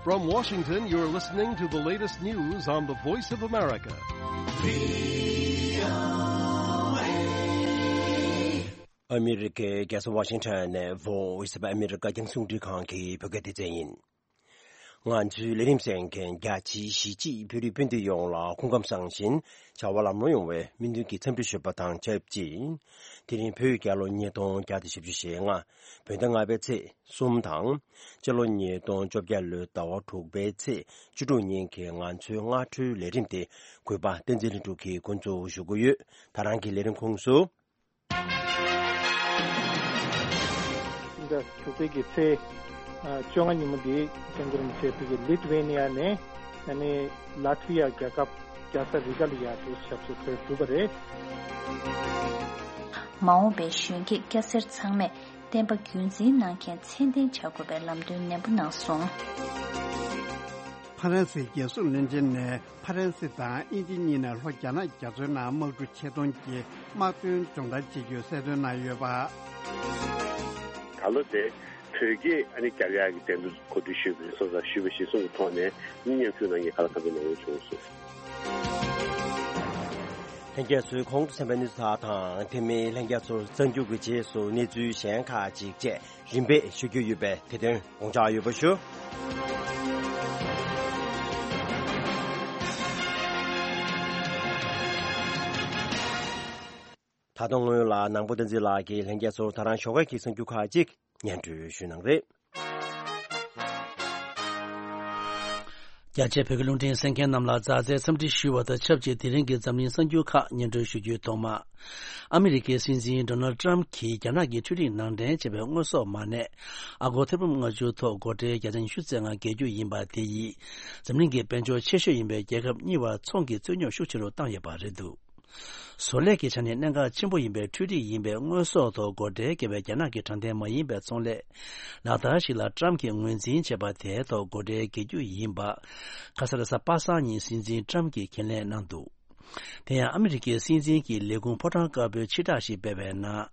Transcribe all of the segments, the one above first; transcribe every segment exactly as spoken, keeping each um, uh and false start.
From Washington, you're listening to the latest news on the Voice of America. ཨ་མི་རི་ཀའི་རྒྱལ་ས་ཝ་ཤིང་ཊོན་ནས་Voice of America རྒྱང་སྲིང་རླུང་འཕྲིན་ཁང་གི་བོད་སྐད་སྡེ་ཚན་ཡིན། ང་ཚོའི་ལས་རིམ་གསན་མཁན་རྒྱ་ཆེའི་གཞིས་བྱེས་བོད་རིགས་སྤུན་ཟླ་ཡོངས་ལ་སྐུ་ཁམས་བཟང་ཞིང་བྱ་བ་ལམ་ལྷོང་ཡོང་བའི་སྨོན་འདུན་གྱི་འཚམས་འདྲི་ཞུས་པ་དང་ཆབས་ཅིག་དེ་རིང་བོད་རྒྱལ་ལོ་ཉིས་སྟོང་བརྒྱ་དང་བཞི་བཅུ་ཞེ་ལྔ། བོད་ཟླ་ལྔ་པའི་ཚེས་གསུམ་དང་། སྤྱི་ལོ་ཉིས་སྟོང་བཅོ་བརྒྱད་ལོའི་ཟླ་བ་དྲུག་པའི་ཚེས་བཅུ་དྲུག་ཉིན་གྱི་ང་ཚོའི་སྔ་དྲོའི་ལས་རིམ་དེ་གུས་པ་བསྟན་འཛིན་ལྷུན་གྲུབ་ཀྱིས་འགོ་འཛུགས་ཞུ་གི་ཡོད། ད་རང་གི་ལས་རིམ་ཁོངས་སུ། ཟླ་དྲུག་པའི་གི་ཚེས་བཅོ་ལྔ་ཉིན་མོ་འདི་སྐྱབས་མགོན་རིན་པོ་ཆེ་བོད་ཀྱི་ལི་ཐུ་ཝེ་ནི་ཡ་ནས་ཨ་ནི་ལ་ཐི་ཝི་ཡ་རྒྱལ་ཁབ་རྒྱལ་ས་རི་ག་ལ་ཡར་དུ་ཞབས་སོར་འགྲོ་གྲུབ་པ་རེད། མ་འོངས་པའི་གཞོན་སྐྱེས་སྐྱ་སེར་ཚང་མས་བསྟན་པ་རྒྱུན་འཛིན་གནང་མཁན་མཚན་ལྡན་བྱ་དགོས་པའི་ལམ་སྟོན་ནན་པོ་གནང་སོང་། ཕ་རན་སིའི་རྒྱལ་སྲུང་བློན་ཆེན་ནས་ཕ་རན་སི་དང་དབྱིན་ཇི་གཉིས་ནས་ལྷོ་རྒྱ་ནག་རྒྱ་མཚོའི་ནང་དམག་གྲུ་ཆེད་གཏོང་གི་དམག་དོན་སྦྱོང་བརྡར་བྱེད་རྒྱུའི་གསལ་སྟོན་གནང་ཡོད་པ། ད་ལོ་དེ་བོད་སྐད་ཨ་ནི་རྒྱབ་ཡག་གི་འགྲན་བསྡུར་གོ་སྒྲིག་ཞུས་པ་རེད་སོང་ཙང་ཞུས་པ་གཞིར་བཟུང་གི་ཐོག་ནས་མི་མཉམ་ཞུགས་གནང་མཁན་ཁག་ལ་ཁ་པའི་ནང་ཡོད་བྱུང་སོང་། ལྷན་རྒྱས་ཚོས་གོང་དུ་གསན་པའི་གནས་ཚུལ་དག་དང་དེ་མིན་ལྷན་རྒྱས་ཚོར་གསར་འགྱུར་གྱི་རྗེས་སུ་གནས་ཚུལ་གཞན་ཁག་ཅིག་བཅས་རིམ་པས་ཞུ་རྒྱུ་ཡོད་པས་དེ་དོན་དགོངས་འཇགས་ཡོད་པ་ཞུ། ད་དུང་སྔོན་ལ་ནང་པོ་བསྟན་འཛིན་ལགས་ཀྱིས་ལྷན་རྒྱས་ཚོར་ད་རང་ཞོགས་ཀས་ཀྱི་གསར་འགྱུར་ཁག་ཅིག་སྙན་སྒྲོན་ཞུ་གནང་རེད། རྒྱ་ཆེ་བོད་ཀྱི་རླུང་འཕྲིན་གསན་མཁན་རྣམས་ལ་མཛའ་བརྩེའི་འཚམས་འདྲི་ཞུ་བ་དང་ཆབས་ཅིག་དེ་རིང་གི་འཛམ་གླིང་གསར་འགྱུར་ཁག་སྙན་སྒྲོན་ཞུ་རྒྱུའི་ཐོག་མ། ཨ་མི་རི་ཀའི་སྲིད་འཛིན་ཌོ་ནལ་ཊམ་གྱིས་རྒྱ་ནག་གི་འཕྲུལ་རིག་ནང་འདྲེན་བྱས་པའི་དངོས་ཟོག་མ་གནས་ཨ་སྒོར་ཐེར་འབུམ་ལྔ་བཅུ་ཐོག་སྒོ་ཁྲལ་བརྒྱ་ཆ་ཉི་ཤུ་རྩ་ལྔ་འགེལ་རྒྱུ་ཡིན་པ་དེ་ཡིས་འཛམ་གླིང་གི་དཔལ་འབྱོར་ཆེ་ཤོས་ཡིན་པའི་རྒྱལ་ཁབ་གཉིས་བར་ཚོང་གི་རྩོད་རྙོག་ཤུགས་ཆེ་རུ་བཏང་ཡོད་པ་རེད་འདུག་བཟོ་ལས་ཀྱི་ཆ་ནས་གནད་འགག་ཆེན་པོ་ཡིན་པའི་འཕྲུལ་རིག་ཡིན་པའི་དངོས་ཟོག་ཐོག་སྒོ་ཁྲལ་བཀལ་བའི་རྒྱ་ནག་གི་དྲང་བདེན་མ་ཡིན་པའི་ཚོང་ལས་ལག་བསྟར་ཞིག་ལ་ཊམ་གྱིས་ངོས་འཛིན་བྱས་པ་དེའི་ཐོག་སྒོ་ཁྲལ་འགེལ་རྒྱུ་ཡིན་པ། ཁ་སང་རེས་གཟའ་པ་སངས་ཉིན་སྲིད་འཛིན་ཊམ་གྱིས་ཁས་ལེན་གནང་འདུག་དེ་ཡང་ཨ་མི་རི་ཀའི་སྲིད་འཛིན་གྱི་ལས་ཁུངས་ཕོ་བྲང་དཀར་པོའི་ཕྱིར་བསྒྲགས་ཤིག་སྤེལ་བའི་ནང་།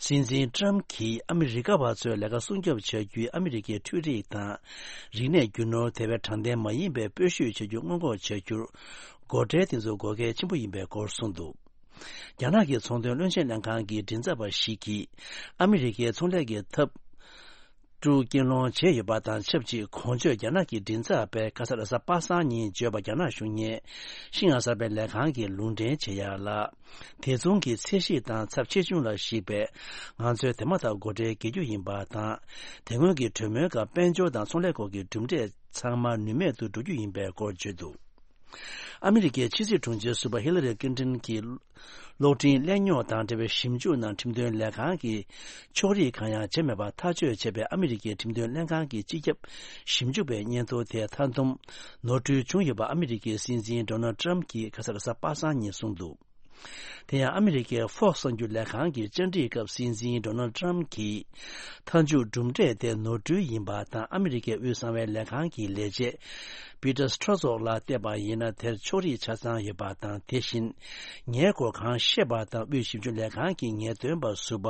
སྲིད་འཛིན་ཊམ་གྱིས་ཨ་མི་རི་ཀ་བ་ཚོའི་ལས་ཀ་སྲུང་སྐྱོབ་བྱ་རྒྱུའི་ཨ་མི་རི་ཀའི་འཕྲུལ་རིག་དང་། རིག་གནས་རྒྱུ་ནོར་དེ་བས་དྲང་བདེན་མ་ཡིན་པའི་སྤོ་བཤུད་བྱ་རྒྱུ་སྔོན་འགོག་བྱ་རྒྱུར། སྒོ་ཁྲལ་དེ་ཚོ་དགོས་གལ་ཆེན་པོ་ཡིན་པའི་སྐོར་གསུངས་འདུག་རྒྱ་ནག་གི་ཚོང་དོན་བློན་ཆེན་ལྷན་ཁང་གི་མགྲིན་ཚབ་པ་ཞིག་གིས། ཨ་མི་རི་ཀའི་ཚོང་ལས་ཀྱི་ཐབས་དཀྲུག་རྐྱེན་སློང་བྱས་ཡོད་པ་དང་ཆབས་ཅིག་གོང་བརྗོད་རྒྱ་ནག་གི་མགྲིན་ཚབ་པས་ཁ་སང་རེས་གཟའ་པ་སངས་ཉིན་བརྗོད་པ་རྒྱ་ནག་གཞུང་གཉེར་ཤིན་ཡང་གསར་པའི་ལས་ཁང་གིས་ལུང་འདྲེན་བྱེད་ཡ་ལ། དེ་མཚུངས་ཀྱི་ཚད་གཞི་དང་ཚབས་ཆེ་ཆུང་ལ་གཞིགས་པའི་ང་ཚོས་དེ་མ་ཐག་སྒོ་ཁྲལ་འགེལ་རྒྱུ་ཡིན་པ་དང་། དེ་སྔོན་གྱི་གྲོས་མོལ་སྐབས་དཔལ་འབྱོར་དང་ཚོང་ལས་སྐོར་གྱི་གྲུབ་འབྲས་ཚང་མ་ནུས་མེད་དུ་འགྲོ་རྒྱུ་ཡིན་པའི་སྐོར་བརྗོད་འདུག་ཨ་མི་རི་ཀའི་ཕྱི་སྲིད་དྲུང་ཆེ་ཟུར་པ་ཧི་ལ་རི་ཀླིན་ཏོན་གྱིས་གློག་འཕྲིན་གླེང་རྙོག་དང་འབྲེལ་བའི་ཞིབ་འཇུག་ནང་ཁྲིམས་དོན་ལས་ཁང་གི་ཕྱོགས་རིས་གང་ཡང་བྱས་མེད་པར་ཐག་གཅོད་བྱས་པའི་ཨ་མི་རི་ཀའི་ཁྲིམས་དོན་ལྷན་ཁང་གི་སྤྱི་ཁྱབ་ཞིབ་འཇུག་པའི་སྙན་ཐོ་དེ་མཐའ་བསྡོམས་ནོར་འཁྲུལ་བྱུང་ཡོད་པ་ཨ་མི་རི་ཀའི་སྲིད་འཛིན་ཌོ་ནལ་ཊམ་གྱིས་ཁ་སང་རེས་གཟའ་པ་སངས་ཉིན་གསུངས་འདུག་དེ་ཡང་ཨ་མི་རི་ཀའི་Fox གསར་འགྱུར་ལས་ཁང་གི་བཅར་འདྲིའི་སྐབས་སྲིད་འཛིན་ཌོ་ནལ་ཊམ་གྱིས་མཐའ་མཇུག་གྲུབ་འབྲས་དེ་ནོར་འཁྲུལ་ཡིན་པ་དང་ཨ་མི་རི་ཀའི་དབུས་གསང་བའི་ལས་ཁང་གི་ལས་བྱེད་པི་ཏར་སི་ཊྲོ་ཛོག་ལ་བལྟས་པ་ཡིན་ན་དེར་ཕྱོགས་རིས་ཆ་ཚང་ཡོད་པ་དང་དེ་བཞིན་ངའི་སྐོར་གང་ཤེས་པ་དང་དབུས་ཞིབ་འཇུག་ལས་ཁང་གི་ངེས་སྟོན་པ་ཟུར་པ་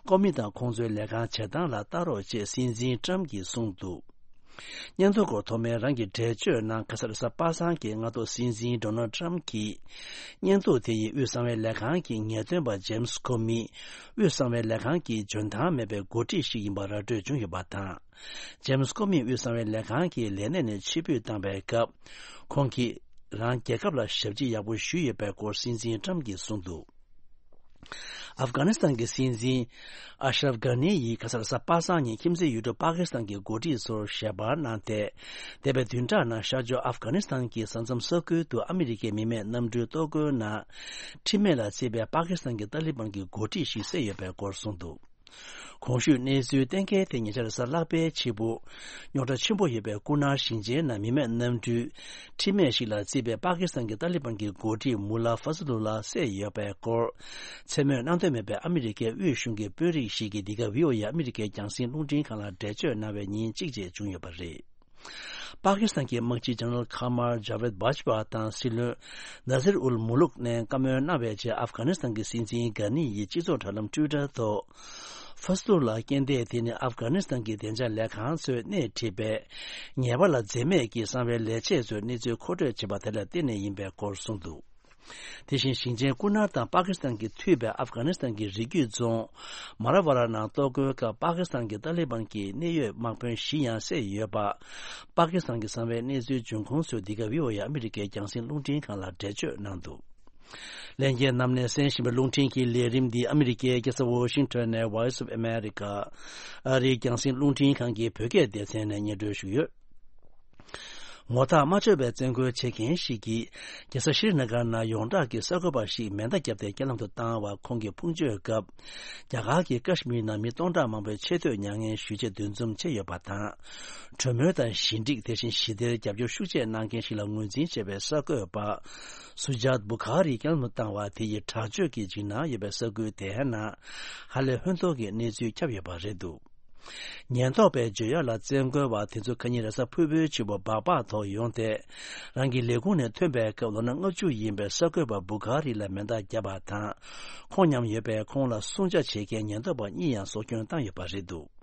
ཀོ་མི་དང་ཁོང་ཚོའི་ལས་ཁང་བྱེད་སྟངས་ལ་ལྟ་རོགས་ཅེས་སྲིད་འཛིན་ཊམ་གྱིས་གསུངས་འདུག་སྙན་ཐོ་སྐོར་ཐོག་མའི་རང་གི་འགྲེལ་བརྗོད་ནང་ཁ་སང་རེས་གཟའ་པ་སངས་ཀྱི་སྔ་དྲོ་སྲིད་འཛིན་ཌོ་ནལ་ཊམ་གྱིས་སྙན་ཐོ་དེ་ཡིས་དབུས་གསང་བའི་ལས་ཁང་གི་ངེས་སྟོན་པ་ཇེམ་སི་ཀོ་མི་དབུས་གསང་བའི་ལས་ཁང་གི་འཇོན་ཐང་མེད་པའི་འགོ་ཁྲིད་ཞིག་ཡིན་པ་ར་སྤྲོད་བྱུང་ཡོད་པ་དང་། ཇེམ་སི་ཀོ་མི་དབུས་གསང་བའི་ལས་ཁང་གི་ལས་གནས་ནས་ཕྱིར་འབུད་བཏང་བའི་སྐབས་ཁོང་གིས་རང་རྒྱལ་ཁབ་ལ་ཞབས་ཕྱི་ཡག་པོ་ཞུས་ཡོད་པའི་སྐོར་སྲིད་འཛིན་ཊམ་གྱིས་གསུངས་འདུག་ཨབ་གྷ་ནི་སི་ཐན་གྱི་སྲིད་འཛིན་ཨ་ཤ་རབ་གྷ་ནི་ཡིས་ཁ་སང་རེས་གཟའ་པ་སངས་ཉིན་ཁྱིམ་མཚེས་ཡུལ་གྲུ་པ་ཀི་སི་ཐན་གྱི་འགོ་ཁྲིད་ཚོར་ཞལ་པར་གནང་སྟེ། འདས་པའི་བདུན་ཕྲག་ནང་ཤར་ཕྱོགས་ཨབ་གྷ་ནི་སི་ཐན་གྱི་ས་མཚམས་ས་ཁུལ་དུ་ཨ་མི་རི་ཀའི་མི་མེད་གནམ་གྲུའི་གཏོར་རྒོལ་ནང་ཁྲིམས་མེད་ལ་བརྩིས་པའི་པ་ཀི་སི་ཐན་གྱི་ཏཱ་ལི་བན་གྱི་འགོ་ཁྲིད་ཞིག་བསད་ཡོད་པའི་སྐོར་གསུངས་འདུག་གོང་ཞུས་གནས་ཚུལ་གཏན་འཁེལ་དེ་ཉེ་ཆར་གཟའ་ལྷག་པའི་ཕྱི་པོ། རྙོག་དྲ་ཆེན་པོ་ཡོད་པའི་སྐུ་ན་ཞིང་ཆེན་ནང་མི་མེད་གནམ་གྲུའི་ཁྲིམས་མེད་ཞིག་ལ་བརྩིས་པའི་པ་ཀི་སི་ཐན་གྱི་ཏཱ་ལི་བན་གྱི་འགོ་ཁྲིད་མུ་ལ་ཧྥ་ཟ་ལུ་ལ་བསད་ཡོད་པའི་སྐོར། མཚན་སྨོས་གནང་འདོད་མེད་པའི་ཨ་མི་རི་ཀའི་དབུས་གཞུང་གི་དཔོན་རིགས་ཤིག་གིས་འདི་ག་བྷི་ཨོ་ཨེ་ཨ་མི་རི་ཀའི་རྒྱང་སྲིང་རླུང་འཕྲིན་ཁང་ལ་འགྲེལ་བརྗོད་གནང་བའི་ཉིན་གཅིག་རྗེས་བྱུང་ཡོད་པ་རེད། པ་ཀི་སི་ཐན་གྱི་དམག་སྤྱི་ཇེ་ནེ་རལ་ཁ་མར་ཇ་ཝེད་བྷ་ཇི་པ་དང་སྲིད་བློན་ནཱ་ཟིར་ཨུལ་མུ་ལུག་ནས་བཀའ་མོལ་གནང་བའི་རྗེས་ཨབ་གྷ་ནི་སི་ཐན་གྱི་སྲིད་འཛིན་གྷ་ནི་ཡིས་སྤྱི་ཚོགས་དྲ་ལམ་ཊུའི་ཊར་ཐོག་ཧྥ་སི་ཏུ་ལ་རྐྱེན་འདས་དེ་ནི་ཨབ་གྷ་ནི་སི་ཐན་གྱི་བདེ་འཇགས་ལས་ཁང་ཚོས་སྣེ་ཁྲིད་པའི་ཉེས་པ་ལ་འཛེམ་མེད་ཀྱིས་གསང་བའི་ལས་བྱེད་ཚོའི་གནས་ཚུལ་མཁོ་སྤྲོད་བྱས་པ་དེ་ལ་བརྟེན་ནས་ཡིན་པའི་སྐོར་གསུངས་འདུག། དེ་བཞིན་ཞིང་ཆེན་ཀུ་ནར་དང་པ་ཀི་སི་ཐན་གྱིས་མཐུད་པའི་ཨབ་གྷ་ནི་སི་ཐན་གྱི་རི་རྒྱུད་རྫོང་མ་ར་ཝ་ར་ནང་གཏོར་རྒོལ་སྐབས་པ་ཀི་སི་ཐན་གྱི་ཏཱ་ལི་བན་གྱི་གནད་ཡོད་དམག་དཔོན་བཞི་ཡང་བསད་ཡོད་པ། པ་ཀི་སི་ཐན་གྱི་གསང་བའི་གནས་ཚུལ་འབྱུང་ཁུངས་ཚོས་འདི་ག་བྷི་ཨོ་ཨེ་ཨ་མི་རི་ཀའི་རྒྱང་སྲིང་རླུང་འཕྲིན་ཁང་ལ་འགྲེལ་བརྗོད་གནང་འདུག། ལྷན་རྒྱས་རྣམས་ནས་གསན་བཞིན་པའི་རླུང་འཕྲིན་གྱི་ལས་རིམ་འདི་ཨ་མི་རི་ཀའི་རྒྱལ་ས་ཝོ་ཤིང་ཊོན་ནས་Voice of America ཨ་རིའི་རྒྱང་སྲིང་རླུང་འཕྲིན་ཁང་གི་བོད་སྐད་སྡེ་ཚན་ནས་སྙན་སྒྲོན་ཞུས་ཡོད། ངོ་ཐག་མ་ཆོད་པའི་བཙན་རྒོལ་བྱེད་མཁན་ཞིག་གིས་རྒྱལ་ས་ཤྲི་ན་གར་ནང་ཡོངས་གྲགས་ཀྱི་གསར་འགོད་པ་ཞིག་མེ་མདའ་བརྒྱབ་སྟེ་རྐྱེན་ལམ་དུ་བཏང་བར་ཁོང་གིས་ཕུང་མཆོད་སྐབས། རྒྱ་གར་གྱི་ཀ་ཤི་མིར་ནང་མི་སྟོང་ཕྲག་མང་པོས་ཆེས་མཐོའི་མྱ་ངན་ཞུ་ཆེད་འདུ་འཛོམས་བྱས་ཡོད་པ་དང་། གྲོས་མོལ་དང་ཞི་འགྲིག་དེ་བཞིན་ཞི་བདེར་རྒྱབ་སྐྱོར་ཤུགས་ཆེ་གནང་མཁན་ཞིག་ལ་ངོས་འཛིན་བྱས་པའི་གསར་འགོད་པ་སུ་ཇཱཏ་བུ་ཁ་རི་རྐྱེན་ལམ་དུ་བཏང་བ་དེ་ཡི་དྲག་སྤྱོད་ཀྱི་འཇིགས་སྣང་ཡོད་པའི་ས་ཁུལ་དེའི་ནང་ཧ་ལས་ཧོན་ཐོར་གྱི་གནས་ཚུལ་ཁྱབ་ཡོད་པ་རེད་འདུག། ཉེན་རྟོག་པས་བརྗོད་ཡག་ལ་བཙན་རྒོལ་བ་དེ་ཚོ་ཁ་ཉིན་རེས་གཟའ་ཕུར་བུའི་ཕྱི་པོ་སྦག་སྦག་ཐོག་ཡོང་སྟེ། རང་གི་ལས་ཁུངས་ནས་ཐོན་པའི་སྐབས་ལོ་ན་ལྔ་བཅུ་ཡིན་པའི་གསར་འགོད་པ་བུ་ཁ་རི་ལ་མེ་མདའ་བརྒྱབ་པ་དང་། ཁོང་མཉམ་ཡོད་པའི་ཁོང་ལ་སྲུང་བྱ་བྱེད་མཁན་ཉེན་རྟོག་པ་གཉིས་ཡང་སྲོག་སྐྱོན་བཏང་ཡོད་པ་རེད་འདུག།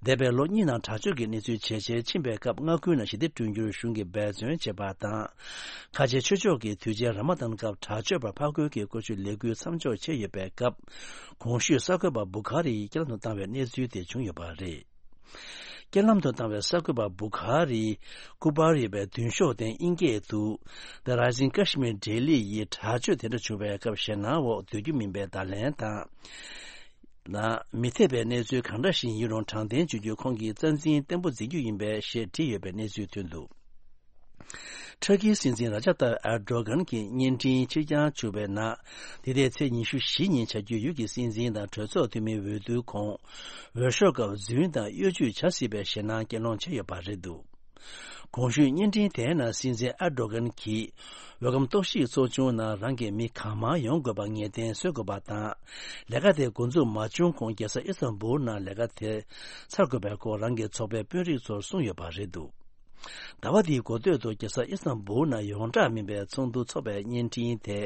འདས་པའི་ལོ་གཉིས་ནང་དྲག་སྤྱོད་ཀྱི་གནས་ཚུལ་ཇེ་ཆེར་ཕྱིན་པའི་སྐབས་མངའ་ཁུལ་ནང་ཞི་བདེ་བསྐྲུན་རྒྱུར་གཞུང་གིས་འབད་བརྩོན་བྱེད་པ་དང་། ཁ་ཆེ་ཆོས་ཕྱོགས་ཀྱི་དུས་ཆེན་ར་མ་དན་སྐབས་དྲག་སྤྱོད་པ་ཕར་རྒོལ་གྱི་སྐོར་ཞུས་ལས་འགུལ་མཚམས་འཇོག་བྱས་ཡོད་པའི་སྐབས། གོང་ཞུས་གསར་འགོད་པ་བུ་ཁ་རི་ཡིས་རྐྱེན་ལམ་དུ་བཏང་བའི་གནས་ཚུལ་དེ་བྱུང་ཡོད་པ་རེད། རྐྱེན་ལམ་དུ་བཏང་བའི་གསར་འགོད་པ་བུ་ཁ་རི་ཀུ་པར་ཡོད་པའི་མདུན་ཤོག་སྟེང་དབྱིན་སྐད་དུ། The Rising Kashmir Daily ཡིས་དྲག་སྤྱོད་དེ་འདྲ་བྱུང་བའི་སྐབས་ཞེད་སྣང་འོག་སྡོད་རྒྱུ་མིན་པའི་བརྡ་ལན་དང་། ན། མི་འཐད་པའི་གནས་ཚུལ་གང་འདྲ་ཞིག་ཡིན་རུང་དྲང་བདེན་བྱེད་རྒྱུ་ཁོང་གི་རྩ་འཛིན་བརྟན་པོ་འཛིན་རྒྱུ་ཡིན་པས་ཞེས་བྲིས་ཡོད་པའི་གནས་ཚུལ་ཐོན་འདུག། ཊར་ཀིའི་སྲིད་འཛིན་ར་ཇབ་ཏཱབ་ཨེར་ཌོ་གྷན་གྱི་བརྙན་འཕྲིན་ཕྱིར་འགྱངས་བྱུང་བའི་ནང་། འདི་ཟླའི་ཚེས་ཉི་ཤུ་བཞི་ཉིན་བྱ་རྒྱུའི་ཡུལ་གྱི་སྲིད་འཛིན་དང་གྲོས་ཚོགས་འཐུས་མིའི་འོས་བསྡུའི་གོང་། འོས་ཤོག་སྐབས་རྫུན་དང་གཡོ་ཇུས་བྱ་སྲིད་པའི་ཞེད་སྣང་སྐྱེད་སློང་བྱས་ཡོད་པ་རེད་འདུག། གོང་ཞུས་བརྙན་འཕྲིན་དེའི་ནང་སྲིད་འཛིན་ཨེར་ཌོ་གྷན་གྱིས། འོས་སྒམ་གཏོར་བཤིག་ཚོགས་ཆུང་ནང་རང་གི་མི་གང་མང་ཡོང་དགོས་པ་ངེས་གཏན་བཟོ་དགོས་པ་དང་། ལས་ཀ་དེ་འགོ་འཛུགས་མ་བྱུང་གོང་རྒྱལ་ས་ཨི་སྟན་བུལ་ནང་ལས་ཀ་དེ་ཚར་དགོས་པའི་སྐོར་རང་གི་ཚོགས་པའི་དཔོན་རིགས་ཚོར་གསུངས་ཡོད་པ་རེད་འདུག། ཟླ་བ་འདིའི་འགོ་སྟོད་དུ་རྒྱལ་ས་ཨི་སྟན་བུལ་ནང་ཡོངས་གྲགས་མིན་པའི་ཚོགས་འདུ་འཚོགས་པའི་བརྙན་འཕྲིན་དེ།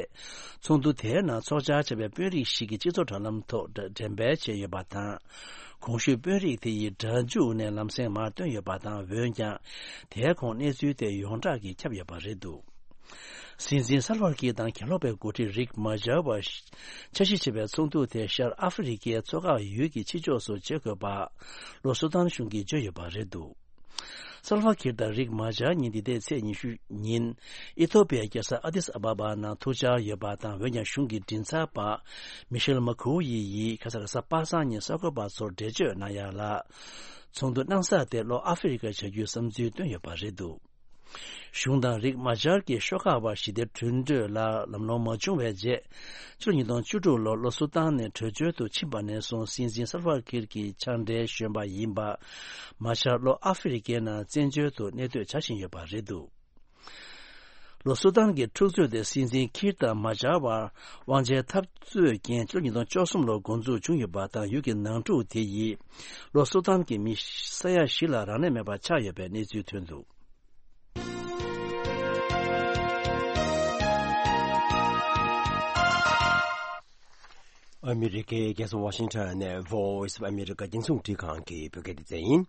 ཚོགས་འདུ་དེའི་ནང་ཚོགས་བཅར་བྱས་པའི་དཔོན་རིགས་ཤིག་གིས་སྤྱི་ཚོགས་དྲ་ལམ་ཐོག་འགྲེམས་སྤེལ་བྱས་ཡོད་པ་དང་། གོང་ཞུས་དཔོན་རིགས་དེ་ཡིས་སྒྲ་འཇུག་ནས་ལམ་སེང་མར་བཏོན་ཡོད་པ་དང་། འོན་ཀྱང་། དེའི་གོང་གནས་ཚུལ་དེ་ཡོངས་གྲགས་ཀྱིས་ཁྱབ་ཡོད་པ་རེད་འདུག། སྲིད་འཛིན་སལ་ཝར་ཀིར་དང་གྱེན་ལོག་པའི་འགོ་ཁྲིད་རིག་མ་ཇར་བ་འཆར་གཞི་བྱས་པའི་ཚོགས་འདུ་དེ་ཤར་ཨ་ཧྥེ་རི་ཁའི་མཚོ་འགག་ཡུལ་གྱི་ཕྱི་ཕྱོགས་སུ་བྱེད་དགོས་པ། ལྷོ་སུ་དཱན་གཞུང་གིས་བརྗོད་ཡོད་པ་རེད་འདུག། སལ་ཝར་ཀིར་དང་རིག་མ་ཇར་གཉིས་འདི་ཟླའི་ཚེས་ཉི་ཤུ་ཉིན། ཨི་ཐོ་པི་ཡའི་རྒྱལ་ས་ཨ་དིས་ཨ་བ་བ་ནང་ཐུག་འཆར་ཡོད་པ་དང་། འོན་ཀྱང་གཞུང་གི་མགྲིན་ཚབ་པ་མི་ཤེལ་མ་ཁུའུ་ཡི་ཡིས་ཁ་སང་རེས་གཟའ་པ་སངས་ཉིན་གསར་འགོད་པ་ཚོར་འགྲེལ་བརྗོད་གནང་ཡག་ལ། ཚོགས་འདུ་གནང་ས་དེ་ལྷོ་ཨ་ཧྥེ་རི་ཁར་བྱ་རྒྱུའི་བསམ་ཚུལ་བཏོན་ཡོད་པ་རེད་འདུག། གཞུང་དང་རིག་མ་ཇར་གྱི་ཤོག་ཁག་བར་ཞི་བདེ་གྲོས་མོལ་ལ་ལམ་ལྷོང་མ་བྱུང་བའི་རྗེས། ཕྱི་ལོ་ཉིས་སྟོང་བཅུ་དྲུག་ལོར་ལྷོ་སུ་དཱན་ནས་བྲོས་བྱོལ་དུ་ཕྱིན་པ་ནས་བཟུང་སྲིད་འཛིན་སལ་ཝར་ཀིར་གྱི་ཕྱག་འབྲེལ་གཞོན་པ་ཡིན་པ། མ་ཇར་ལྷོ་ཨ་ཧྥེ་རི་ཁའི་ནང་བཙན་བྱོལ་དུ་གནས་སྡོད་བྱ་བཞིན་ཡོད་པ་རེད་འདུག། ལྷོ་སུ་དཱན་གྱི་འཁྲུག་རྩོད་དེ་སྲིད་འཛིན་ཁིར་དང་མ་ཇར་བར་དབང་ཆའི་འཐབ་རྩོད་རྐྱེན་ཕྱི་ལོ་ཉིས་སྟོང་བཅུ་གསུམ་ལོར་འགོ་འཛུགས་བྱུང་ཡོད་པ་དང་། ཡུལ་གྱི་ནང་འཁྲུག་དེ་ཡིས་ལྷོ་སུ་དཱན་གྱི་མི་ས་ཡ་བཞི་ལ་རང་ལས་མེད་པ་ཆགས་ཡོད་པའི་གནས་ཚུལ་ཐོན་འདུག། ཨ་མི་རི་ཀའི་རྒྱལ་ས་ཝ་ཤིང་ཊོན་ནས་Voice of America རྒྱང་སྲིང་རླུང་འཕྲིན་ཁང་གི་བོད་སྐད་སྡེ་ཚན་ཡིན།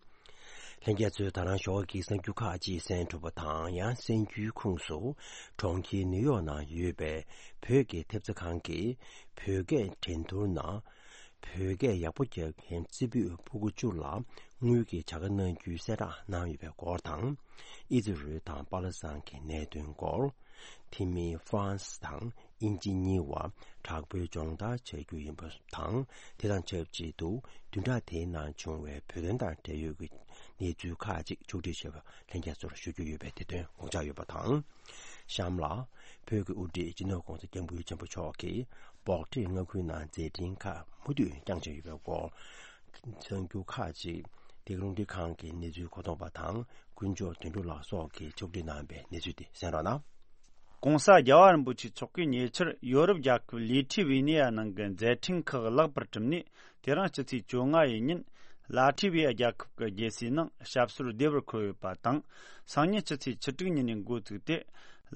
ལྷན་རྒྱས་ཚོས་ད་རང་ཞོགས་ཀྱི་གསར་འགྱུར་ཁག་ཅིག་གསན་གྲུབ་པ་དང་། ཡང་གསར་འགྱུར་ཁུངས་སུ་གྲོང་ཁྱེར་ནིའུ་ཡོག་ནང་ཡོད་པའི་བོད་ཀྱི་ཐེབས་རྩ་ཁང་གིས་བོད་སྐད་འགྲན་བསྡུར་ནང་བོད་སྐད་ཡག་པོ་རྒྱག་མཁན་རྩེ་ཕུད་ཕྲུ་གུ་བཅུ་ལ་དངུལ་གྱི་བྱ་དགའ་གནང་རྒྱུའི་གསལ་བསྒྲགས་གནང་ཡོད་པའི་སྐོར་དང་། ཨི་ཛི་རལ་དང་པ་ལི་སི་ཐན་གྱི་གནད་དོན་སྐོར། དེ་མིན་ཧྥ་རན་སི་དང་དབྱིན་ཇི་གཉིས་བར་དྲག་པོའི་སྦྱོང་བརྡར་བྱ་རྒྱུ་ཡིན་པ་དང་། དེ་དང་ཆབས་ཅིག་ཏུ་བདུན་ཕྲག་དེའི་ནང་བྱུང་བའི་བོད་དོན་དང་འབྲེལ་ཡོད་ཀྱི་གནས་ཚུལ་ཁག་ཅིག་ཕྱོགས་སྒྲིག་བྱས་པ་ལྷན་རྒྱས་ཚོར་ཞུ་རྒྱུ་ཡོད་པས་དེ་དོན་དགོངས་འཇགས་ཡོད་པ་དང་། གཤམ་ལ། བོད་ཀྱི་དབུ་ཁྲིད་སྤྱི་ནོར་༸གོང་ས་༸སྐྱབས་མགོན་ཆེན་པོ་མཆོག་གིས་སྦོག་ཊི་མངའ་ཁུལ་ནང་མཛད་འཕྲིན་ཁག་མུ་མཐུད་བསྐྱངས་བཞིན་ཡོད་པའི་སྐོར། གསར་འགྱུར་ཁག་ཅིག་འདི་ག་རླུང་འཕྲིན་ཁང་གི་གནས་ཚུལ་གོ་རྟོགས་པ་དང་དཀོན་མཆོག་དོན་གྲུབ་ལགས་སོགས་ཀྱིས་ཕྱོགས་སྒྲིག་གནང་བའི་གནས་ཚུལ་དེ་གསན་རོགས་གནང་། ༸གོང་ས་རྒྱལ་བ་རིན་པོ་ཆེ་མཆོག་གིས་ཉེ་ཆར་ཡོ་རོབ་རྒྱལ་ཁབ་ལི་ཐི་ཝི་ནི་ཡ་ནང་གི་མཛད་འཕྲིན་ཁག་ལེགས་པར་གྲུབ་ནས། དེ་རིང་སྤྱི་ཚེས་བཅོ་ལྔ་ཡི་ཉིན་ལ་ཐི་ཝི་ཡ་རྒྱལ་ཁབ་ཀྱི་རྒྱལ་སའི་ནང་ཞབས་སོར་བདེ་བར་འཁོད་ཡོད་པ་དང་། སང་ཉིན་སྤྱི་ཚེས་བཅུ་དྲུག་ཉིན་ནས་འགོ་བཙུགས་ཏེ།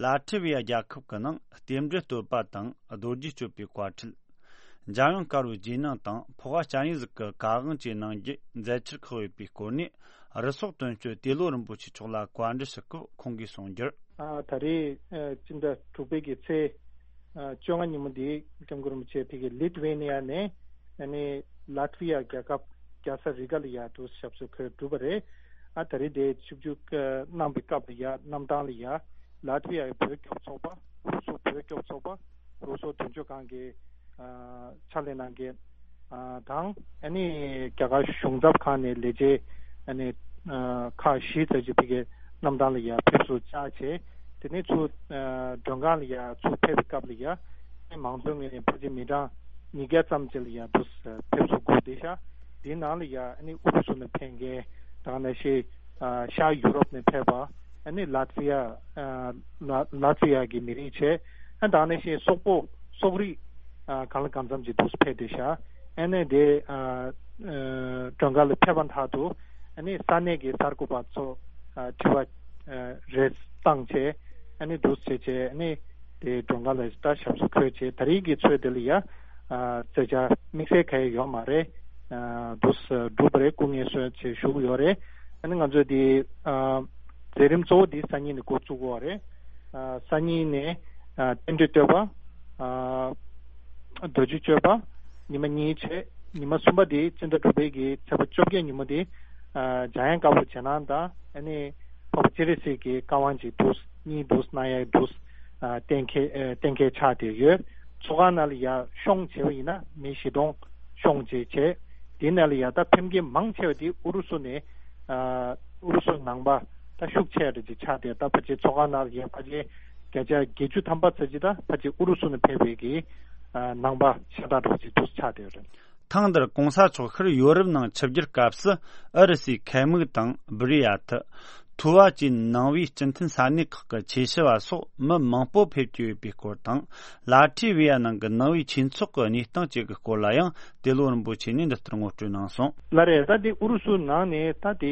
ལ་ཐི་ཝི་ཡ་རྒྱལ་ཁབ་ཀྱི་ནང་རྟེན་འབྲེལ་གཏོད་པ་དང་རྡོ་རྗེ་གཅོད་པའི་བཀའ་ཁྲིད། འཇམ་དབྱངས་དཀར་པོའི་རྗེས་གནང་དང་ཕོ་བ་སྤྱན་རས་གཟིགས་ཀྱི་བཀའ་དབང་བཅས་གནང་རྒྱུའི་མཛད་འཆར་ཁག་ཡོད་པའི་སྐོར་ནས། རུ་སོག་དོན་གཅོད་ཏེ་ལོ་རིན་པོ་ཆེ་མཆོག་ལ་བཀའ་འདྲི་ཞུ་སྐབས་ཁོང་གིས་གསུངས་རྒྱུར། ཨ། ད་རེས་ཨ་སྤྱི་ཟླ་དྲུག་པའི་གི་ཚེས་ཨ་བཅོ་ལྔ་ཉིན་མོ་འདི་སྐྱབས་མགོན་རིན་པོ་ཆེ་ཕ་གི་ལི་ཐུ་ཝེ་ནི་ཡ་ནས་ཨ་ནི་ལ་ཐི་ཝི་ཡ་རྒྱལ་ཁབ་རྒྱལ་ས་རི་ག་ལ་ཡ་དུ་ཞབས་སོར་འཁོད་གྲུབ་པ་རེད། ཨ། ད་རེས་དེ་ཆིབས་བསྒྱུར་གནང་བའི་སྐབས་ལ་ཡ་གནམ་ཐང་ལ་ཡ་ལ་ཐི་ཝི་ཡ་བོད་སྐྱོབ་ཚོགས་པ། རུ་སོག་བོད་སྐྱོབ་ཚོགས་པ། རུ་སོག་དོན་གཅོད་ཁང་གི་ཨ་ཕྱག་ལས་གནང་མཁན་ཨ་དང་། ཨ་ནི་རྒྱ་གར་གཞུང་ཚབ་ཁང་ནས་ལས་བྱེད་ཨ་ནི་ཨ་ཁག་བཞི་ཙམ་ཅིག་ཕ་གི་གནམ་ཐང་ལ་ཡ་ཕེབས་བསུ་བཅར་བྱས། དེ་ནས་ཚུར་ཨ་མགྲོན་ཁང་ལ་ཡ་ཚུར་ཕེབས་པའི་སྐབས་ལ་ཡ་ཨ་ནི་མང་གཙོའི་ངོས་ནས་ཕལ་ཆེར་མི་གྲངས་ཉིས་བརྒྱ་ཙམ་ཅིག་ལ་ཡ་འདུག་ཕེབས་བསུ་སྒུག་བསྡད་ཤག་དེའི་ནང་ལ་ཡ་ཨ་ནི་ཨུ་རུ་སུ་ནས་ཕེབས་མཁན་དེ་ནང་བཞིན་ཨ་ཤར་ཡུ་རོབ་ནས་ཕེབས་པ། ཨ་ནི་ལ་ཐི་ཝི་ཡ་ཨ་ལ་ལ་ཐི་ཝི་ཡ་གི་མི་རིགས་བྱས། ཨ་དེ་ནང་བཞིན་སོག་པོ་སོག་རིགས་ཨ་གང་ལ་གང་འཚམ་ཅིག་འདུག་ཕེབས་བསྡད་ཤག་ཨ་ནི་དེ་ཨ་ཨ་མགྲོན་ཁང་ལ་ཕེབས་པ་མཐར་ཐུག་ཨ་ནི་ས་གནས་ཀྱི་གསར་འགོད་པ་ཚོ་ཨ་དྲི་བ་ཨ་རེ་བཏང་བྱས། ཨ་ནི་འདུག་བྱས་བྱས། ཨ་ནི་དེ་མགྲོན་ཁང་ལ་ད་ཞབས་སོར་འཁོད་བྱས། ད་རེས་ཀྱི་ཚོས་དེ་ལ་ཡ་ཨ་མཛད་འཆར་དམིགས་བསལ་གང་ཡང་ཡོད་མ་རེད། ཨ་འདུག་སེ་གྲུབ་པ་རེད། སྐུ་ངལ་གསོ་བྱས་བཞུགས་ཡོད་རེད། ཨ་ནི་ང་ཚོས་དེ་ཨ་མཛད་རིམ་གཙོ་བོ་དེ་སང་ཉིན་ནས་འགོ་བཙུགས་ཡོད་རེད། ཨ་སང་ཉིན་ནས་ཨ་རྟེན་འབྲེལ་བསྟོད་པ། ཨ་རྡོ་རྗེ་གཅོད་པ། ཉི་མ་གཉིས་བྱས། ཉི་མ་གསུམ་པ་དེ་སྤྱི་ཟླ་དྲུག་པའི་གི་ཚེས་པ་བཅོ་བརྒྱད་ཉིན་མོ་དེ་ཨ་འཇམ་དབྱངས་དཀར་པོ་རྗེས་གནང་དང་། ཨ་ནི་འཕགས་པ་སྤྱན་རས་གཟིགས་ཀྱི་བཀའ་དབང་ཅིག་འདུག་གཉིས་འདུག་གནང་ཡ་འདུག་ཨ་གཏན་འཁེལ་ཨ་གཏན་འཁེལ་ཆགས་བསྡད་ཡོད། ཚོགས་ཁང་ནང་ལ་ཡ་ཤོང་བྱས་པ་ཡིན་ན་མི་བཞི་སྟོང་ཤོང་བྱས་བྱས། དེ་ནང་ལ་ཡ་ད་ཕེབས་མཁན་མང་ཆེ་བ་དེ་ཨུ་རུ་སུ་ནས་ཨ་ཨུ་རུ་སུ་ནང་པ་ད་ཤུགས་ཆེ་རེ་ཅིག་ཆགས་བསྡད། ད་ཕལ་ཆེར་ཚོགས་ཁང་ནང་ལ་ཡ་ཕལ་ཆེར་བརྒྱ་ཆ་བརྒྱད་ཅུ་ཐམ་པ་ཙམ་ཅིག་ད་ཕལ་ཆེར་ཨུ་རུ་སུ་ནས་ཕེབས་པའི་གི་ཨ་ནང་པ་ཤ་སྟག་འདྲ་བོ་ཅིག་འདུག་ཆགས་བསྡད་ཡོད་རེད། ཐེངས་འདིར་གོང་ས་མཆོག་ཤར་ཡོ་རོབ་ནང་ཆིབས་བསྒྱུར་སྐབས་སུ་ཨུ་རུ་སུའི་ཁལ་མིག་དང་བུ་རི་ཡ་ཐི། ཐུ་བ་བཅས་ནང་པའི་སྤྱི་མཐུན་ས་གནས་ཁག་གི་ཆོས་ཞུ་བ་སོགས་མི་མང་པོ་ཕེབས་ཀྱི་ཡོད་པའི་སྐོར་དང་། ལ་ཐི་ཝི་ཡ་ནང་གི་ནང་པའི་ཆོས་ཚོགས་ཀྱི་གནས་སྟངས་བཅས་ཀྱི་སྐོར་ལ་ཡང་ཏེ་ལོ་རིན་པོ་ཆེ་ནས་འདི་ལྟར་ངོ་སྤྲོད་གནང་སོང་། ལགས་རེད། ད་དེ་ཨུ་རུ་སུ་ནང་ནས་ད་དེ་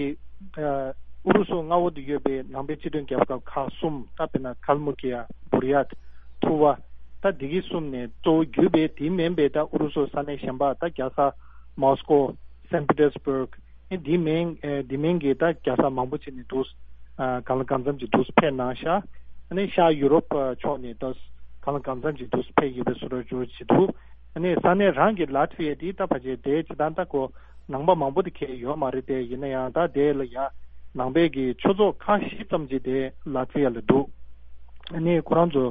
ཨ་ཨུ་རུ་སུ་མངའ་འོག་ཏུ་ཡོད་པའི་ནང་པའི་སྤྱི་མཐུན་རྒྱལ་ཁབ་ཁག་གསུམ། ད་དཔེར་ན་ཀལ་མུ་ཀི་ཡ། བུ་རི་ཡ་ཐི། ཐུ་བ། ད་འདི་གི་གསུམ་ནས་གཙོ་བོ་གྱུར་པའི་དེ་མིན་པའི་ད་ཨུ་རུ་སུ་ས་གནས་གཞན་པ། ད་རྒྱལ་ས་མོ་སི་ཀོ། སན་པི་ཏེར་སི་བྷུར་ག། ཨེ་འདི་མིན་ཨེ་འདི་མིན་གྱི་ད་རྒྱལ་ས་མང་པོ་ཅིག་ནས་འདུག་ཨ་གང་ལ་གང་འཚམ་ཅིག་འདུག་ཕེབས་གནང་ཤག་ཨ་ནི་ཤར་ཡུ་རོབ་ཕྱོགས་ནས་ད་གང་ལ་གང་འཚམ་ཅིག་འདུག་ཕེབས་ཡོད་པའི་བཟོ་འདྲ་ཅིག་འདུག་ཨ་ནི་ས་གནས་རང་གི་ལ་ཐི་ཝི་ཡ་འདི་ད་ཕལ་ཆེར་དེ་སྤྱིར་བཏང་ད་ཁོ་ནང་པ་མང་པོ་དེ་གས་ཡོད་མ་རེད་དེ། ཡིན་ན་ཡང་ད་དེ་ལ་ཡ་ནང་པའི་གི་ཆོས་ཚོགས་ཁག་བཞི་ཙམ་ཅིག་དེ་ལ་ཐི་ཝི་ཡ་ལ་འདུག་ཨ་ནི་ཁོ་རང་ཚོ་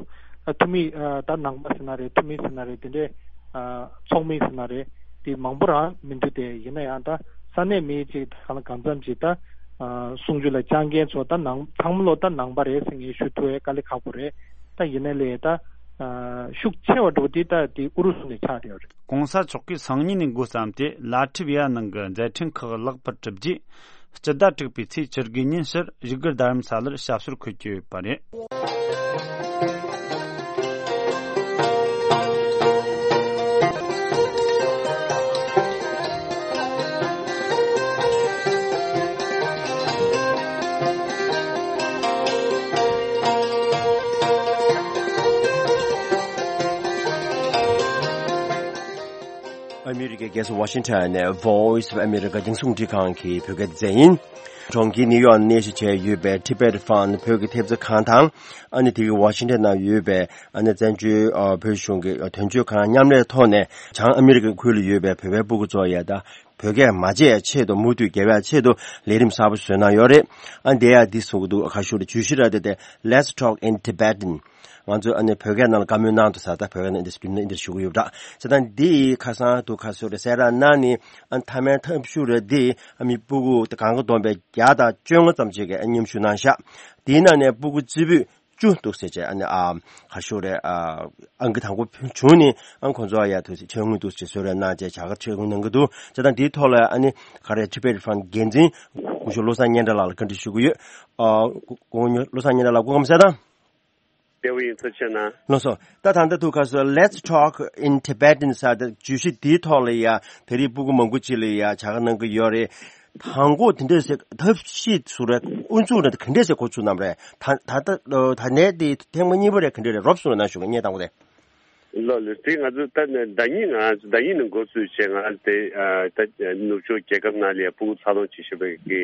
ཨ་ཐུ་མི་ཨ་ད་ནང་པ་ཟེར་ན་རེད། ཐུ་མི་ཟེར་ན་རེད། དེ་འདྲའི་ཨ་ཚོགས་མི་ཟེར་ན་རེད། དེ་མང་པོ་རང་མི་འདུག་དེ་ཡིན་ན་ཡང་ད་ས་གནས་མི་གཅིག་གང་ལ་གང་འཚམ་ཅིག་ད་ཨ་གསུང་ཆོས་ལ་བཅར་མཁན་ཚོ་ད་ནང་ཚང་མ་ལོ་ད་ནང་པ་རེད་ཟེར་ངས་ཞུ་ཐུབ་ཡས་དཀའ་ལས་ཁག་པོ་རེད། ད་ཡིན་ན་ལས་ད་ཨ་ཤུགས་ཆེ་བ་འགྲོ་དེ་ད་དེ་ཨུ་རུ་སུ་ནས་ཆགས་བསྡད་ཡོད་རེད། གོང་ས་མཆོག་གིས་སང་ཉིན་ནས་འགོ་བརྩམས་ཏེ་ལ་ཐི་ཝི་ཡ་ནང་གི་མཛད་འཕྲིན་ཁག་ལེགས་པར་གྲུབ་རྗེས། སྤྱི་ཟླ་དྲུག་པའི་ཚེས་བཅུ་དགུ་ཉིན་ཕྱིར་བཞུགས་སྒར་རྡ་རམ་ས་ལར་ཞབས་སོར་འཁོད་ཀྱི་ཡོད་པ་རེད། ཨ་མི་རི་ཀའི་རྒྱལ་ས་ཝ་ཤིང་ཊོན་ནས་Voice of America རྒྱང་སྲིང་རླུང་འཕྲིན་ཁང་གི་བོད་སྐད་སྡེ་ཚན་ཡིན། གྲོང་ཁྱེར་ནིའུ་ཡོག་གནས་གཞི་བྱས་ཡོད་པའི་Tibet Fund བོད་ཀྱི་ཐེབས་རྩ་ཁང་དང་། ཨ་ནི་དེ་གི་ཝ་ཤིང་ཊོན་ནང་ཡོད་པའི་ཨ་ནི་བཙན་བྱོལ་ཨ་བོད་གཞུང་གི་དོན་གཅོད་ཁང་མཉམ་ལས་ཐོག་ནས་བྱང་ཨ་མི་རི་ཀའི་ཁུལ་ལ་ཡོད་པའི་བོད་པའི་སྤུ་གུ་ཚོ་ཡ་ད་བོད་སྐད་མ་བརྗེད་ཆེད་དུ་མུ་མཐུད་རྒྱལ་བའི་ཆེད་དུ་ལས་རིམ་གསར་པ་བཟོས་གནང་ཡོད་རེད། ཨ་འདི་ཡ་འདི་གསུང་གི་འདུག་ཁ་ཤོར་བརྗོད་གཞི་ར་དེ་དེ་Let's Talk in Tibetan། ང་ཚོས་ཨ་ནི་བོད་སྐད་ནང་ལ་བཀའ་མོལ་གནང་འདུག་ས། ད་བོད་སྐད་ནང་འདི་རྒྱུན་ནས་འདིར་ཞུ་གི་ཡོད་པ་འདྲ། བྱས་ཙང་འདི་ཁ་སང་དུ་ཁ་སོ་རེ་གསལ་བསྒྲགས་གནང་ནི་ཨ་མཐའ་མའི་ཐབས་ཤུགས་རེ་འདི་ཨ་མི་སྤུ་གུ་དེ་གང་ག་བསྡོམས་པའི་བརྒྱ་དང་བཅོ་ལྔ་ཙམ་ཅིག་གིས་ཨ་མཉམ་ཞུགས་གནང་ཤག་དེའི་ནང་ནས་སྤུ་གུ་རྩེ་ཕུད་བཅུ་འདུག་ཟེར་བྱས་ཨ་ནི་ཨ་ཁ་ཤོ་རེ་ཨ་ཨང་ཀི་དང་པོ་བྱུང་ནི་ཨ་ཁོང་ཚོ་ཨ་ཡ་ཐུག་ཟེར་ཆེད་དངུལ་འདུག་ཟེར་གསོལ་རས་གནང་བྱས་བྱ་དགའ་ཆེད་དངུལ་གནང་གི་འདུག་བྱས་ཙང་འདིའི་ཐོག་ལ་ཨ་ནི་ག་རེ་Tibet Fund འགན་འཛིན་སྐུ་ཞབས་བློ་བཟང་སྙན་གྲགས་ལགས་ལ་བཀའ་འདྲི་ཞུ་གི་ཡོད། ཨ་སྐུ་ངོ་བློ་བཟང་སྙན་གྲགས་ལགས་སྐུ་ཁམས་བཟང་དང་། བདེ་པོ་ཡིན། ཐུགས་རྗེ་གནང་། ལགས་སོ། ད་ད་ལྟ་ཐུག་ཁ་སོ་Let's Talk in Tibetan ཟེར་ད་བརྗོད་གཞི་འདིའི་ཐོག་ལ་ཡ་ད་རེས་སྤུ་གུ་མང་པོ་ཅིག་ལ་ཡ་བྱ་དགའ་གནང་གི་ཡོད་རེད། དང་པོ་དེ་འདྲས་ཟེར་ཐབས་ཤེས་ཟུར་རེད། དབུ་འཛུགས་རེད། ག་འདྲས་ཟེར་འགོ་ཚུགས་གནང་རེད། ད་ད་ད་ད་ནས་དེ་ཐེངས་མ་གཉིས་པ་རེད། ག་འདྲས་རེད། རོབ་སོང་ན་ཞུ་གི་ངས་དང་པོ་དེ། ལགས་ལགས། དེ་ང་ཚོ་ད་ནི་ཟླ་ཉིན་ང་ཟླ་ཉིན་ནས་འགོ་བཙུགས་བྱས། ང་དེ་ཨ་ད་ནུབ་ཕྱོགས་རྒྱལ་ཁབ་ནང་ལ་ཡ་ཕྲུ་གུ་འཚར་ལོངས་བྱེད་བཞིན་པའི་གི་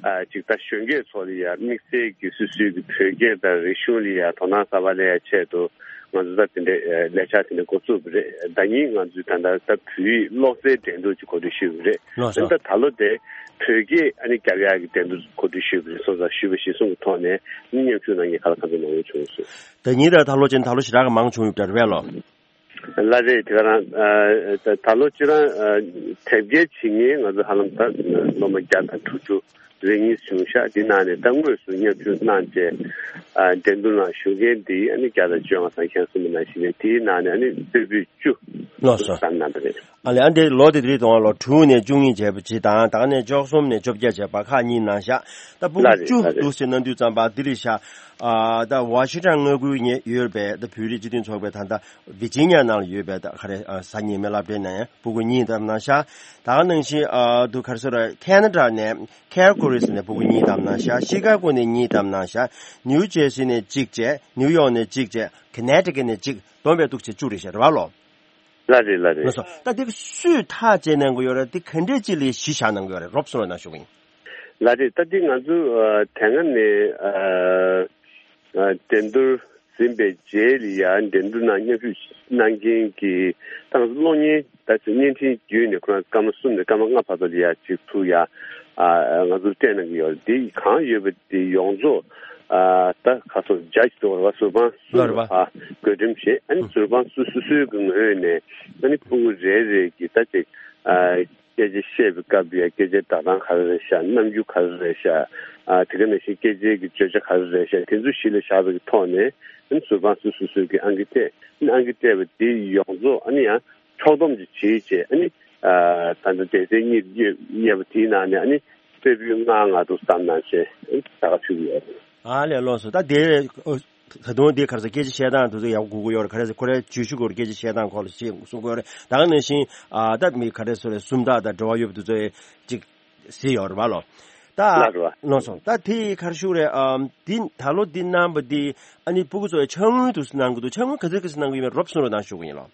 ཨ་ཅིག་ད་གཞོན་སྐྱེས་ཚོ་ལ་ཡ་དམིགས་བསལ་གྱི་སོ་སོའི་གི་བོད་སྐད་དང་རིག་གཞུང་ལ་ཡ་དོ་སྣང་གསར་པ་སླེབས་ཡ་ཆེད་དུ། ང་ཚོ་ད་དེ་འདྲའི་ཨ་ལས་འཆར་དེ་འདྲ་འགོ་བཙུགས་པ་རེད། ཟླ་ཉིན་ང་ཚོས་ད་ལྟ་ད་བོད་ཡིག་ཀློག་རྩལ་འགྲན་བསྡུར་གྱི་གོ་སྒྲིག་ཞུས་པ་རེད། ལགས་སོ། ཨ་ནི་ད་ད་ལོ་དེ་བོད་སྐད་ཨ་ནི་རྒྱབ་ཡག་གི་འགྲན་བསྡུར་གོ་སྒྲིག་ཞུས་པ་རེད། སོང་ཙང་ཞུས་པ་གཞིར་བཟུང་གི་ཐོག་ནས་ཨ་ནི་མཉམ་ཞུགས་གནང་མཁན་ཁ་ལ་ཁ་འཛིན་མང་པོ་བྱུང་སོང་། ཟླ་ཉིན་དང་ད་ལོ་ཅན་ད་ལོ་ཞེ་དྲག་གི་མང་བྱུང་ཡོད་པ་རེད་པས་ལགས། ལགས་རེད། དེ་ག་རང་ཨ་ད་ད་ལོ་ཅི་རང་ཨ་དེབ་སྐྱེལ་བྱེད་མཁན་ང་ཚོ་ཧ་ལམ་ད་སློབ་མ་བརྒྱ་དང་དྲུག་ཅུ་རེ་གཉིས་བྱུང་ཤག་དེ་ནང་ནས་ད་དངོས་སུ་མཉམ་ཞུགས་གནང་བྱས་ཨ་འགྲན་བསྡུར་ནང་ཞུགས་མཁན་དེ་ཨ་ནི་བརྒྱ་དང་བཅོ་ལྔ་ཙམ་ཁྱེད་གསུངས་པ་ནང་བཞིན་རེད། དེའི་ནང་ནས་ཨ་ནི་སྟོད་ཕུད་བཅུ་ལགས་སོ། བསམ་གནང་བ་རེད། ཨ་ལས་ཨ་འདི་ལོ་དེ་དུས་དང་ལོ་དྲུག་ནས་བཅུ་གཉིས་བྱས་པ་ཅིག་དང་། ད་ག་ནས་བཅུ་གསུམ་ནས་བཅོ་བརྒྱད་བྱས་པ་ཁག་གཉིས་གནང་ཤག་ད་ཕྲུ་གུ་ལགས་རེད། བཅུ་ལགས་རེད། འདུག་ཟེར་གནང་དུས་ཙམ་པ་འདི་རེད་ཤག་ཨ་ད་ཝ་ཤིང་ཊོན་མངའ་ཁུལ་ནས་ཡོད་པའི་ད་བོད་རིགས་སྤྱི་མཐུན་ཚོགས་པའི་ད་ལྟ་ཝི་ཇི་ནི་ཡ་ནང་ལ་ཡོད་པའི་ད་ག་རེ་ཨ་གཟའ་ཉི་མའི་སློབ་གྲྭའི་ནང་ཕྲུ་གུ་གཉིས་བདམས་གནང་ཤག་ད་ག་ནང་བཞིན་ཨ་དུ་ག་རེ་ཟེར་ར་ཁེ་ན་ཌ་ནས་ཁལ་གྷ་རི་ནས་ཕྲུ་གུ་གཉིས་བདམས་གནང་ཤག་ཤི་ཀ་གོ་ནས་གཉིས་བདམས་གནང་ཤག་ནིའུ་ཇར་སི་ནས་གཅིག་བྱས། ནིའུ་ཡོག་ནས་གཅིག་བྱས། ཁོ་ནེ་ཊི་ཀེ་ཊི་ནས་གཅིག་བསྡོམས་པས་འདུག་བྱས་བཅུ་རེད་ཤག་རེད་པ་ལགས། ལགས་རེད། ལགས་རེད། ལགས་སོ། ད་འདི་སུས་ཐག་བཅད་གནང་གི་ཡོད་རེད། འདི་ག་འདྲས་ཅིག་ལ་གཞི་བཞག་གནང་གི་ཡོད་རེད། རོབ་གསུང་རོགས་གནང་ཞུ་གི་ཡིན། ལགས་རེད། ད་འདི་ང་ཚོ་ཨ་དེ་སྔ་ནས་ཨ་ཨ་འགྲན་བསྡུར་ཟིན་པའི་རྗེས་ལ་ཡ་འགྲན་བསྡུར་ནང་མཉམ་ཞུགས་གནང་མཁན་གྱི་ད་ང་ཚོ་གློག་བརྙན་ད་ཅིག་བརྙན་འཕྲིན་བརྒྱུད་ནས་ཁོ་རང་སྐར་མ་གསུམ་ནས་སྐར་མ་ལྔ་བར་དུ་ལ་ཡ་ཅིག་ཚུར་ཡ་ཨ་ང་ཚོར་སྤྲད་གནང་གི་ཡོད་རེད། འདི་གང་ཡོད་པ་འདི་ཡོངས་རྫོགས་ཨ་ད་ཁ་སོ་ཇ་ཇི་ཟེར་བ་རེད་པ། ཟུར་དཔང་སུ་ལ་ལ་བ་བགོ་འགྲེམས་བྱེད། ཨ་ནི་ཟུར་དཔང་སུ་སུ་སུའི་གི་ངོས་ནས་ཨ་ནི་ཕྲུ་གུ་རེ་རེ་གི་ད་ཅིག་ཨ་སྐད་ཆ་བཤད་པའི་སྐབས་ཡ་སྐད་ཆའི་སྒྲ་གདངས་ག་རེ་རེད་ཤག་རྣམ་འགྱུར་ག་རེ་རེད་ཤག་ཨ་དེ་ག་ནང་བཞིན་སྐད་ཆའི་གི་བརྗོད་བྱ་ག་རེ་རེད་ཤག་དེ་ཚོ་གཞི་ལ་བཞག་པའི་གི་ཐོག་ནས་ཨ་ནི་ཟུར་དཔང་སུ་སུ་སུའི་གི་ཨང་ཀི་སྤྲད། ཨ་ནི་ཨང་ཀི་སྤྲད་པ་དེ་ཡོངས་རྫོགས་ཨ་ནི་ཡང་ཕྱོགས་བསྡོམས་ཅིག་བྱེད་བྱས། ཨ་ནི་ཨ་ད་ལྟ་སྡེ་ཚན་གཉིས་དབྱེ་བ་དེའི་ནང་ནས་ཨ་ནི་སྟོད་ཕུད་ལྔ་ལྔ་འདུག་བསམ་གནང་བྱས་ཨ་ནི་ད་ག་ཕུལ་གྱི་ཡོད་རེད། ཨ་ལས་ལགས་སོ། ད་དེ་ཨོ་ད་དུང་དེ་ག་རེ་ཟེར་སྐད་ཆ་བཤད་སྟངས་དེ་ཚོ་ཡག་པོ་དགོས་ཀྱི་ཡོད་རེད། ག་རེ་ཟེར་ཁོ་རའི་བརྗོད་གཞི་སྐོར་སྐད་ཆ་བཤད་སྟངས་སྐོར་ལ་ཞིག་གསུང་གི་ཡོད་རེད། ད་ག་ནང་བཞིན་ཨ་ད་མི་ག་རེ་ཟེར་རེད་སུམ་རྟགས་དང་འབྲེལ་བ་ཡོད་པ་དེ་ཚོ་ཅིག་གཟིགས་ཡོད་རེད་པ་ལགས། ད་ལགས་རེད་པ། ལགས་སོ། ད་དེ་ག་རེ་ཞུ་རེད། ཨམ་འདི་ད་ལོ་འདི་གནང་པ་འདི་ཨ་ནི་ཕྲུ་གུ་ཚོ་ཡ་ཕྱག་དངུལ་དུ་གནང་གི་འདུག་ཕྱག་དངུལ་ག་ཚོད་ག་ཚོད་གནང་གི་ཡོད་མེད་རོབ་གསུང་རོགས་གནང་ཞུ་གི་ཡིན་ལགས།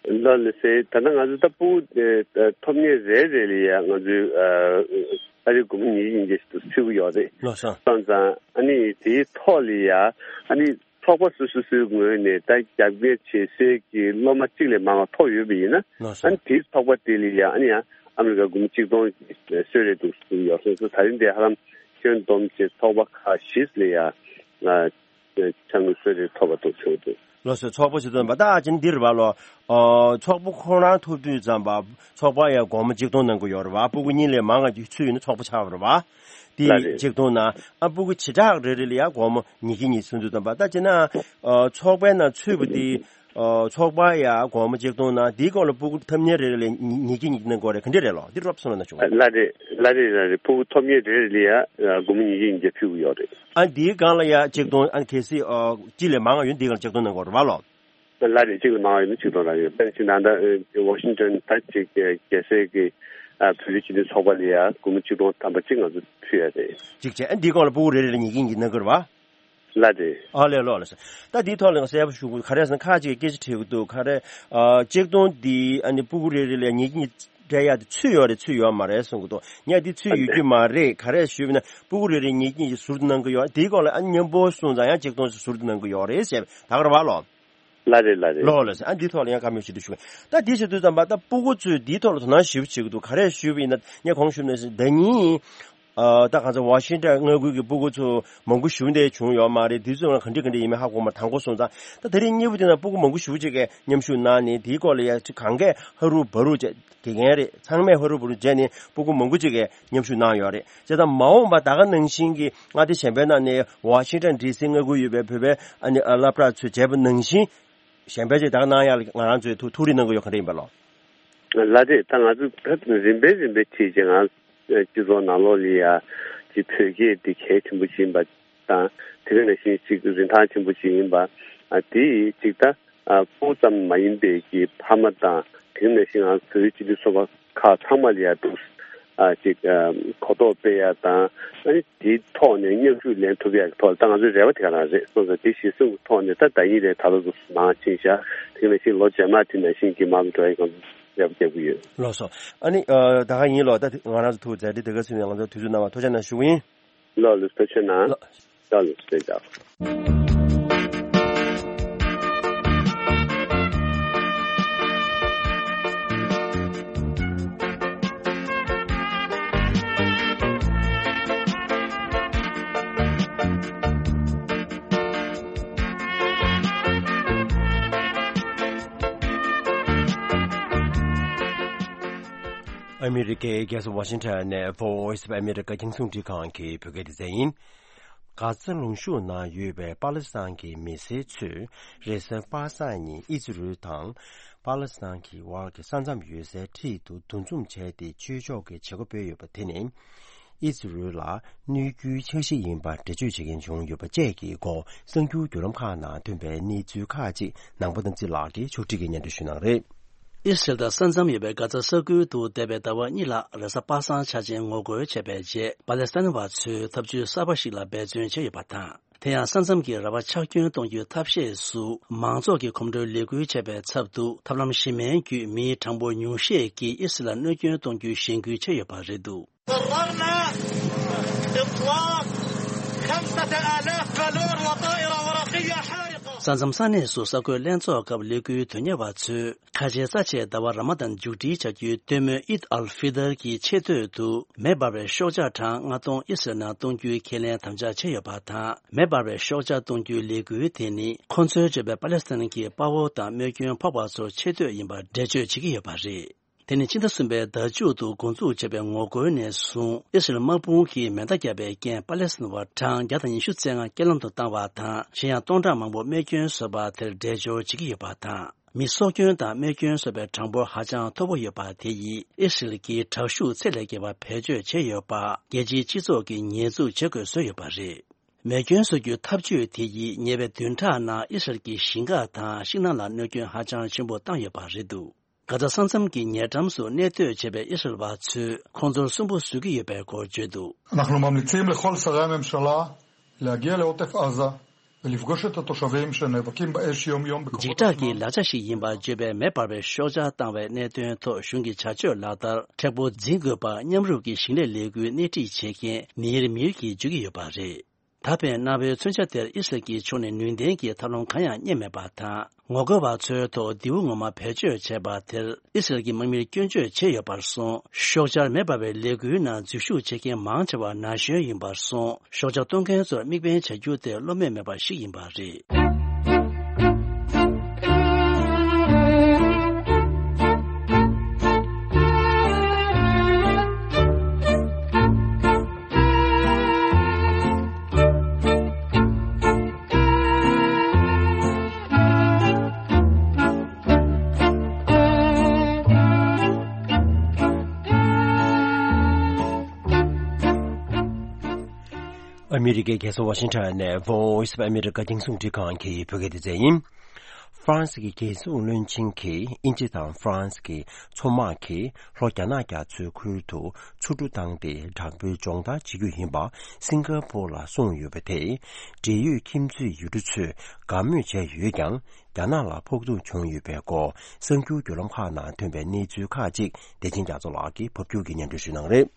ལགས་ལགས་སེ། ད་ལྟ་ང་ཚོ་ད་ཕྲུ་གུ་ཨེ་ཐོབ་མཁན་རེ་རེ་ལ་ཡ་ང་ཚོས་ཨ་ཨ་རི་སྒོར་མོ་ཉིས་བརྒྱ་ཉིས་བརྒྱ་ཞིག་ཏུ་ཚུད་ཀྱི་ཡོད་རེད། ལགས་སོ། སོང་ཙང་ཨ་ནི་དེའི་ཐོག་ལ་ཡ་ཨ་ནི་ཚོགས་པ་སོ་སོ་སོའི་ངོས་ནས་ད་རྒྱབ་འགལ་བྱེད་སའི་གི་སློབ་མ་གཅིག་ལས་མང་བ་ཐོབ་ཡོད་པ་ཡིན་ན། ལགས་སོ། ཨ་ནི་དེའི་ཚོགས་པ་དེ་ལ་ཡ་ཨ་ནི་ཡང་ཨ་མི་རི་ཀ་སྒོར་མོ་གཅིག་སྟོང་གསོལ་རས་འདུག་ཡོད་སོང་ཙང་། ད་རིང་འདིར་ཧ་ལམ་ཁྱོན་བསྡོམས་བྱས་ཚོགས་པ་ཁག་བཞི་ལ་ཡ་ང་ཕྱག་དངུལ་གསོལ་རས་ཐོབ་པ་འདུག་བྱུང་འདུག་ལགས་སོ། ཚོགས་པ་ཞིག་ཐོན་པ་ད་ཅི་འདིར་བ་ལོ། ཨོ་ཚོགས་པ་ཁོ་རང་ཐོབ་དུས་ཙམ་པ་ཚོགས་པ་ཡ་སྒོར་མོ་གཅིག་སྟོང་གནང་གི་ཡོད་རེད་བ། ཕྲུ་གུ་གཉིས་ལས་མང་བ་ཚུད་ཡོད་ན་ཚོགས་པ་ཆགས་པ་རེད་བ། དེ་ལགས་རེད། གཅིག་སྟོང་ན་ཨ་ཕྲུ་གུ་བྱེ་བྲག་རེ་རེ་ལ་ཡ་སྒོར་མོ་ཉིས་བརྒྱ་ཉིས་བརྒྱ་ཚུད་དུས་ཙམ་པ་ད་ཅི་ན་ཨོ་ཚོགས་པའི་ནང་ཚུད་པ་དེ་ཨོ་ཚོགས་པ་ཡ་སྒོར་མོ་གཅིག་སྟོང་ན་དེའི་སྐོར་ལ་ཕྲུ་གུ་ཐོབ་མཁན་རེ་རེ་ལ་ཉིས་ཉིས་བརྒྱ་ཉིས་བརྒྱ་གནང་གི་ཡོད་རེད། ག་འདྲ་རེད་ལོ། འདི་རོབ་སོང་ལ་ན་ཆུང་བ། ལགས་རེད། ལགས་རེད། ལགས་རེད། ཕྲུ་གུ་ཐོབ་མཁན་རེ་རེ་ལ་ཡ་སྒོར་མོ་ཉིས་བརྒྱ་ཉིས་བརྒྱ་ཕུལ་གི་ཡོད་རེད། ཨ་འདིའི་སྒང་ལ་ཡ་གཅིག་སྟོང་ཨ་གལ་སྲིད་ཨོ་གཅིག་ལས་མང་བ་ཡོད་ན་འདིའི་སྒང་ལ་གཅིག་སྟོང་གནང་དགོས་རེད་བ་ལོ། ལགས་རེད། གཅིག་ལས་མང་བ་ཡོད་ན་གཅིག་སྟོང་རག་ཡོད། དཔེར་ན་ཅིག་ད་ལྟ་ཝ་ཤིང་ཊོན་ད་ཅིག་རྒྱལ་སའི་གི་ཨ་བོད་རིགས་སྤྱི་མཐུན་ཚོགས་པ་ལ་ཡ་སྒོར་མོ་གཅིག་སྟོང་ཐམ་པ་གཅིག་ང་ཚོ་ཕུལ་ཡ་རེད། གཅིག་བྱས་ཨ་འདིའི་སྒང་ལ་ཕྲུ་གུ་རེ་རེ་ལ་ཉིས་བརྒྱ་ཉིས་བརྒྱ་གནང་གི་རེད་བ། ལགས་རེད། ཨ་ལས་ལོ་ལགས་སོ། ད་འདིའི་ཐོག་ལ་ཡང་གསལ་པོ་ཞུ་དགོས། ག་རེ་ཟེར་ན་ཁ་ཅིག་གིས་སྐད་ཆ་དྲིས་ཀྱི་འདུག་ག་རེ་ཨ་གཅིག་སྟོང་འདི་ཨ་ནི་ཕྲུ་གུ་རེ་རེ་ལ་ཉིས་བརྒྱ་ཉིས་བརྒྱ་སྤྲད་ཡ་དེ་ཚུད་ཡོད་རེད་ཚུད་ཡོད་མ་རེད་གསུང་གི་འདུག་ངས་འདི་ཚུད་ཡོད་རྒྱུ་མ་རེད། ག་རེ་ཞུས་པ་ན་ཕྲུ་གུ་རེ་རེ་ཉིས་བརྒྱ་ཉིས་བརྒྱ་ཟུར་དུ་གནང་གི་ཡོད། དེའི་སྐོར་ལ་ཨ་མཉམ་པོ་སོང་ཙང་ཡང་གཅིག་སྟོང་ཞིག་ཟུར་དུ་གནང་གི་ཡོད་རེད་ཟེར་བ་ད་ག་རེད་བ་ལོ། ལགས་རེད། ལགས་རེད། ལོ་ལགས་སོ། ཨ་འདིའི་ཐོག་ལ་ཡང་བཀའ་མོལ་ཞིག་འདུག་ཞུ། ད་འདི་ཞུ་དུས་ཙམ་པ་ད་ཕྲུ་གུ་ཚོས་འདིའི་ཐོག་ལ་དོ་སྣང་ཞེ་པོ་བྱེད་ཀྱི་འདུག་ག་རེ་ཞུས་པ་ཡིན་ན་ངས་གོང་ཞུས་ནང་བཞིན་ཟླ་ཉིན། ཨ་ད་གང་ཚེ་ཝ་ཤིང་ཊོན་མངའ་ཁུལ་གྱི་ཕྲུ་གུ་ཚོ་མང་པོ་ཞེ་པོ་འདྲ་བྱུང་ཡོད་མ་རེད། དུས་ཚོད་ལ་ག་འདྲ་ག་འདྲ་ཡིན་མིན་ཧ་གོ་མ། དང་པོ་སོང་ཙང་ད་དེ་རིང་གཉིས་པ་དེ་ན་ཕྲུ་གུ་མང་པོ་ཞེ་པོ་ཅིག་གིས་མཉམ་ཞུགས་གནང་ནས་དེའི་སྐོར་ལ་ཡ་ཅིག་གང་གས་ཧ་རུ་བ་རུ་བྱས། དགེ་རྒན་རེད། ཚང་མས་ཧ་རུ་བ་རུ་བྱས་ནས་ཕྲུ་གུ་མང་པོ་ཅིག་གིས་མཉམ་ཞུགས་གནང་ཡོད་རེད། བྱས་ཙང་མ་འོངས་པ་ད་ག་ནང་བཞིན་གྱི་མངའ་སྡེ་གཞན་པའི་ནང་ནས་ཝ་ཤིང་ཊོན་ཌི་སི་མངའ་ཁུལ་ཡོད་པའི་བོད་པའི་ཨ་ནི་ཨ་སློབ་གྲྭ་ཚོས་བྱས་པ་ནང་བཞིན་གཞན་པས་ཅིག་ད་ག་གནང་ཡག་ལ་ང་རང་ཚོས་ཐུགས་ཐུགས་རེ་གནང་གི་ཡོད། ག་འདྲ་ཡིན་པ་ལོ། ལགས་རེད། ད་ང་ཚོ་ད་རིམ་པས་རིམ་པས་བྱས་རྗེས་ང་སྤྱི་ཚོགས་ནང་ལོགས་ལ་ཡ་ཅིག་བོད་སྐད་འདི་གལ་ཆེན་པོ་ཞིག་ཡིན་པ་དང་། དེ་ག་ནང་བཞིན་ཅིག་རིན་ཐང་ཆེན་པོ་ཞིག་ཡིན་པ། ཨ་དེ་ཅིག་ད་ཨ་ཕྲུ་གུ་ཙམ་མ་ཡིན་པའི་གི་ཕ་མ་དང་། དེ་ག་ནང་བཞིན་ང་ཚོ་བོད་རིགས་སྤྱི་མཐུན་ཚོགས་པ་ཁག་ཚང་མ་ལ་ཡ་འདུག་ཨ་ཅིག་ཨ་གོ་རྟོགས་སྤེལ་ཡ་དང་། ཨ་ནི་དེའི་ཐོག་ནས་མཉམ་ཞུགས་ལེན་ཐུབ་ཡ་གི་ཐོག་ལ་ད་ང་ཚོའི་རེ་བ་དེ་ག་རང་རེད་སོང་ཙང་། དེ་གཞིར་བཟུང་གི་ཐོག་ནས་ད་ཟླ་ཉིན་རེ་ད་ལོ་ཚོ་མང་ཕྱིན་ཤག་དེ་ག་ནང་བཞིན་ལོ་རྗེས་མ་དེ་ནང་བཞིན་གྱི་མང་དུ་འགྲོ་ཡ་གི་རེ་བ་རྒྱག་གི་ཡོད། ལགས་སོ། ཨ་ནི་ཨ་ད་ག་ཡིན་ལོ། ད་ང་རང་ཚོ་ཐུགས་མཛད་དེ་དེ་ག་ཚོད་ནས་ང་ཚོ་དུས་ཚོད་གནང་བ་ཐུགས་རྗེ་གནང་ཞུ་གི་ཡིན། ལགས་ལགས་ཐུགས་རྗེ་གནང་། ལགས། ལགས་ལགས་ཐུགས་རྗེ་གནང་། ཨ་མི་རི་ཀའི་རྒྱལ་ས་ཝ་ཤིང་ཊོན་ནས་Voice of America རྒྱང་སྲིང་འཕྲིན་ཁང་གི་བོད་སྐད་སྡེ་ཚན་ཡིན། གྷ་ཛ་ལུང་གཤོང་ནང་ཡོད་པའི་པ་ལི་སི་ཐན་གྱི་མི་སེར་ཚོས་རེས་གཟའ་པ་སངས་ཉིན་ཨི་ཛི་རུལ་དང་པ་ལི་སི་ཐན་གྱི་དབར་གྱི་ས་མཚམས་ཡོད་སའི་འཁྲིས་དུ་འདུ་འཛོམས་བྱས་ཏེ་ཆོས་ཕྱོགས་ཀྱི་བྱེད་སྒོ་སྤེལ་ཡོད་པ་དེ་ནི། ཨི་ཛི་རུལ་ལ་གནོད་སྐྱོན་འཆར་གཞི་ཡིན་པར་འགྲེལ་བརྗོད་བྱེད་མཁན་བྱུང་ཡོད་པ་བཅས་ཀྱི་སྐོར་གསར་འགྱུར་བརྒྱུད་ལམ་ཁག་ནང་ཐོན་པའི་གནས་ཚུལ་ཁག་ཅིག་ནང་པ་དམ་ཚིག་ལགས་ཀྱིས་ཕྱོགས་སྒྲིག་གིས་སྙན་སྒྲོན་ཞུ་གནང་རེད། ཨི་སི་རལ་དང་ས་མཚམས་ཡོད་པའི་གྷ་ཛ་ས་ཁུལ་དུ་འདས་པའི་ཟླ་བ་གཉིས་ལ་རེས་གཟའ་པ་སངས་འཆར་ཅན་ངོ་རྒོལ་བྱས་པའི་རྗེས། པ་ལེ་སི་ཐན་བ་ཚོས་ཐབས་ཇུས་གསར་པ་ཞིག་ལ་འབད་བརྩོན་བྱས་ཡོད་པ་དང་། དེ་ཡང་ས་མཚམས་ཀྱི་ར་བ་ཆག་སྐྱོན་གཏོང་རྒྱུའི་ཐབས་ཤེས་སུ། མང་ཚོགས་ཀྱི་གོམ་བགྲོད་ལས་འགུལ་བྱས་པའི་ཚབ་ཏུ། ཐབས་ལམ་གཞན་མིན་བརྒྱུད་མིའི་གྲངས་འབོར་ཉུང་ཤས་ཀྱིས་ཨི་སི་རལ་ལ་གནོད་སྐྱོན་གཏོང་རྒྱུའི་གཞེན་སྐུལ་བྱས་ཡོད་པ་རེད་འདུག། قررنا إطلاق خمسة آلاف بالون وطائرة ورقية حارقة. ས་མཚམས་ས་གནས་སུ་གསར་འགོད་ལྷན་ཚོགས་སྐབས་ལས་འགུལ་དོན་གཉེར་བ་ཚོས། ཁ་ཆེའི་རྩ་ཆེའི་ཟླ་བ་ར་མ་དཱན་མཇུག་སྒྲིལ་བྱ་རྒྱུའི་སྟོན་མོ་ཨིད་ཨལ་ཧྥི་ཏར་གྱི་ཆེས་སྟོད་དུ་མེ་འབར་བའི་ཤོག་ཆག་གྲངས་ལྔ་སྟོང་ཨི་སི་རལ་ནང་གཏོང་རྒྱུའི་ཁས་ལེན་དམ་བཅའ་བྱས་ཡོད་པ་དང་། མེ་འབར་བའི་ཤོག་ཆག་གཏོང་རྒྱུའི་ལས་འགུལ་དེ་ནི་ཁོ་ཚོའི་བརྗོད་པའི་པ་ལེ་སི་ཐན་གྱི་དཔའ་བོ་དང་རྨས་སྐྱོན་ཕོག་པ་ཚོར་ཆེ་བསྟོད་ཡིན་པར་འགྲེལ་བརྗོད་བྱེད་ཀྱི་ཡོད་པ་རེད། དེ་ནི་ཕྱི་ཟླ་གསུམ་པའི་ཟླ་མཇུག་ཏུ་འགོ་འཛུགས་བྱས་པའི་ངོ་རྒོལ་ནས་བཟུང་ཨི་སི་རལ་དམག་དཔུང་གིས་མེ་མདའ་བརྒྱབ་པའི་རྐྱེན་པ་ལེ་སི་ཐན་བ་གྲངས་བརྒྱ་དང་ཉི་ཤུ་རྩ་ལྔ་རྐྱེན་ལམ་དུ་བཏང་བ་དང་། གཞན་ཡང་སྟོང་ཕྲག་མང་པོ་རྨས་སྐྱོན་བཟོས་པ་དེར་འགྲེལ་བརྗོད་བྱེད་ཀྱི་ཡོད་པ་དང་། མི་སྲོག་སྐྱོན་དང་རྨས་སྐྱོན་བཟོས་པའི་གྲངས་འབོར་ཧ་ཅང་མཐོ་པོ་ཡོད་པ་དེ་ཡིས་ཨི་སི་རལ་གྱིས་དྲག་ཤུགས་ཚད་ལས་བརྒལ་བ་བེད་སྤྱོད་བྱས་ཡོད་པ་རྒྱལ་སྤྱིའི་སྤྱི་ཚོགས་ཀྱིས་ཉེས་འཛུགས་བྱེད་དགོས་བཟོས་ཡོད་པ་རེད། རྨས་སྐྱོན་བཟོ་རྒྱུའི་ཐབས་ཇུས་དེ་ཡིས་ཉེ་བའི་བདུན་ཕྲག་ནང་ཨི་སི་རལ་གྱི་ཞིང་ཁ་དང་ཤིང་ནགས་ལ་གནོད་སྐྱོན་ཧ་ཅང་ཆེན་པོ་བཏང་ཡོད་པ་རེད་འདུག། གྷ་ཛ་ས་མཚམས་ཀྱི་ཉེ་འགྲམ་སུ་གནས་སྡོད་བྱེད་པའི་ཨི་སི་རལ་བ་ཚོས་ཁོང་ཚོར་སུན་པོ་བཟོ་གི་ཡོད་པའི་སྐོར་བརྗོད་འདུག། אנחנו ממליצים לכל שרי הממשלה להגיע לעוטף עזה ולפגוש את התושבים שנאבקים באש יום-יום בכוחות འཇིགས་སྐྲག་གི་ལག་ཆ་ཞིག་ཡིན་པར་བརྗོད་པའི་མེ་འབར་བའི་ཤོག་ཆག་བཏང་བའི་གནད་དོན་ཐོག་གཞུང་གི་བྱ་སྤྱོད་ལག་བསྟར་མཁྲེགས་པོ་འཛིན་དགོས་པ་མཉམ་རུབ་ཀྱིས་ཞིང་ལས་ལས་འགུལ་སྣེ་ཁྲིད་བྱེད་མཁན་མིར་མིར་གྱིས་བརྗོད་ཀྱི་ཡོད་པ་རེད། ད་ཕན་གནའ་བོའི་མཚོན་ཆ་དེར་ཨི་སི་རལ་གྱི་ཕྱོགས་ནས་ནུས་ལྡན་གྱི་ཐབས་ལམ་གང་ཡང་རྙེད་མེད་པ་དང་། ངོ་རྒོལ་བ་ཚོའི་ཐོག་མདེའུ་ངོ་མ་བེད་སྤྱོད་བྱས་པ་དེར་ཨི་སི་རལ་གྱི་དམག་མིར་སྐྱོན་བརྗོད་བྱས་ཡོད་པར་སོང་། ཤོག་བྱར་མེ་འབར་བའི་ལས་འགུལ་ནང་འཛུལ་ཞུགས་བྱེད་མཁན་མང་ཆེ་བ་ན་གཞོན་ཡིན་པར་སོང་། ཤོག་བྱ་གཏོང་མཁན་ཚོར་དམིགས་འབེན་བྱ་རྒྱུ་དེ་བློ་མོས་མེད་པ་ཞིག་ཡིན་པ་རེད། ཨ་མི་རི་ཀའི་རྒྱལ་ས་ཝ་ཤིང་ཊོན་ནས་Voice of America རྒྱང་སྲིང་འཕྲིན་ཁང་གི་བོད་སྐད་སྡེ་ཚན་ཡིན། ཧྥ་རན་སི་གི་རྒྱལ་སྲུང་བློན་ཆེན་གྱིས་དབྱིན་ཇི་དང་ཧྥ་རན་སི་གི་མཚོ་དམག་གིས་ལྷོ་རྒྱ་ནག་རྒྱ་མཚོའི་ཁུལ་དུ་མཚོ་གྲུ་བཏང་སྟེ་དྲག་པོའི་སྦྱོང་བརྡར་བྱེད་རྒྱུ་ཡིན་པ་སིང་ག་པོར་ལ་གསུངས་ཡོད་པ་དེས། འབྲེལ་ཡོད་ཁྱིམ་མཚེས་ཡུལ་གྲུ་ཚོས་དགའ་མོས་བྱས་ཡོད་ཀྱང་། རྒྱ་ནག་ལ་ཕོག་ཐུག་བྱུང་ཡོད་པའི་སྐོར་གསར་འགྱུར་བརྒྱུད་ལམ་ཁག་ནང་ཐོན་པའི་གནས་ཚུལ་ཁག་ཅིག་བདེ་ཆེན་རྒྱ་མཚོ་ལགས་ཀྱིས་ཕབ་སྒྱུར་གྱིས་སྙན་སྒྲོན་ཞུ་གནང་རེད།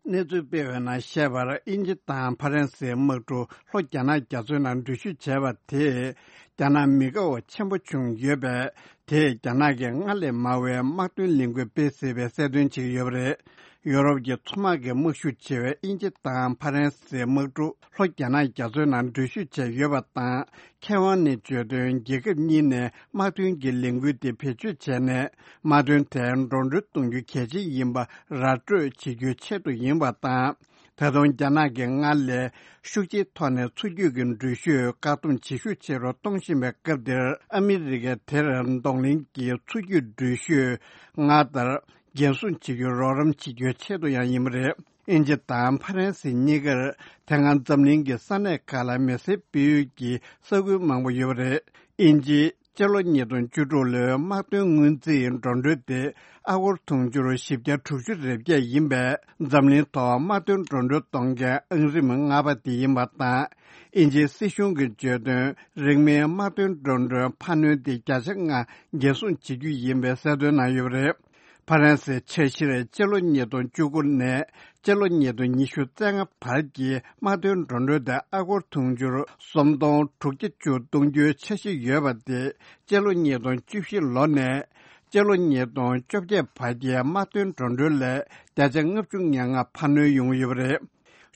གནས་ཚུལ་སྤེལ་བའི་ནང་བཤད་པར། དབྱིན་ཇི་དང་ཧྥ་རན་སིའི་དམག་གྲུ་ལྷོ་རྒྱ་ནག་རྒྱ་མཚོའི་ནང་འགྲུལ་བཞུད་བྱས་པ་དེས་རྒྱ་ནག་མི་དགའ་བ་ཆེན་པོ་བྱུང་ཡོད་པས། དེས་རྒྱ་ནག་གིས་སྔར་ལས་མང་བའི་དམག་དོན་ལས་འགུལ་སྤེལ་སྲིད་པའི་གསལ་སྟོན་བྱེད་ཀྱི་ཡོད་པ་རེད། ཡོ་རོབ་ཀྱི་མཚོ་དམག་གི་དམག་ཤུགས་ཆེ་བའི་དབྱིན་ཇི་དང་ཧྥ་རན་སིའི་དམག་གྲུ་ལྷོ་རྒྱ་ནག་རྒྱ་མཚོའི་ནང་འགྲུལ་བཞུད་བྱས་ཡོད་པ་དང་། མཁས་དབང་ནས་བརྗོད་དོན། རྒྱལ་ཁབ་གཉིས་ནས་དམག་དོན་གྱི་ལས་འགུལ་དེ་བེད་སྤྱོད་བྱས་ནས། དམག་དོན་དེ་འགྲོ་གྲོན་གཏོང་རྒྱུ་གལ་ཆེན་ཡིན་པ་ར་སྤྲོད་བྱེད་རྒྱུའི་ཆེད་དུ་ཡིན་པ་དང་། ད་དུང་རྒྱ་ནག་གིས་སྔར་ལས་ཤུགས་ཆེའི་ཐོག་ནས་མཚོ་རྒྱུད་ཀྱི་འགྲུལ་བཞུད་བཀག་སྡོམ་བྱེད་ཤུགས་ཆེ་རུ་གཏོང་བཞིན་པའི་སྐབས་འདིར། ཨ་མི་རི་ཀས་དེར་གདོང་ལེན་གྱིས་མཚོ་རྒྱུད་འགྲུལ་བཞུད་སྔར་ལྟར་འགན་སྲུང་བྱེད་རྒྱུར་རོགས་རམ་བྱེད་རྒྱུའི་ཆེད་དུ་ཡང་ཡིན་པ་རེད། དབྱིན་ཇི་དང་ཧྥ་རན་སི་གཉིས་ཀར་དེ་སྔ་འཛམ་གླིང་གི་ས་གནས་ཁག་ལ་མེ་སེར་སྤེལ་ཡུལ་གྱི་ས་ཁུལ་མང་པོ་ཡོད་པ་རེད། དབྱིན་ཇི། སྤྱི་ལོ་ཉིས་སྟོང་བཅུ་དྲུག་ལོའི་དམག་དོན་སྔོན་རྩིས་འགྲོ་གྲོན་དེ་ཨ་སྒོར་དུང་ཕྱུར་བཞི་བརྒྱ་དྲུག་ཅུ་རེ་བརྒྱད་ཡིན་པས། འཛམ་གླིང་ཐོག་དམག་དོན་འགྲོ་གྲོན་གཏོང་མཁན་ཨང་རིམ་ལྔ་པ་དེ་ཡིན་པ་དང་། དབྱིན་ཇིའི་སྲིད་གཞུང་གིས་བརྗོད་དོན། རིང་མིན་དམག་དོན་འགྲོ་གྲོན་འཕར་སྣོན་དེ་བརྒྱ་ཆ་ལྔ་འགན་སྲུང་བྱེད་རྒྱུ་ཡིན་པའི་གསལ་སྟོན་གནང་ཡོད་པ་རེད། ཕ་རན་སིའི་འཆར་གཞིར་སྤྱི་ལོ་ཉིས་སྟོང་བཅུ་དགུ་ནས་སྤྱི་ལོ་ཉིས་སྟོང་ཉི་ཤུ་རྩ་ལྔ་བར་གྱི་དམག་དོན་འགྲོ་གྲོན་དེ་ཨ་སྒོར་དུང་ཕྱུར་སུམ་སྟོང་དྲུག་བརྒྱ་བཅུ་གཏོང་རྒྱུའི་འཆར་གཞི་ཡོད་པ་དེ་སྤྱི་ལོ་ཉིས་སྟོང་བཅུ་བཞི་ལོ་ནས་སྤྱི་ལོ་ཉིས་སྟོང་བཅོ་བརྒྱད་བར་གྱི་དམག་དོན་འགྲོ་གྲོན་ལས་བརྒྱ་ཆ་ལྔ་བཅུ་ང་ལྔ་འཕར་སྣོན་ཡོང་གི་ཡོད་པ་རེད།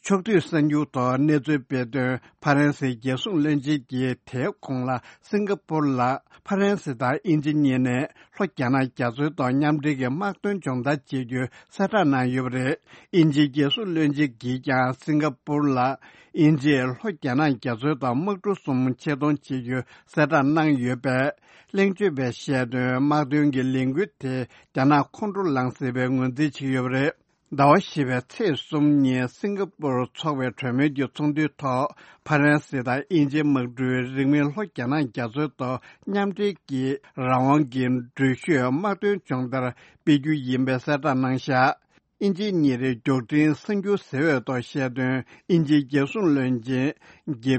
ཕྱོགས་བསྡུས་གསར་འགྱུར་ཐོག་གནས་ཚུལ་སྤེལ་དོན། ཕ་རན་སིའི་རྒྱལ་སྲུང་བློན་ཆེན་གྱིས་དེའི་གོང་ལ་སིང་ག་པུར་ལ་ཕ་རན་སི་དང་དབྱིན་ཇི་གཉིས་ནས་ལྷོ་རྒྱ་ནག་རྒྱ་མཚོའི་ཐོག་མཉམ་འབྲེལ་གྱི་དམག་དོན་སྦྱོང་བརྡར་བྱེད་རྒྱུའི་གསལ་བསྒྲགས་གནང་ཡོད་པ་རེད། དབྱིན་ཇིའི་རྒྱལ་སྲུང་བློན་ཆེན་གྱིས་ཀྱང་སིང་ག་པུར་ལ་དབྱིན་ཇིས་ལྷོ་རྒྱ་ནག་རྒྱ་མཚོའི་ཐོག་དམག་གྲུ་གསུམ་ཆེད་གཏོང་བྱེད་རྒྱུའི་གསལ་བསྒྲགས་གནང་ཡོད་པས། གླེང་བརྗོད་པས་བཤད་དོན། དམག་དོན་གྱི་ལས་འགུལ་དེ་རྒྱ་ནག་ཁོང་ཁྲོ་ལངས་སྲིད་པའི་ངོས་འཛིན་བྱེད་ཀྱི་ཡོད་པ་རེད། ཟླ་བ་བཞི་པའི་ཚེས་གསུམ་ཉིན་སིང་ག་པུར་འཚོགས་པའི་གྲོས་མོལ་གྱི་ཚོགས་འདུའི་ཐོག་ཕ་རན་སི་དང་དབྱིན་ཇིའི་དམག་གྲུས་རིང་མིན་ལྷོ་རྒྱ་ནག་རྒྱ་མཚོའི་ཐོག་མཉམ་འབྲེལ་གྱིས་རང་དབང་གི་འགྲུལ་བཞུད་དམག་དོན་སྦྱོང་བརྡར་སྤེལ་རྒྱུ་ཡིན་པའི་གསལ་བསྒྲགས་གནང་བཞག་དབྱིན་ཇིའི་ཉིན་རེའི་མགྱོགས་འཕྲིན་གསར་འགྱུར་ཟེར་བའི་ཐོག་བཤད་དོན། དབྱིན་ཇིའི་རྒྱལ་སྲུང་བློན་ཆེན་གེ་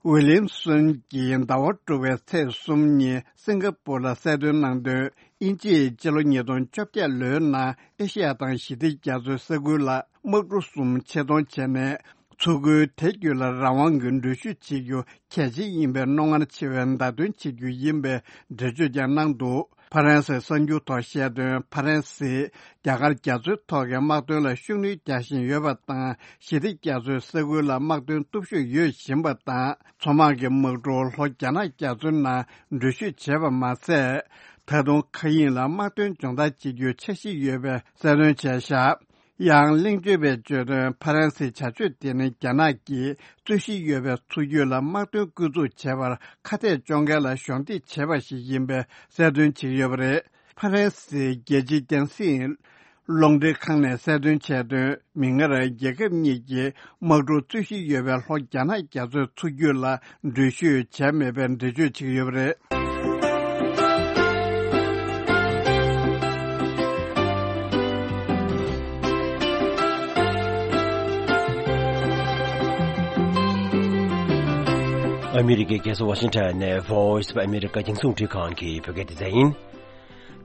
ཝི་ལིམ་སོན་གྱིས་ཟླ་བ་དྲུག་པའི་ཚེས་གསུམ་ཉིན་སིང་ག་པུར་ལ་གསལ་སྟོན་གནང་དོན། དབྱིན་ཇིས་སྤྱི་ལོ་ཉིས་སྟོང་བཅོ་བརྒྱད་ལོའི་ནང་ཨེ་ཤེ་ཡ་དང་ཞི་བདེ་རྒྱ་མཚོའི་ས་ཁུལ་ལ་དམག་གྲུ་གསུམ་ཆེད་གཏོང་བྱས་ནས། མཚོ་ཁུལ་དེ་བརྒྱུད་ལ་རང་དབང་གི་འགྲུལ་བཞུད་བྱེད་རྒྱུ་གལ་ཆེ་ཡིན་པའི་རྣོ་ངར་ཆེ་བའི་བརྡ་སྟོན་བྱེད་རྒྱུ་ཡིན་པའི་འགྲེལ་བརྗོད་ཀྱང་གནང་འདུག་ཕ་རན་སིའི་གསར་འགྱུར་ཐོག་བཤད་དོན། ཕ་རན་སིས་རྒྱ་གར་རྒྱ་མཚོའི་ཐོག་གི་དམག་དོན་ལ་ཤུགས་སྣོན་རྒྱག་བཞིན་ཡོད་པ་དང་། ཞི་བདེ་རྒྱ་མཚོའི་ས་ཁུལ་ལ་དམག་དོན་སྟོབས་ཤུགས་ཡོད་བཞིན་པ་དང་། མཚོ་དམག་གི་དམག་གྲུ་ལྷོ་རྒྱ་ནག་རྒྱ་མཚོའི་ནང་འགྲུལ་བཞུད་བྱས་པ་མ་ཟད། ད་དུང་མཁའ་དབྱིངས་ལ་དམག་དོན་སྦྱོང་བརྡར་བྱེད་རྒྱུའི་འཆར་གཞི་ཡོད་པའི་གསལ་སྟོན་བྱས་བཞག་ཡང་གླེང་བརྗོད་པས་བརྗོད་དོན། ཕ་རན་སིའི་བྱ་སྤྱོད་དེ་ནི་རྒྱ་ནག་གིས་རྩོད་གཞི་ཡོད་པའི་མཚོ་རྒྱུད་ལ་དམག་དོན་སྐུལ་འཛུགས་བྱས་པར་ཁ་གཏད་གཅོག་མཁན་ལ་གཞོགས་འདེགས་བྱས་པ་ཞིག་ཡིན་པའི་གསལ་སྟོན་བྱེད་ཀྱི་ཡོད་པ་རེད། ཕ་རན་སིའི་རྒྱལ་སྤྱིའི་རྒྱང་སྲིང་རླུང་འཕྲིན་ཁང་ནས་གསལ་སྟོན་བྱས་དོན། མིག་སྔར་རྒྱལ་ཁབ་གཉིས་ཀྱིས་དམག་གྲུ་རྩོད་གཞི་ཡོད་པའི་ལྷོ་རྒྱ་ནག་རྒྱ་མཚོའི་མཚོ་རྒྱུད་ལ་འགྲུལ་བཞུད་བྱས་མེད་པའི་འགྲེལ་བརྗོད་བྱེད་ཀྱི་ཡོད་པ་རེད། ཨ་མི་རི་ཀའི་རྒྱལ་ས་ཝ་ཤིང་ཊོན་ནས་Voice of America རྒྱང་སྲིང་རླུང་འཕྲིན་ཁང་གི་བོད་སྐད་སྡེ་ཚན་ཡིན།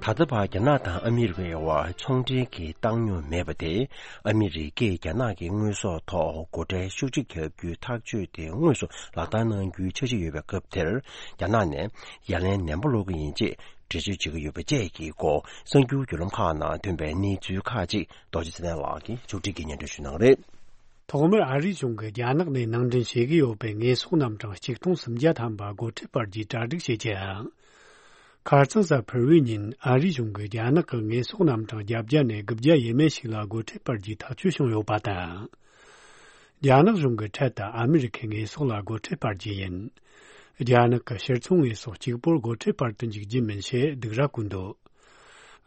ད་ལྟ་བར་རྒྱ་ནག་དང་ཨ་མི་རི་ཀའི་དབར་ཚོང་འབྲེལ་གྱི་བཏང་སྙོམས་མེད་པ་དེ། ཨ་མི་རི་ཀས་རྒྱ་ནག་གི་དངོས་ཟོག་ཐོག་སྒོ་ཁྲལ་ཤུགས་ཆེ་བརྒྱབ་རྒྱུའི་ཐག་གཅོད་དེ་དངོས་སུ་ལག་བསྟར་གནང་རྒྱུའི་འཆར་གཞི་ཡོད་པའི་སྐབས་དེར། རྒྱ་ནག་ནས་ཡ་ལན་ནན་པོ་སློག་གི་ཡིན་ཅེས་འགྲེལ་བརྗོད་བྱེད་ཀྱི་ཡོད་པ་བཅས་ཀྱི་སྐོར་གསར་འགྱུར་བརྒྱུད་ལམ་ཁག་ནང་ཐོན་པའི་གནས་ཚུལ་ཁག་ཅིག་རྡོ་རྗེ་ཚེ་བརྟན་ལགས་ཀྱིས་ཕྱོགས་སྒྲིག་གིས་སྙན་སྒྲོན་ཞུ་གནང་གི་རེད། ཐོག་མར་ཨ་རིའི་གཞུང་གིས་རྒྱ་ནག་ནས་ནང་འདྲེན་བྱེད་ཀྱི་ཡོད་པའི་དངོས་ཟོག་རྣམ་གྲངས་ཆིག་སྟོང་སུམ་བརྒྱ་ཐམ་པ་སྒོ་ཁྲལ་སྤར་རྒྱུའི་གྲ་སྒྲིག་བྱེད་ཀྱི་ཡང་། ཁ་རྩང་གཟའ་ཕུར་བུའི་ཉིན་ཨ་རིའི་གཞུང་གིས་རྒྱ་ནག་གི་དངོས་ཟོག་རྣམ་གྲངས་བརྒྱད་བརྒྱ་ནས་དགུ་བརྒྱ་ཡས་མས་ཤིག་ལ་སྒོ་ཁྲལ་སྤར་རྒྱུའི་ཐག་གཅོད་བྱུང་ཡོད་པ་དང་། རྒྱ་ནག་གཞུང་གིས་འཕྲལ་དུ་ཨ་མི་རི་ཁའི་དངོས་ཟོག་ལ་སྒོ་ཁྲལ་སྤར་རྒྱུ་ཡིན། རྒྱ་ནག་གི་ཕྱིར་ཚོང་དངོས་ཟོག་གཅིག་པོར་སྒོ་ཁྲལ་སྤར་དུ་འཇུག་རྒྱུ་མིན་ཞེས་སྡིགས་ར་བསྐུལ་འདུག་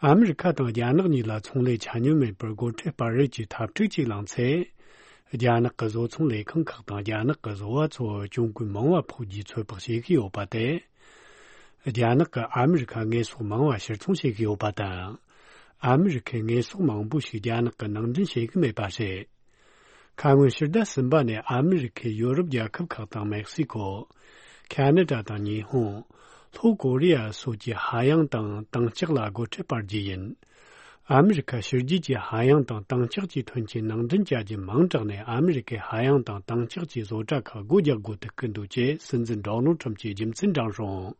ཨ་མི་རི་ཁ་དང་རྒྱ་ནག་གཉིས་ལ་ཚོང་ལས་ཆ་སྙོམས་མེད་པར་སྒོ་ཁྲལ་སྤར་རེས་ཀྱི་འཐབ་འཁྲུག་ཅིག་ལངས་ཚེ། རྒྱ་ནག་གི་བཟོ་ཚོང་ལས་ཁང་ཁག་དང་རྒྱ་ནག་གི་བཟོ་བ་ཚོར་གྱོང་གུན་མང་བ་ཕོག་རྒྱུའི་ཚོད་དཔག་བྱེད་ཀྱི་ཡོད་པ་སྟེ། རྒྱ་ནག་གིས་ཨ་མི་རི་ཁར་དངོས་ཟོག་མང་བ་ཕྱིར་ཚོང་བྱེད་ཀྱི་ཡོད་པ་དང་། ཨ་མི་རི་ཁས་དངོས་ཟོག་མང་པོ་ཞིག་རྒྱ་ནག་གིས་ནང་འདྲེན་བྱེད་ཀྱི་མེད་པ་རེད། ཁ་སྔོན་ཕྱི་ཟླ་གསུམ་པ་ནས་ཨ་མི་རི་ཁས་ཡོ་རོབ་རྒྱལ་ཁབ་ཁག་དང་མེག་སི་ཀོ། ཁ་ན་ཌ་དང་ཉི་ཧོང་། ལྷོ་ཀོ་རི་ཡ་སོགས་ཀྱི་ཧ་ཡང་དང་དྭངས་ལྕགས་ལ་སྒོ་ཁྲལ་སྤར་རྒྱུ་ཡིན། ཨ་མི་རི་ཁ་ཕྱི་རྒྱལ་གྱི་ཧ་ཡང་དང་དྭངས་ལྕགས་ཀྱི་ཐོན་སྐྱེད་ནང་འདྲེན་བྱ་རྒྱུ་མང་དྲགས་ནས་ཨ་མི་རི་ཁའི་ཧ་ཡང་དང་དྭངས་ལྕགས་ཀྱི་བཟོ་གྲྭ་ཁག་སྒོ་རྒྱག་དགོས་ཐུག་གི་འདུག་ཅེས་སྲིད་འཛིན་ཌོ་ནལ་ཁྲམ་གྱིས་རྒྱུ་མཚན་དྲངས་སོང་།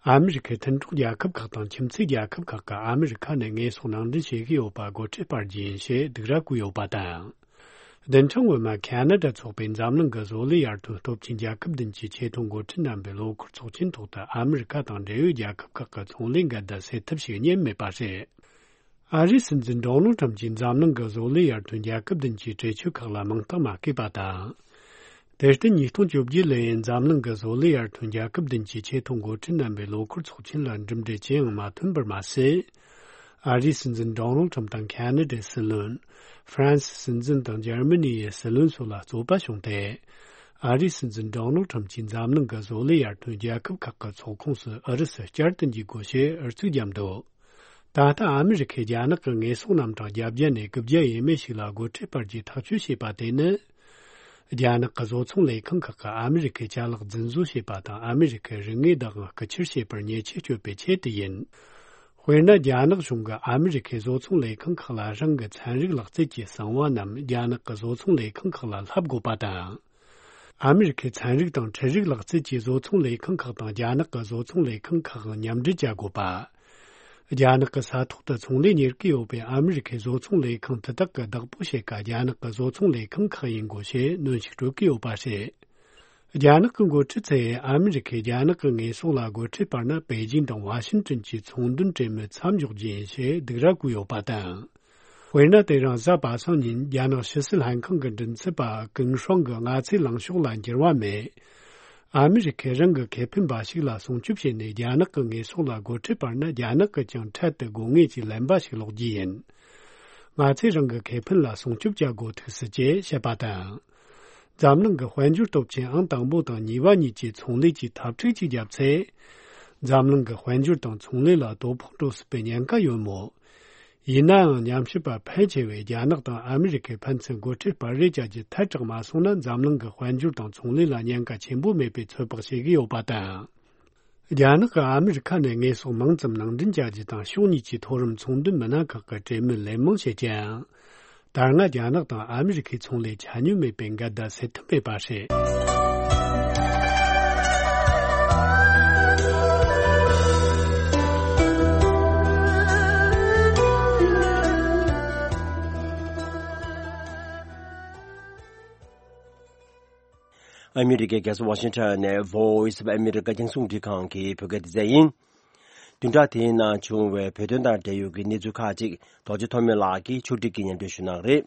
ཨ་མི་རི་ཁའི་མཐུན་གྲོགས་རྒྱལ་ཁབ་ཁག་དང་ཁྱིམ་མཚེས་རྒྱལ་ཁབ་ཁག་གིས་ཨ་མི་རི་ཁ་ནས་དངོས་ཟོག་ནང་འདྲེན་བྱེད་ཀྱི་ཡོད་པ་སྒོ་ཁྲལ་སྤར་རྒྱུ་ཡིན་ཞེས་སྡིགས་ར་བསྐུལ་ཡོད་པ་དང་། བདུན་ཕྲག་སྔོན་མ་ཁ་ན་ཌ་ཚོགས་པའི་འཛམ་གླིང་གི་བཟོ་ལས་ཡར་ཐོན་སྟོབས་ཆེན་རྒྱལ་ཁབ་བདུན་གྱི་ཆེ་མཐོང་འགོ་ཁྲིད་རྣམ་པའི་ལོ་འཁོར་ཚོགས་ཆེན་ཐོག་ཏུ་ཨ་མི་རི་ཁ་དང་འབྲེལ་ཡོད་རྒྱལ་ཁབ་ཁག་གི་ཚོང་ལས་འགལ་ཟླ་སེལ་ཐབས་ཤིག་རྙེད་མེད་པ་རེད། ཨ་རིའི་སྲིད་འཛིན་ཌོ་ནལ་ཁྲམ་གྱིས་འཛམ་གླིང་གི་བཟོ་ལས་ཡར་ཐོན་རྒྱལ་ཁབ་བདུན་གྱི་གྲོས་ཆོད་ཁག་ལ་མིང་རྟགས་མ་བཀོད་པ་དང་། དེར་བརྟེན་ཉིས་སྟོང་བཅོ་བརྒྱད་ལོའི་འཛམ་གླིང་གི་བཟོ་ལས་ཡར་ཐོན་རྒྱལ་ཁབ་བདུན་གྱི་ཆེ་མཐོང་འགོ་ཁྲིད་རྣམ་པའི་ལོ་འཁོར་ཚོགས་ཆེན་ལ་གྲུབ་འབྲས་ཅི་ཡང་མ་ཐོན་པར་མ་ཟད། ཨ་རིའི་སྲིད་འཛིན་ཌོ་ནལ་ཁྲམ་དང་ཁ་ན་ཌའི་སྲིད་བློན། ཧྥ་རན་སིའི་སྲིད་འཛིན་དང་འཇར་མ་ནི་ཡི་སྲིད་བློན་སོགས་ལ་རྩོད་པ་བྱུང་སྟེ། ཨ་རིའི་སྲིད་འཛིན་ཌོ་ནལ་ཁྲམ་གྱིས་འཛམ་གླིང་གི་བཟོ་ལས་ཡར་ཐོན་རྒྱལ་ཁབ་ཁག་གི་ཚོགས་ཁོངས་སུ་ཨུ་རུ་སུ་བསྐྱར་དུ་འཇུག་དགོས་ཞེས་ཨུ་ཚུགས་བརྒྱབ་འདུག་ད་ལྟ་ཨ་མི་རི་ཁས་རྒྱ་ནག་གི་ངེས་གསོག་རྣམ་གྲངས་བརྒྱ་བརྒྱ་ནས་དགུ་བརྒྱ་ཡས་མས་ཤིག་ལ་སྒོ་ཁྲལ་སྤར་རྒྱུའི་ཐག་གཅོད་བྱས་པ་དེ་ནི། རྒྱ་ནག་གི་བཟོ་ཚོང་ལས་ཁང་ཁག་གིས་ཨ་མི་རི་ཁའི་ཅ་ལག་རྫུན་བཟོ་བྱས་པ་དང་ཨ་མི་རི་ཁའི་རིག་དངོས་བདག་དབང་རྐུ་འཁྱེར་བྱས་པར་ཉེས་ཆད་གཅོད་པའི་ཆེད་དུ་ཡིན། དཔེར་ན། རྒྱ་ནག་གཞུང་གིས་ཨ་མི་རི་ཁའི་བཟོ་ཚོང་ལས་ཁང་ཁག་ལ་རང་གི་ཚན་རིག་ལག་རྩལ་གྱི་གསང་བ་རྣམས་རྒྱ་ནག་གི་བཟོ་ཚོང་ལས་ཁང་ཁག་ལ་ལྷབ་དགོས་པ་དང་། ཨ་མི་རི་ཁའི་ཚན་རིག་དང་འཕྲུལ་རིག་ལག་རྩལ་གྱི་བཟོ་ཚོང་ལས་ཁང་ཁག་དང་རྒྱ་ནག་གི་བཟོ་ཚོང་ལས་ཁང་ཁག་མཉམ་འབྲེལ་བྱ་དགོས་པ། རྒྱ་ནག་གི་ས་ཐོག་ཏུ་ཚོང་ལས་གཉེར་གྱི་ཡོད་པའི་ཨ་མི་རི་ཁའི་བཟོ་ཚོང་ལས་ཁང་དེ་དག་གི་བདག་པོ་ཕྱེད་ཀ་རྒྱ་ནག་གི་བཟོ་ཚོང་ལས་ཁང་ཁག་ཡིན་དགོས་ཞེས་གནོན་ཤུགས་སྤྲོད་ཀྱི་ཡོད་པ་རེད། རྒྱ་ནག་གི་འགོ་ཁྲིད་ཚོས་ཨ་མི་རི་ཁས་རྒྱ་ནག་གི་ངེས་གསོག་ལ་སྒོ་ཁྲལ་སྤར་ན། པེ་ཅིང་དང་ཝ་ཤིན་ཏོན་གྱི་ཚོང་དོན་གྲོས་མོལ་མཚམས་འཇོག་རྒྱུ་ཡིན་ཞེས་སྡིགས་ར་བསྐུལ་ཡོད་པ་དང་། དཔེར་ན། དེ་རིང་གཟའ་པ་སངས་ཉིན་རྒྱ་ནག་ཕྱི་སྲིད་ལྷན་ཁང་གི་མགྲིན་ཚབ་པ་ཀུན་ཧྲང་གིས་ང་ཚོའི་ལངས་ཕྱོགས་ལ་འགྱུར་བ་མེད། ཨ་མི་རི་ཁས་རང་གི་ཁེ་ཕན་འབའ་ཞིག་ལ་སྲུང་སྐྱོབ་བྱས་ནས་རྒྱ་ནག་གི་ངེས་གསོག་ལ་སྒོ་ཁྲལ་སྤར་ན། རྒྱ་ནག་གིས་ཀྱང་འཕྲལ་དུ་དགོས་ངེས་ཀྱི་ལན་འབའ་ཞིག་སློག་རྒྱུ་ཡིན། ང་ཚོས་རང་གི་ཁེ་ཕན་ལ་སྲུང་སྐྱོབ་བྱ་དགོས་ཐུག་སྲིད་ཅེས་བཤད་པ་དང་། འཛམ་གླིང་གི་དཔལ་འབྱོར་སྟོབས་ཆེན་ཨང་དང་པོ་དང་གཉིས་པ་གཉིས་ཀྱིས་ཚོང་ལས་ཀྱི་འཐབ་འཁྲུག་ཅིག་བརྒྱབ་ཚེ། འཛམ་གླིང་གི་དཔལ་འབྱོར་དང་ཚོང་ལས་ལ་དོ་ཕོག་འགྲོ་སྲིད་པའི་ཉེན་ཁ་ཡོད་མོད། ཡིན་ནའང་། ཉམས་ཞིབ་པ་ཕལ་ཆེ་བས་རྒྱ་ནག་དང་ཨ་མི་རི་ཁས་ཕན་ཚུན་སྒོ་ཁྲལ་སྤར་རེས་བྱ་རྒྱུ་ཐལ་དྲགས་མ་སོང་ན། འཛམ་གླིང་གི་དཔལ་འབྱོར་དང་ཚོང་ལས་ལ་ཉེན་ཁ་ཆེན་པོ་མེད་པའི་ཚོད་དཔག་བྱེད་ཀྱི་ཡོད་པ་དང་། རྒྱ་ནག་གིས་ཨ་མི་རི་ཁ་ནས་ངེས་གསོག་མང་ཙམ་ནང་འདྲེན་བྱ་རྒྱུ་དང་། ཕྱོགས་གཉིས་ཀྱི་མཐོ་རིམ་ཚོང་དོན་མི་སྣ་ཁག་གི་གྲོས་མོལ་ལན་མང་བྱེད་ཀྱང་། ད་སྔ་རྒྱ་ནག་དང་ཨ་མི་རི་ཁའི་ཚོང་ལས་ཆ་སྙོམས་མེད་པའི་འགལ་ཟླ་སེལ་ཐུབ་མེད་པ་རེད། ཨ་མི་རི་ཀའི་རྒྱལ་ས་ཝ་ཤིང་ཊོན་ནས་Voice of America རྒྱང་སྲིང་རླུང་འཕྲིན་ཁང་གི་བོད་སྐད་སྡེ་ཚན་ཡིན། བདུན་ཕྲག་དེའི་ནང་བྱུང་བའི་བོད་དོན་དང་འབྲེལ་ཡོད་ཀྱི་གནས་ཚུལ་ཁག་ཅིག་རྡོ་རྗེ་ཐོགས་མེད་ལགས་ཀྱིས་ཕྱོགས་སྒྲིག་གིས་སྙན་སྒྲོན་ཞུ་གནང་གི་རེད།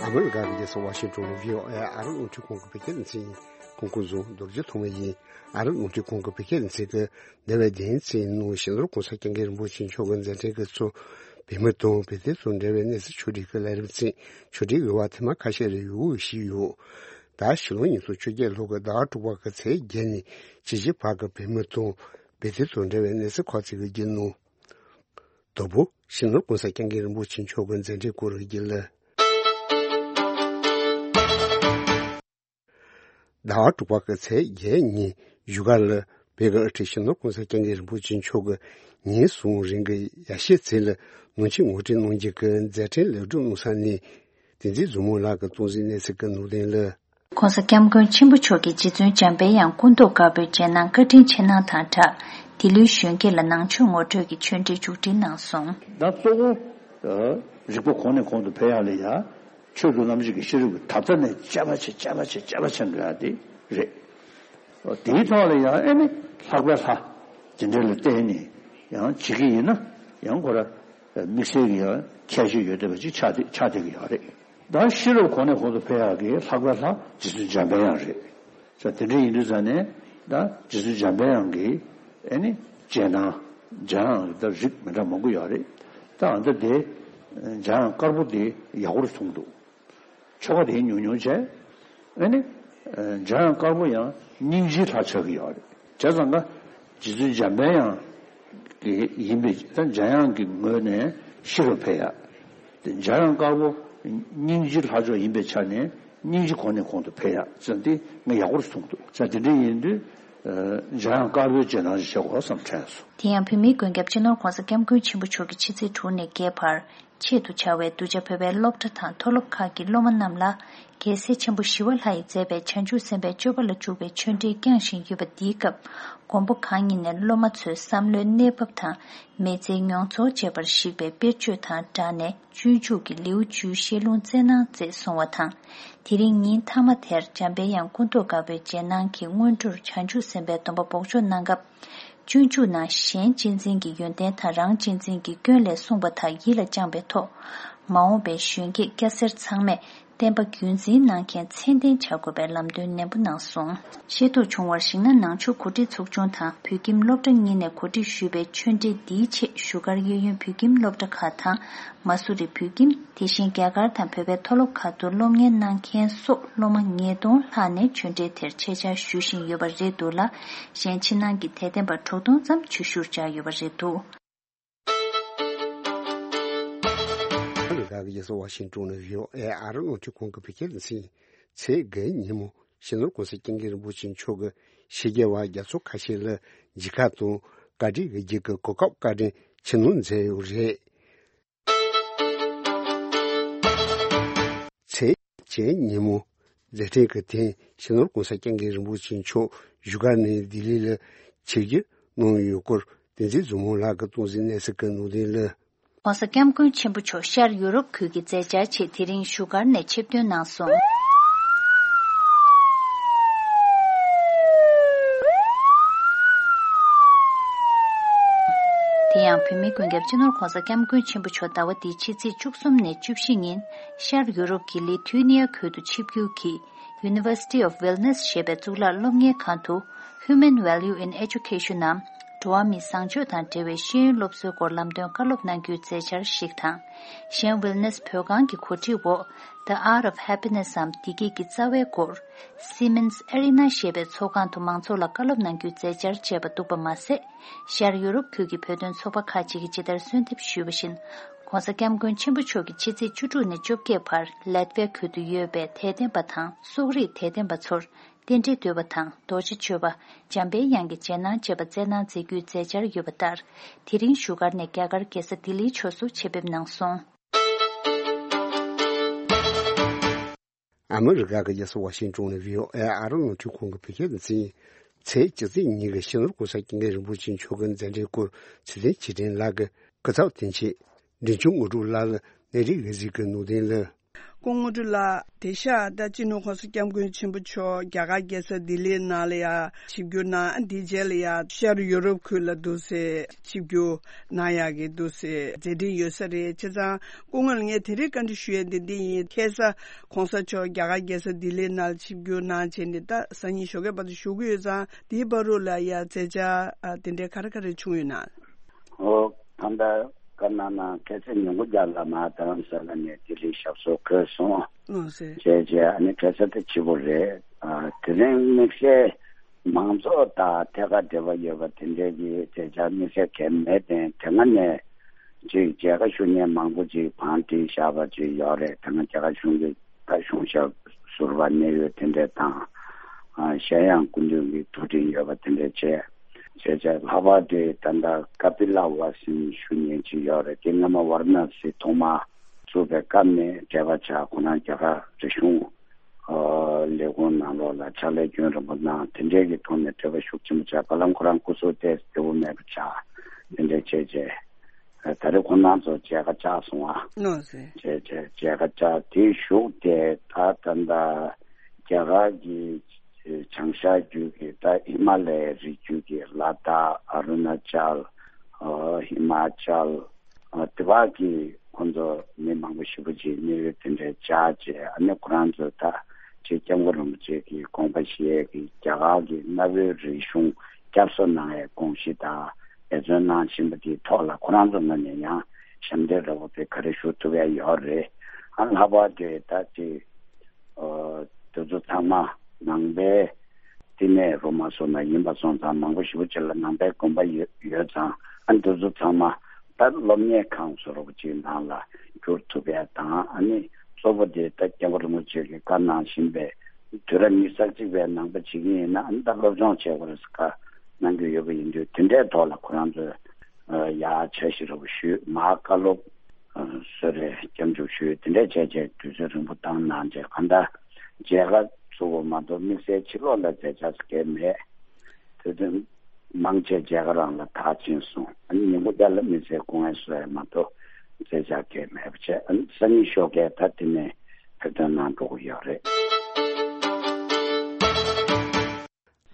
ཨ་མི་རི་ཀ་གི་རྒྱལ་ས་ཝ་ཤིང་ཊོན་ནས་VOA ཨ་རི་རླུང་འཕྲིན་ཁང་གི་བོད་སྐད་སྡེ་ཚན་ཡིན། ཁོང་ཁོང་ཚོ་རྡོ་རྗེ་ཐོགས་མེད་ཡིན། ཨ་རི་རླུང་འཕྲིན་ཁང་གི་བོད་སྐད་སྡེ་ཚན་གྱི་འདས་པའི་བདུན་ཚན་ནང་སྤྱི་ནོར་གོང་ས་སྐྱབས་མགོན་རིན་པོ་ཆེ་མཆོག་གི་མཛད་འཕྲིན་གྱི་ཚོ་བོད་མི་དང་བོད་དོན་དང་འབྲེལ་བའི་གནས་ཚུལ་ཕྱོགས་སྒྲིག་གི་ལས་རིམ་ཚན་ཕྱོགས་སྒྲིག་གི་བར་ཐེངས་མ་ཁ་ཤས་རེ་ཡོད་ཞིག་ཡོད། ད་ཕྱི་ལོ་ཉིས་སྟོང་བཅོ་བརྒྱད་ལོ་གི་ཟླ་བ་དྲུག་པ་གི་ཚེས་བརྒྱད་ནས་བཅུ་བཞི་བར་གྱི་བོད་མི་དང་བོད་དོན་དང་འབྲེལ་བའི་གནས་ཚུལ་ཁག་ཅིག་གི་རྒྱུན་ནང་། དང་པོ། སྤྱི་ནོར་གོང་ས་སྐྱབས་མགོན་རིན་པོ་ཆེ་མཆོག་གི་མཛད་འཕྲིན་སྐོར་གྱི་ལས། ཟླ་བ་དྲུག་པ་གི་ཚེས་བརྒྱད་ཉིན་བཞུགས་སྒར་ལ་བོད་ཀྱི་དབུ་ཁྲིད་སྤྱི་ནོར་གོང་ས་སྐྱབས་མགོན་རིན་པོ་ཆེ་མཆོག་གིས་ཉིན་གསུམ་རིང་གི་ཡར་ཞུའི་ཚུལ་ལ་ནང་ཆོས་ངོ་སྤྲོད་གནང་རྒྱུ་གི་མཛད་འཕྲིན་ལེགས་གྲུབ་གནང་ས་ནས། བསྟན་འཛིན་བཟང་མོ་ལགས་ཀྱིས་གཏོང་གཟིགས་གནས་ཚུལ་གྱི་ནང་དོན་ལ། གོང་ས་སྐྱབས་མགོན་ཆེན་པོ་མཆོག་གིས་རྗེ་བཙུན་འཇམ་དཔལ་དབྱངས་སྐུ་མདོག་དཀར་པོའི་རྗེས་གནང་བཀའ་དྲིན་ཆེ་གནང་དང་སྦྲགས། འདི་ལོའི་གཞོན་སྐྱེས་ལ་ནང་ཆོས་ངོ་སྤྲོད་ཀྱི་ཆོས་འབྲེལ་མཇུག་སྒྲིལ་གནང་སོང་། ད་གཙོ་བོ་རིག་པ་གོང་ནས་གོང་དུ་འཕེལ་ཡག་ལ་ཡ། ཆོས་དང་རྣམ་འབྱེད་ཀྱི་ཤེས་རབ་ཀྱི་ཐབས་རྩ་ནས་དཔྱད་པ་བྱེད་དཔྱད་པ་བྱེད་དཔྱད་པ་བྱེད་འགྲོ་ཡག་དེ་རེད། དེའི་ཐོག་ལ་ཡང་ཨེ་ནི་ལྷག་པའི་ལྷ། དེ་འདྲ་ལ་བརྟེན་ནས་ཡང་བྱེད་ཀྱི་ཡིན་ན་ཡང་ཁོ་ར་དམིགས་བསལ་གྱི་ཡང་ཁྱད་ཆོས་ཡོད་བསྡད་པ་ཅིག་ཆགས་བསྡད་ཆགས་བསྡད་ཀྱི་ཡོད་རེད། ད་ཤེས་རབ་གོང་ནས་གོང་དུ་འཕེལ་ཡག་གི་ལྷག་པའི་ལྷ་རྗེ་བཙུན་འཇམ་དཔལ་དབྱངས་རེད། ས་དེ་འདྲ་ཡིན་དུས་ཙང་ནས་ད་རྗེ་བཙུན་འཇམ་དཔལ་དབྱངས་ཀྱི་ཨེ་ནི་རྗེས་གནང་། འཇམ་དབྱངས་ཀྱི་ད་རིགས་མི་འདྲ་མང་པོ་ཡོད་རེད། ད་ཨ་ད་དེ་འཇམ་དབྱངས་དཀར་པོ་དེ་ཡག་པོར་མཐོང་འདུག་ཆོ་ག་དེ་ཉུང་ཉུང་བྱས། ཨེ་ནི། འཇམ་དབྱངས་དཀར་པོ་ཡང་སྙིང་རྗེའི་ལྷ་ཆགས་ཀྱི་ཡོད་རེད། བྱས་ཙང་ཀ། རྗེ་བཙུན་འཇམ་དཔལ་དབྱངས་ཀྱི་ཡིན་པའི་ད་འཇམ་དབྱངས་ཀྱི་ངོས་ནས་ཤེས་རབ་འཕེལ་ཡག་དེ་འཇམ་དབྱངས་དཀར་པོ་སྙིང་རྗེའི་ལྷ་མཆོག་ཡིན་པའི་ཆ་ནས་སྙིང་རྗེ་གོང་ནས་གོང་དུ་འཕེལ་ཡག་ཙམ་དེ་ངས་ཡག་པོར་མཐོང་འདུག་ཙང་དེ་འདྲ་ཡིན་དུས། འཇམ་དབྱངས་དཀར་པོའི་རྗེས་གནང་ཞིག་བྱེད་དགོས་བསམ་དྲན་སོང་། དེ་ཡང་བོད་མིའི་མགོན་སྐྱབས་སྤྱི་ནོར་༸གོང་ས་༸སྐྱབས་མགོན་ཆེན་པོ་མཆོག་གིས་ཕྱི་ཚེས་དྲུག་ནས་བརྒྱད་བར། ཆེད་དུ་བྱ་བའི་གདུལ་བྱ་བོད་པའི་སློབ་གྲྭ་དང་མཐོ་སློབ་ཁག་གི་སློབ་མ་རྣམས་ལ། རྒྱལ་སྲས་ཆེན་པོ་ཞི་བ་ལྷ་ཡིས་མཛད་པའི་བྱང་ཆུབ་སེམས་དཔའི་སྤྱོད་པ་ལ་འཇུག་པའི་ཆོས་འབྲེལ་བསྐྱངས་བཞིན་ཡོད་པ། འདིའི་སྐབས། མགོན་པོ་གང་ཉིད་ནས་སློབ་མ་ཚོའི་བསམ་བློའི་གནས་བབ་དང་། མི་ཚེའི་མྱོང་ཚོར་བཅས་པར་གཞིགས་པའི་དཔེར་བརྗོད་དང་སྦྲགས་ནས། སྤྱོད་འཇུག་གི་ལེའུ་བཅུའི་བཤད་ལུང་སྩལ་གནང་མཛད་སོང་བ་དང་། དེ་རིང་ཉིན་མཐའ་མ་དེར་འཇམ་དཔལ་དབྱངས་སྐུ་མདོག་དཀར་པོའི་རྗེས་གནང་གི་སྔོན་འགྲོར་བྱང་ཆུབ་སེམས་དཔའི་སྡོམ་པ་འབོགས་ཆོག་གནང་སྐབས། སྤྱོད་འཇུག་ནང་གཞན་གཅེས་འཛིན་གྱི་ཡོན་ཏན་དང་རང་གཅེས་འཛིན་གྱི་སྐྱོན་ལས་གསུངས་པ་དག་ཡིད་ལ་བཅངས་པའི་ཐོག་མ་འོངས་པའི་གཞོན་སྐྱེས་སྐྱ་སེར་ཚང་མས། བསྟན་པ་རྒྱུན་འཛིན་གནང་མཁན་མཚན་ལྡན་བྱ་དགོས་པའི་ལམ་སྟོན་ནན་པོ་གནང་སོང་། ཤེས་རྟོགས་བྱུང་བར་གཞིགས་ན། ནང་ཆོས་གོ་སྒྲིག་ཚོགས་ཆུང་དང་བོད་ཁྱིམ་སློབ་གྲྭ་གཉིས་ནས་གོ་སྒྲིག་ཞུས་པའི་ཆོས་འབྲེལ་འདིའི་ཆེད་བཞུགས་སྒར་གཡས་གཡོན་བོད་ཁྱིམ་སློབ་གྲྭ་ཁག་དང་། མ་སུ་རི་བོད་ཁྱིམ། དེ་བཞིན་རྒྱ་གར་དང་བོད་པའི་མཐོ་སློབ་ཁག་ཏུ་སློབ་གཉེར་གནང་མཁན་སོགས་སློབ་མ་ཉིས་སྟོང་ལྷག་ནས་ཆོས་འབྲེལ་དེར་ཆེད་བཅར་ཞུ་བཞིན་ཡོད་པ་རེད་འདུག་ལ། གཞན་ཕྱི་ནང་གི་དད་ལྡན་པ་དྲུག་སྟོང་ཙམ་ཆོས་ཞུར་བཅར་ཡོད་པ་རེད་འདུག། ཨ་མི་རི་ཀ་གི་རྒྱལ་ས་ཝ་ཤིང་ཏོན་ནས་བྷི་ཨོ་ཨེ་ཨ་རི་རླུང་འཕྲིན་ཁང་གི་བོད་སྐད་སྡེ་ཚན། ཚེས་བརྒྱད་ཉིན་མོ་སྤྱི་ནོར་༸གོང་ས་༸སྐྱབས་མགོན་རིན་པོ་ཆེ་མཆོག་གིས་ཕྱི་རྒྱལ་བ་རྒྱ་མཚོ་ཁ་ཤས་ལ་མཇལ་ཁ་དང་བཀའ་དྲིན་གྱི་རྗེས་ཀྱི་གོ་སྐབས་བཀའ་དྲིན་ཆེ་མཐོང་མཛད་ཡོད་རེད། ཚེས་བཅུ་ཉིན་མོ་མཛད་འཕྲིན་གྱི་ཐད་སྤྱི་ནོར་༸གོང་ས་༸སྐྱབས་མགོན་རིན་པོ་ཆེ་མཆོག་བཞུགས་སྒར་ནས་ལྡི་ལི་ལ་ཆིབས་བསྒྱུར་གནང་ཡོད་སྐོར་བསྟན་འཛིན་མཛོད་མོ་ལགས་ཀྱིས་སྟོང་འཛིན་གནས་ཚུལ་གྱི་ནང་དོན་ལ། ༸གོང་ས་༸སྐྱབས་མགོན་ཆེན་པོ་མཆོག་ཤར་ཡུ་རོབ་ཁུལ་གྱི་མཛད་འཆར་ཆེད་དེ་རིང་བཞུགས་སྒར་ནས་ཆིབས་ཐོན་གནང་སོང་། དེ་ཡང་བོད་མིའི་ཀུན་ཁྱབ་སྤྱི་ནོར་༸གོང་ས་༸སྐྱབས་མགོན་ཆེན་པོ་མཆོག་ཟླ་བ་འདིའི་ཕྱི་ཚེས་བཅུ་གསུམ་ནས་བཅུ་བཞི་ཉིན་ཤར་ཡུ་རོབ་ཀྱི་ལི་ཐུ་ནི་ཡ་ཁུལ་དུ་ཆིབས་བསྒྱུར་གྱིས། University of Vilnius ཞེས་པའི་གཙུག་ལག་སློབ་གཉེར་ཁང་དུ་Human Value in Education ནམ་འགྲོ་བ་མིའི་བཟང་སྤྱོད་དང་འབྲེལ་བའི་ཤེས་ཡོན་སློབ་གསོའི་སྐོར་ལམ་སྟོན་བཀའ་སློབ་གནང་རྒྱུའི་མཛད་འཆར་ཞིག་དང་། གཞན་ཝིལ་ནེས་བོད་ཁང་གི་གོ་སྒྲིག་འོག The Art of Happiness འམ་བདེ་སྐྱིད་ཀྱི་རྩ་བའི་སྐོར་Siemens Arena ཞེས་པའི་ཚོགས་ཁང་དུ་མང་ཚོགས་ལ་བཀའ་སློབ་གནང་རྒྱུའི་མཛད་འཆར་བཅས་པ་འདུག་པ་མ་ཟད། ཤར་ཡུ་རོབ་ཁུལ་གྱི་བོད་དོན་ཚོགས་པ་ཁག་ཅིག་གིས་ཇི་ལྟར་གསོལ་འདེབས་ཞུས་པ་བཞིན། ༸གོང་ས་༸སྐྱབས་མགོན་ཆེན་པོ་མཆོག་གིས་ཕྱི་ཚེས་བཅུ་དྲུག་ནས་བཅོ་བརྒྱད་བར་ལེ་ཏི་ཝེ་ཁུལ་དུ་ཡོད་པའི་དད་ལྡན་པ་དང་སོག་རིགས་དད་ལྡན་པ་ཚོར་རྟེན་འབྲེལ་བསྟོད་པ་དང་རྡོ་རྗེ་གཅོད་པ། འཇམ་པའི་དབྱངས་ཀྱི་རྗེས་གནང་བཅས་པ་སྩལ་གནང་མཛད་རྒྱུའི་མཛད་འཆར་ཡོད་པ་ལྟར། དེ་རིང་བཞུགས་སྒར་ནས་རྒྱ་གར་རྒྱལ་ས་ལྡི་ལིའི་ཕྱོགས་སུ་ཆེད་ཕེབས་གནང་སོང་། ཨ་མི་རི་ཀ་གི་རྒྱལ་ས་ཝ་ཤིང་ཏོན་ནས་བྷི་ཨོ་ཨེ་ཨ་རི་རླུང་འཕྲིན་ཁང་གི་བོད་སྐད་སྡེ་ཚན། ཚེས་བཅུ་གཅིག་ཉིན་གྱི་སྤྱི་ནོར་༸གོང་ས་༸སྐྱབས་མགོན་རིན་པོ་ཆེ་མཆོག་གི་མཛད་འཕྲིན་སྐོར་ཚེ་བརྟན་ཆོས་སྒྲོན་ལགས་ཀྱིས་སྐུ་ཚབ་དོན་གཅོད་འབྲིང་ཆུང་དངོས་གྲུབ་ལགས་ལ་གནས་རིག་གི་གཟིགས་ཀྱི་ནུས་ལྡན་ལ། སྐུ་ངོ་དངོས་གྲུབ་ལགས། དེང་སང་ད་སྤྱི་ནོར་༸གོང་ས་༸སྐྱབས་མགོན་ཆེན་པོ་མཆོག་རྒྱ་གར་རྒྱལ་ས་ལྡི་ལིའི་ནང་ལ་ཡ་ཆིབས་བསྒྱུར་གནང་། འདིའི་རྗེས་ལ་ཡ་ཤར་ཡུ་རོབ་ཁུལ་ལ་འདུག་སེ་ཆིབས་བསྒྱུར་གནང་ཡག་གི་འདུག་སེ་མཛད་འཕྲིན་ཡོད་ས་རེད། བྱས་ཙང་སྐུ་ངོ་ལ་ངས་དེ་རིང་བཀའ་འདྲི་ཞུ་ཡས་འདི་འདི་ཡིན། ཁ་སང་༸གོང་ས་མཆོག་རྒྱ་གར་རྒྱལ་ས་ལྡི་ལིའི་ནང་ལ་ཆིབས་བསྒྱུར་གནང་བྱས་ནས་ད་སང་ཉིན་ཞོགས་ཀའི་བར་དུ་བཞུགས་ཀྱི་ཡོད་ཙང་། དེའི་བར་དུ་ལ་ཡ་མཛད་འཆར་ཨ་དེ་འདྲའི་ག་རེ་ག་རེ་བྱུང་ཡོད་ན། ཨོ། ད་ལྟ་བཀའ་གནང་ན་ཁ་སང་ཉིན་གུང་རྒྱབ་ལ་མར་རྡ་རམ་ས་ལ་ནས་ལྡི་ལི་ཞབས་སོར་འཁོད་སོང་། ལགས་སེ། བྱས་རྗེས་ཨ་ནི་ཁ་སང་དེ་ཕྱི་པོ་རེད། ཨ་དེ་རིང་དམིགས་བསལ་མང་ཚོགས་དང་ཐད་ཀར་འབྲེལ་བ་ཡོད་པ་དེ་འདྲའི་གི་མཛད་འཆར་དམིགས་བསལ་གང་མེད་དེ། དེ་སྔ་ནས་ཅིག་མཇལ་ཁ་ཞུ་མཁན་མང་པོ་ཅིག་བང་བསྒྲིགས་བཞག་པ་ཅིག་ཡོད་རེད། དེ་སྔ་རྒྱ་གར་གཞུང་གི་ད་གཞུང་ཞབས་ཟུར་པ་གནད་ཡོད་དེ་འདྲས་དང་། ཨ་གཞན་ཡང་སྐུ་མདུན་གྱི་ཐུགས་འཕྲིན་ཡོད་པ་དེ་འདྲས་བྱས། བྱས་བྱས་ལྷག་པར་དུ་ད་ལྟ་ཀ་པི་ལ་ཝ་སིན་ཞུ་མཁན་ཅིག་ཡོད་རེད། དེ་སྔ་མ་ཝཱ་ར་ཎ་སི་ཐོག་མར་བཙུགས་པའི་སྐབས་ནས་འབྲེལ་བ་ཆགས། ཁོ་རང་རྒྱ་གར་རིག་གཞུང་ཨ་ལས་ཁུངས་ནང་ལོགས་ལ་ཕྱག་ལས་རྒྱུན་རིང་པོ་གནང་། དེ་འདྲས་ཀྱི་ཐོག་ནས་འབྲེལ་བ་ཤུགས་ཆེན་པོ་ཆགས། བར་ལམ་ཁོ་རང་སྐུ་སྲོག་ཏོག་ཙམ་བདེ་པོ་མེད་པ་ཆགས། དེ་འདྲས་བྱས་བྱས། ད་རེས་ཁོང་རྣམ་ཚོ་མཇལ་ཁ་བཅར་སོང་བ། ལགས་སེ། བྱས་བྱས་མཇལ་ཁ་བཅར། དེའི་གཞུག་དེ་ད་ད་ལྟ་རྒྱ་གར་གྱི་བྱང་ཤར་རྒྱུད་ཀྱི་ད་ཧི་མ་ལ་ཡའི་རི་རྒྱུད་ཀྱི་ལ་དྭགས། ཨ་རུ་ན་ཅལ། ཨ་ཧི་མ་ཅལ། ཨ་དེ་བར་གྱི་ཁོང་ཚོ་མི་མང་པོ་ཞེ་པོ་ཅིག་གནས་ཡུལ་དེ་འདྲའི་བཅར་བྱས། ཨ་ནི་ཁོ་རང་ཚོ་ད་ཅིག་སྐྱབས་མགོན་རིན་པོ་ཆེ་གི་དགོངས་པ་བཞེས་ཀྱི་རྒྱ་གར་གྱི་གནའ་བོའི་རིག་གཞུང་སྐྱབས་གསོ་གནང་ཡའི་དགོངས་གཞི་དང་འབད་བརྩོན་གནང་བཞིན་པ་དེའི་ཐོག་ལ་ཁོ་རང་ཚོ་ངོས་ནས་ཡང་ཞབས་འདེགས་ར་བ་དེ་ག་རེ་ཞུ་ཐུབ་ཡ་ཡོད་རེད། ཨ་ལྷག་པར་དུ་ད་ཅིག་ཨོ་དེ་ཚོ་ཚང་མ་ནང་པའི་བསྟི་གནས་རུ་མ་སོང་ན་ཡིན་པ་སོང་ཙང་། མང་པོ་ཞེ་པོ་ཅིག་ལ་ནང་པའི་དགོན་པ་ཡོད་ཡོད་ཙང་། ཨ་འདི་ཚོ་ཚང་མ་ད་སློབ་གཉེར་ཁང་བཟོ་འདྲ་པོ་ཅིག་ནང་ལ་བསྒྱུར་ཐུབ་ཡ་དང་། ཨ་ནི་གཙོ་བོ་དེ་ད་སྐྱབས་མགོན་རིན་པོ་ཆེ་གིས་བཀའ་གནང་བཞིན་པའི་དུས་རབས་ཉི་ཤུ་རྩ་གཅིག་པའི་ནང་པ་བྱེད་ཀྱི་ཡིན་ན། ཨ་ནི་ད་སློབ་སྦྱོང་བྱེད་དགོས་རེད་ཟེར་བཀའ་གནང་གི་ཡོད་པ་ཡིན་དུས། དེ་འདྲའི་ཐོག་ལ་ཁོ་རང་ཚོས་ཡར་འཆར་གཞི་འདྲ་པོ་ཞུས། མར་བཀའ་སློབ་ཨ་གསོལ་རས་སྐྱབས་འཇུག་ཞུས། དེ་འདྲས་བྱས་བྱས་དུས་ཚོད་རིང་པོ་བཏང་གནང་བྱས། གང་ལྟར་མཇལ་ཁ་ཚུགས་པ་མ་གཏོགས་དམིགས་བསལ་ཕྱི་ལོགས་ལ་མཛད་འཆར་གང་མེད། དེ་དོན་མང་ཆེ་མཇལ་ཁ་རང་ལ་ཐག་ཆོད་སོང་། ཨ་ནི་ཉིན་གུང་དེ་ལ་དམིགས་བསལ་སྐུ་ངལ་གསོ་ཡ་མ་གཏོགས་མཛད་འཆར་གང་མེད་པ་བྱས། ཨ་ནི་སང་ཉིན་ཞོགས་ཀས་ད་དེ་ནས་ཕེབས་ཐོན་གནང་འགྲོ་གི་ཡོད་རེད།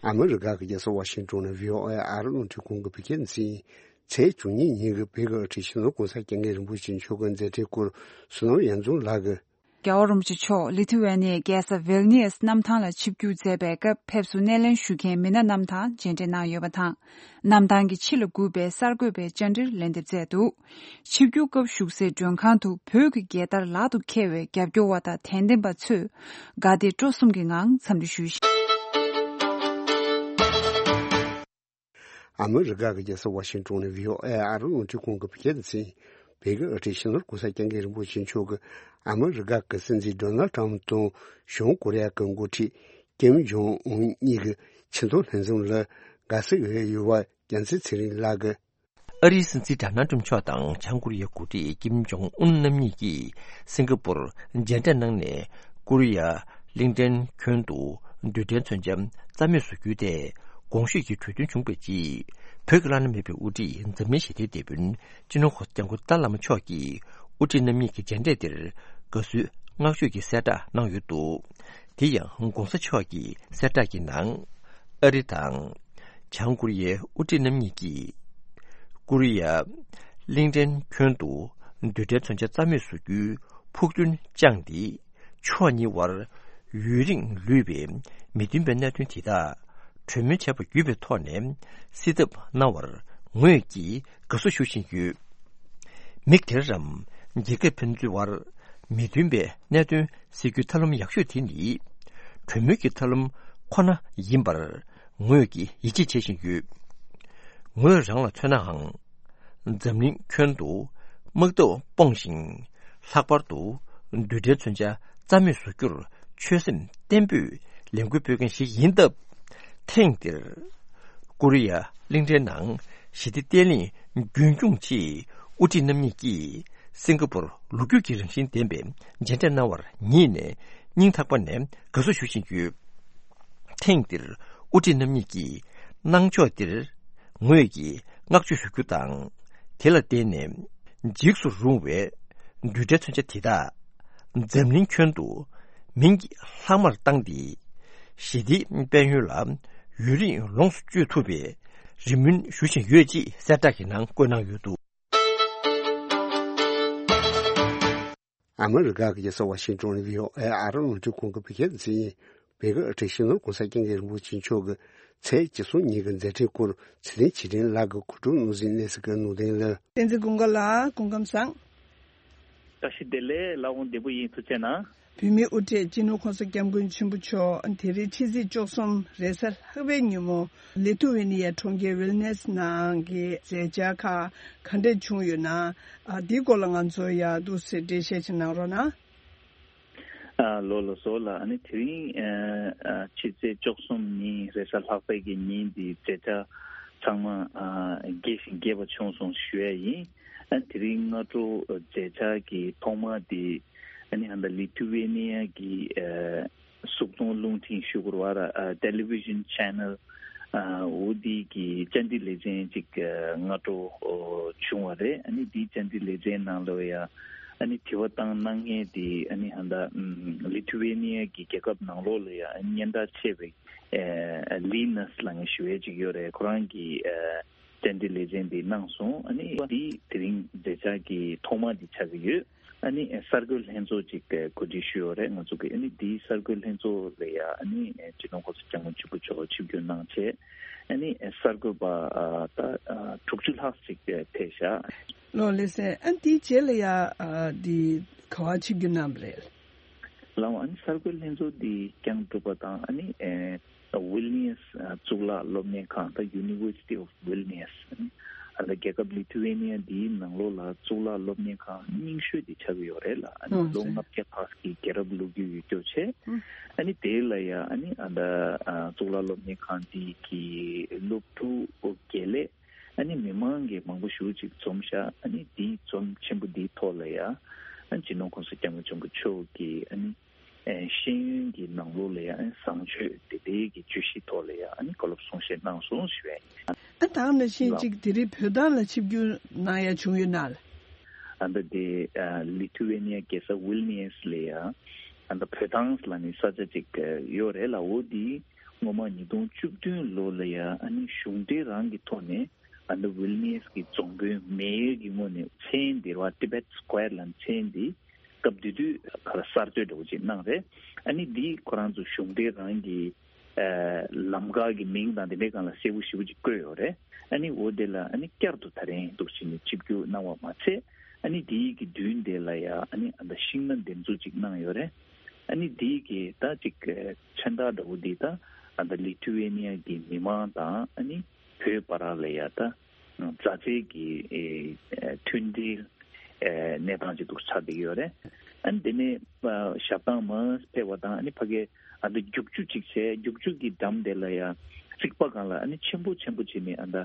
ཨ་མི་རི་ཀ་གི་རྒྱལ་ས་ཝ་ཤིང་ཏོན་ནས་བྷི་ཨོ་ཨེ་ཨ་རི་རླུང་འཕྲིན་ཁང་གི་བོད་སྐད་སྡེ་ཚན། ཚེས་བཅུ་གཉིས་ཉིན་གྱི་བོད་ཀྱི་དབུ་ཁྲིད་སྤྱི་ནོར་༸གོང་ས་༸སྐྱབས་མགོན་རིན་པོ་ཆེ་མཆོག་གི་མཛད་འཕྲིན་སྐོར་བསོད་ནམས་གཡང་འཛོམས་ལགས་ཀྱིས་ རྒྱལ་བ་རིན་པོ་ཆེ་མཆོག་ལི་ཐུ་ཝེ་ནི་ཡའི་རྒྱལ་ས་ཝིལ་ནི་ཡས་གནམ་ཐང་ལ་ཆིབས་བསྒྱུར་མཛད་པའི་སྐབས་ཕེབས་བསུ་སྣེ་ལེན་ཞུ་མཁན་མི་སྣ་རྣམས་དང་མཇལ་འཕྲད་གནང་ཡོད་པ་དང་། གནམ་ཐང་གི་ཕྱི་ལ་སྒུག་པའི་གསར་འགོད་པའི་བཅར་འདྲིར་ལན་འདེབས་མཛད་འདུག་ཆིབས་བསྒྱུར་སྐབས་བཞུགས་སའི་མགྲོན་ཁང་དུ་བོད་ཀྱི་རྒྱལ་དར་ལག་ཏུ་འཁྱེར་བའི་རྒྱབ་སྐྱོར་བ་དང་དད་ལྡན་པ་ཚོས་དགའ་དད་སྤྲོ་གསུམ་གྱི་ངང་འཚམས་འདྲི་ཞུས་ཤིང་། ཨ་མི་རི་ཀ་གི་རྒྱལ་ས་ཝ་ཤིང་ཏོན་ནས་བྷི་ཨོ་ཨེ་ཨ་རི་རླུང་འཕྲིན་ཁང་གི་བོད་སྐད་སྡེ་ཚན། བོད་ཀྱི་དབུ་ཁྲིད་སྤྱི་ནོར་༸གོང་ས་༸སྐྱབས་མགོན་རིན་པོ་ཆེ་མཆོག་གིས་ཨ་མི་རི་ཀ་གི་སྲིད་འཛིན་ཌོ་ནལ་ཏྲམ་དང་བྱང་ཀོ་རི་ཡ་གི་འགོ་ཁྲིད་ཀིམ་ཇོང་ཨུན་གཉིས་ཀྱི་ཆེས་མཐོའི་ལྷན་འཛོམས་ལ་དགའ་བསུ་ཡོད་པ་རྒྱལ་མཚན་ཚེ་རིང་ལགས་ཀྱིས། ཨ་རིའི་སྲིད་འཛིན་ཌོ་ནལ་ཏྲམ་མཆོག་དང་བྱང་ཀོ་རི་ཡའི་འགོ་ཁྲིད་ཀིམ་ཇོང་ཨུན་རྣམ་གཉིས་ཀྱིས་སིང་ག་པུར་མཇལ་འཕྲད་གནང་ནས། ཀོ་རི་ཡ་གླིང་ཕྲན་ཁྱོན་དུ་རྡུལ་ཕྲན་མཚོན་ཆ་རྩ་མེད་བཟོ་རྒྱུའི་ཐད་གོང་ཞུས་ཀྱི་གྲོས་མཐུན་བྱུང་བའི་རྗེས། བོད་ཀྱི་བླ་ན་མེད་པའི་དབུ་ཁྲིད་འཛམ་གླིང་ཞི་བདེའི་དེད་དཔོན་སྤྱི་ནོར་༸གོང་ས་༸སྐྱབས་མགོན་ཏཱ་བླ་མ་མཆོག་གིས་དབུ་ཁྲིད་རྣམ་གཉིས་ཀྱི་མཇལ་འཕྲད་འདིར་དགའ་བསུའི་བསྔགས་བརྗོད་ཀྱི་གསལ་བསྒྲགས་གནང་ཡོད་འདུག་དེ་ཡང་༸གོང་ས་མཆོག་གི་གསལ་བསྒྲགས་ཀྱི་ནང་། ཨ་རི་དང་། བྱང་ཀོ་རི་ཡའི་དབུ་ཁྲིད་རྣམ་གཉིས་ཀྱིས། ཀོ་རི་ཡ་གླིང་ཕྲན་ཁྱོན་དུ་རྡུལ་ཕྲན་མཚོན་ཆ་རྩ་མེད་བཟོ་རྒྱུའི་ཕུགས་འདུན་བཅངས་ཏེ། ཕྱོགས་གཉིས་དབར་ཡུན་རིང་ལུས་པའི་མི་མཐུན་པའི་གནད་དོན་དེ་དག་གྲོས་མོལ་བྱས་པ་བརྒྱུད་པའི་ཐོག་ནས་སེལ་ཐབས་གནང་བར་ངོས་ཀྱིས་དགའ་བསུ་ཞུ་བཞིན་ཡོད། མི་སྒེར་རམ་རྒྱལ་ཁབ་ཕན་ཚུན་དབར་མི་མཐུན་པའི་གནད་དོན་སེལ་རྒྱུའི་ཐབས་ལམ་ཡག་ཤོས་དེ་ནི་གྲོས་མོལ་གྱི་ཐབས་ལམ་ཁོ་ན་ཡིན་པར་ངོས་ཀྱིས་ཡིད་ཆེས་བྱེད་བཞིན་ཡོད། ངོས་རང་ལ་མཚོན་ནའང་། འཛམ་གླིང་ཁྱོན་དུ་དམག་འཐབ་སྤོང་ཞིང་། ལྷག་པར་དུ་རྡུལ་ཕྲན་མཚོན་ཆ་རྩ་མེད་བཟོ་རྒྱུར་ཆོད་སེམས་བརྟན་པོས་ལས་འགུལ་སྤེལ་མཁན་ཞིག་ཡིན་སྟབས། ཐེངས་འདིར་ཀོ་རི་ཡ་གླིང་ཕྲན་ནང་ཞི་བདེ་བརྟན་ལྷིང་རྒྱུན་འཁྱོངས་ཆེད་དབུ་ཁྲིད་རྣམ་གཉིས་ཀྱིས་སིང་ག་པུར་ལོ་རྒྱུས་ཀྱི་རང་བཞིན་ལྡན་པའི་མཇལ་འཕྲད་གནང་བར་ངེད་ནས་སྙིང་ཐག་པ་ནས་དགའ་བསུ་ཞུ་བཞིན་ཡོད། ཐེངས་འདིར་དབུ་ཁྲིད་རྣམ་གཉིས་ཀྱིས་གནང་ཕྱོགས་འདིར་ངོས་ཀྱིས་བསྔགས་བརྗོད་ཞུ་རྒྱུ་དང་། དེ་ལ་བརྟེན་ནས་འཇིགས་སུ་རུང་བའི་རྡུལ་ཕྲན་མཚོན་ཆ་དེ་དག་འཛམ་གླིང་ཁྱོན་དུ་མིང་གི་ལྷག་མར་བཏང་སྟེ། ཞི་བདེའི་དཔལ་ཡོན་ལ་ཡུན་རིང་ལོངས་སུ་སྤྱོད་ཐུབ་པའི་རེ་སྨོན་ཞུ་བཞིན་ཡོད་ཅེས་གསལ་བསྒྲགས་ཀྱི་ནང་བཀོད་གནང་ཡོད་འདུག་ཨ་མི་རི་ཀ་གི་རྒྱལ་ས་ཝ་ཤིང་ཏོན་ནས་བྷི་ཨོ་ཨེ་ཨ་རི་རླུང་འཕྲིན་ཁང་གི་བོད་སྐད་སྡེ་ཚན་ཡིན། བོད་ཀྱི་དབུ་ཁྲིད་སྤྱི་ནོར་༸གོང་ས་༸སྐྱབས་མགོན་རིན་པོ་ཆེ་མཆོག་གི་ཚེས་བཅུ་གསུམ་ཉིན་གྱི་མཛད་འཕྲིན་སྐོར་ཚེ་རིང་ཆོས་སྒྲོན་ལགས་ཀྱིས་གོ་སྒྲིག་གནང་ཟིན་གནས་ཚུལ་གྱི་ནང་དོན་ལ། བསྟན་འཛིན་ཀུན་དགའ་ལགས་སྐུ་ཁམས་བཟང་། བཀྲ་ཤིས་བདེ་ལེགས། ལགས་འོང་། བདེ་པོ་ཡིན། ཐུགས་རྗེ་གནང་། བོད་མིའི་དབུ་ཁྲིད་སྤྱི་ནོར་༸གོང་ས་༸སྐྱབས་མགོན་ཆེན་པོ་མཆོག་དེ་རིང་ཕྱི་ཚེས་བཅུ་གསུམ་རེས་གཟའ་ལྷག་པའི་ཉིན་མོ་ལི་ཐུ་ཝེ་ནི་ཡའི་གྲོང་ཁྱེར་ཝིལ་ནེས་ནང་གི་མཛད་འཆར་ཁག་ག་འདྲས་བྱུང་ཡོད་ན། ཨ། འདིའི་སྐོར་ལ་ང་ཚོ་ཡ་འདུག་སེ་འགྲེལ་བཤད་ཅིག་གནང་རོགས་གནང་། ཨ། ལགས་ལགས་སོ་ལགས། ཨ་ནི་དེ་རིང་ཨ་ཨ་ཕྱི་ཚེས་བཅུ་གསུམ་ཉིན་རེས་གཟའ་ལྷག་པའི་གི་ཉིན་འདི་མཛད་འཆར་ཚང་མ་ཨ་རྒྱས་ཤིང་རྒྱས་པ་བྱུང་སོང་ཞུ་ཡ་ཡིན། ཨ། དེ་རིང་སྔ་དྲོ་མཛད་འཆར་གྱི་ཐོག་མ་འདི་ཨ་ནི་ཧ་ད་ལི་ཐུ་ཝེ་ནི་ཡ་གི་ཨ་གཟུགས་མཐོང་རླུང་འཕྲིན་ཞུ་དགོས་རེད་བ། ཨ། television channel ཨ། འོ་འདི་གི་བཅར་འདྲི་ལེ་ཚན་ཅིག་ཨ་སྔ་དྲོ་ཨོ་བྱུང་བ་རེད། ཨ་ནི་འདིའི་བཅར་འདྲི་ལེ་ཚན་ནང་ལོགས་ཡ་ཨ་ནི་དྲི་བ་བཏང་གནང་མཁན་དེ་ཨ་ནི་ཧ་ད་ཨམ་ལི་ཐུ་ཝེ་ནི་ཡ་གི་རྒྱལ་ཁབ་ནང་ལོགས་ལ་ཡ་ཨ་ནི་སྙན་གྲགས་ཆེ་བའི་ཨ་ལི་ནས་ལབ་མཁན་ཞུ་ཡས་ཅིག་ཡོད་རེད། ཁོ་རང་གིས་ཨ་བཅར་འདྲི་ལེ་ཚན་འདི་གནང་སོང་། ཨ་ནི་འདི་དེ་རིང་མཛད་འཆར་གྱི་ཐོག་མ་འདི་ཆགས་ཀྱི་ཡོད། ཨ་ནི་གསར་འགོད་ལྷན་ཚོགས་ཅིག་གོ་སྒྲིག་ཞུས་ཡོད་རེད་ང་ཚོ་གི། ཨ་ནི་འདིའི་གསར་འགོད་ལྷན་ཚོགས་ལ་ཡ་ཨ་ནི་སྤྱི་ནོར་༸གོང་ས་༸སྐྱབས་མགོན་ཆེན་པོ་མཆོག་ཆིབས་བསྒྱུར་གནང་བྱས། ཨ་ནི་གསར་འགོད་པ་ད་དྲུག་ཅུ་ལྷག་ཅིག་ཕེབས་ཤག་ལགས་ལགས་སེ། ཨ་ནི་དེའི་རྗེས་ལ་ཡ་འདི་ག་པར་ཆིབས་བསྒྱུར་གནང་བ་རེད། ལགས་འོང་། ཨ་ནི་གསར་འགོད་ལྷན་ཚོགས་འདི་བསྐྱངས་གྲུབ་པ་དང་ཨ་ནི་ཨེ། ཝིལ་ནི་ཡས་གཙུག་ལག་སློབ་གཉེར་ཁང་དང་University of Vilnius ཨ་ནི་ཨ་ད་རྒྱལ་ཁབ་ལི་ཐུ་ཝེ་ནི་ཡ་འདིའི་ནང་ལོགས་ལ་གཙུག་ལག་སློབ་གཉེར་ཁང་རྙིང་ཤོས་དེ་ཆགས་ཀྱི་ཡོད་རེད་ལ། ཨ་ནི་ཨོ་ལོ་ཟེར། ལྔ་བརྒྱ་ལྷག་གི་རྒྱལ་རབས་ལོ་རྒྱུས་ཡོད་རྒྱུ་བྱས། ཨ་ནི་དེ་ལ་ཡ་ཨ་ནི་ཨ་ད་ཨ་གཙུག་ལག་སློབ་གཉེར་ཁང་འདི་གི་སློབ་ཕྲུག་དགེ་ལས་ཨ་ནི་མི་མང་གི་མང་པོ་ཞེ་པོ་ཅིག་འཛོམས་ཤག་ཨ་ནི་འདིའི་འཛོམས་ཆེན་པོ་འདིའི་ཐོག་ལ་ཡ་ཨ་ནི་སྤྱི་ནོར་༸གོང་ས་༸སྐྱབས་མགོན་ཆེན་པོ་མཆོག་གིས་ཨ་ནི། ཨེ་ཤེས་ཡོན་གྱི་ནང་ལོགས་ལ་ཡང་བཟང་སྤྱོད་དེ་འདྲའི་གི་བརྗོད་གཞིའི་ཐོག་ལ་ཡང་ཨ་ནི་བཀའ་སློབ་གསུང་བཤད་གནང་སོང་ཞུ་ཡ་ཡིན། ཨ་ད་ནང་བཞིན་ལགས། གཅིག་དེ་རིང་བོད་ཐང་ལ་ཆིབས་བསྒྱུར་གནང་ཡ་བྱུང་ཡོད་ན་ལགས། ཨ་ད་དེ་ཨ་ལི་ཐུ་ཝེ་ནི་ཡ་རྒྱལ་ས་ཝིལ་ནི་ཡས་ལ་ཡ་ཨ་ད་བོད་ཐང་ལ་ནི་ས་ཆ་གཅིག་ཡོད་རེད་ལ། འོ་དེ་སྔོན་མ་ཉིས་སྟོང་བཅུ་བདུན་ལོ་ལ་ཡ་ཨ་ནི་གཞུང་འབྲེལ་རང་གི་ཐོག་ནས་ཨ་ད་ཝིལ་ནི་ཡས་ཀྱི་རྫོང་དཔོན་མེ་ཡར་གྱི་ངོས་ནས་མཚན་དེ་རེད་བ། Tibet Square ལ་མཚན་དེ། སྐབས་དེ་དུས་ག་ལ་གསར་གཏོད་འདྲ་བོ་ཅིག་གནང་རེད། ཨ་ནི་འདི་ཁོ་རང་ཚོ་གཞུང་འབྲེལ་རང་གི་ལམ་ཁ་གི་མིང་དང་དེ་འདྲའི་སྒང་ལ་གསལ་པོ་ཞེ་པོ་ཅིག་བཀོད་ཡོད་རེད། ཨ་ནི་འོ་དེ་ལ་ཨ་ནི་བསྐྱར་དུ་ད་རིང་འདུག་བྱས་ནས་ཆིབས་བསྒྱུར་གནང་བ་མ་ཚད། ཨ་ནི་དེའི་གི་མདུན་དེ་ལ་ཡ་ཨ་ནི་ཨ་ད་ཤིང་སྣ་འདེབས་འཛུགས་ཅིག་གནང་ཡོད་རེད། ཨ་ནི་དེའི་གི་ད་ཅིག་མཚོན་རྟགས་འདྲ་བོ་འདི་ད་ཨ་ད་ལི་ཐུ་ཝེ་ནི་ཡ་གི་མི་མང་དང་ཨ་ནི་བོད་བར་ལ་ཡ་ད་མཛའ་བརྩེ་གི་ཨེ་ཨེ་མཐུན་སྒྲིལ་ཨེ་གནས་སྟངས་ཅིག་འདུག་ཆགས་བསྡད་ཀྱི་ཡོད་རེད། ཨ་ནི་དེ་ནས་ཨ་ཞབས་ཐང་མར་ཕེབས་པ་དང་ཨ་ནི་ཕ་གི་ཨ་ད་རྒྱུག་ཆུ་ཅིག་བྱས། རྒྱུག་ཆུ་གི་འགྲམ་དེ་ལ་ཡ་རྩིག་པ་སྒང་ལ་ཨ་ནི་ཆེན་པོ་ཆེན་པོ་བྱས་ནས་ཨ་ད་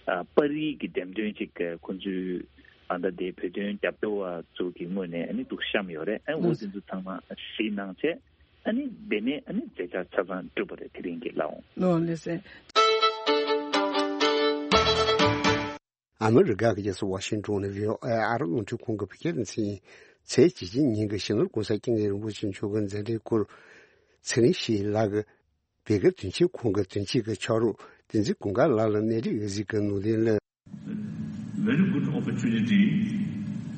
ཨ་པར་རིས་ཀྱི་འགྲེམས་སྟོན་ཅིག་ཁོང་ཚོའི་ཨ་ད་དེ་བོད་དོན་རྒྱབ་སྐྱོར་བ་ཚོ་གི་ངོས་ནས་ཨ་ནི་འདུག་བཤམས་ཡོད་རེད། ཨ་འོ་དེ་ཚོ་ཚང་མ་གཟིགས་གནང་བྱས། ཨ་ནི་དེ་ནས་ཨ་ནི་མཛད་འཆར་ཆ་ཚང་གྲུབ་པ་རེད། དེ་རིང་གི་ལ་འོང་། ལོ་ལེ་ཟེར། ཨ་མི་རི་ཀ་གི་རྒྱལ་ས་ཝ་ཤིང་ཏོན་ནས་བྷི་ཨོ་ཨེ་ཨ་རི་རླུང་འཕྲིན་ཁང་གི་བོད་སྐད་སྡེ་ཚན་ཡིན། ཚེས་གཅིག་ཉིན་གྱི་ཕྱི་ནུབ་གོང་ས་སྐྱབས་མགོན་རིན་པོ་ཆེ་མཆོག་གི་མཛད་འཕྲིན་སྐོར་ཚེ་རིང་ཞིག་ལགས་ཀྱིས་བོད་སྐད་དོན་གཅོད་ཁང་གི་དོན་གཅོད་ཀྱི་ཕྱག་རོགས་བསྟན་འཛིན་ཀུན་དགའ་ལགས་ལ་གནས་རིགས་འོད་ཟེར་གྱི་ནོར་ལེན་ལ། Very good opportunity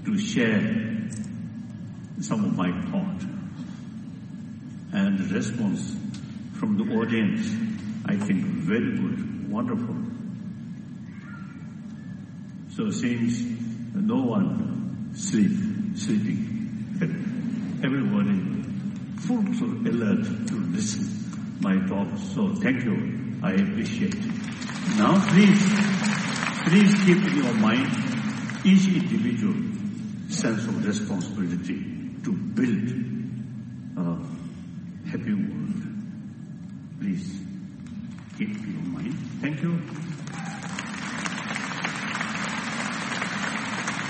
to share some of my thought and the response from the audience. I think very good, wonderful. So since no one sleep, sleeping, everybody full of alert to listen my talk. So thank you. I appreciate it. Now please, please keep in your mind each individual sense of responsibility to build a happy world. Please keep your mind. Thank you.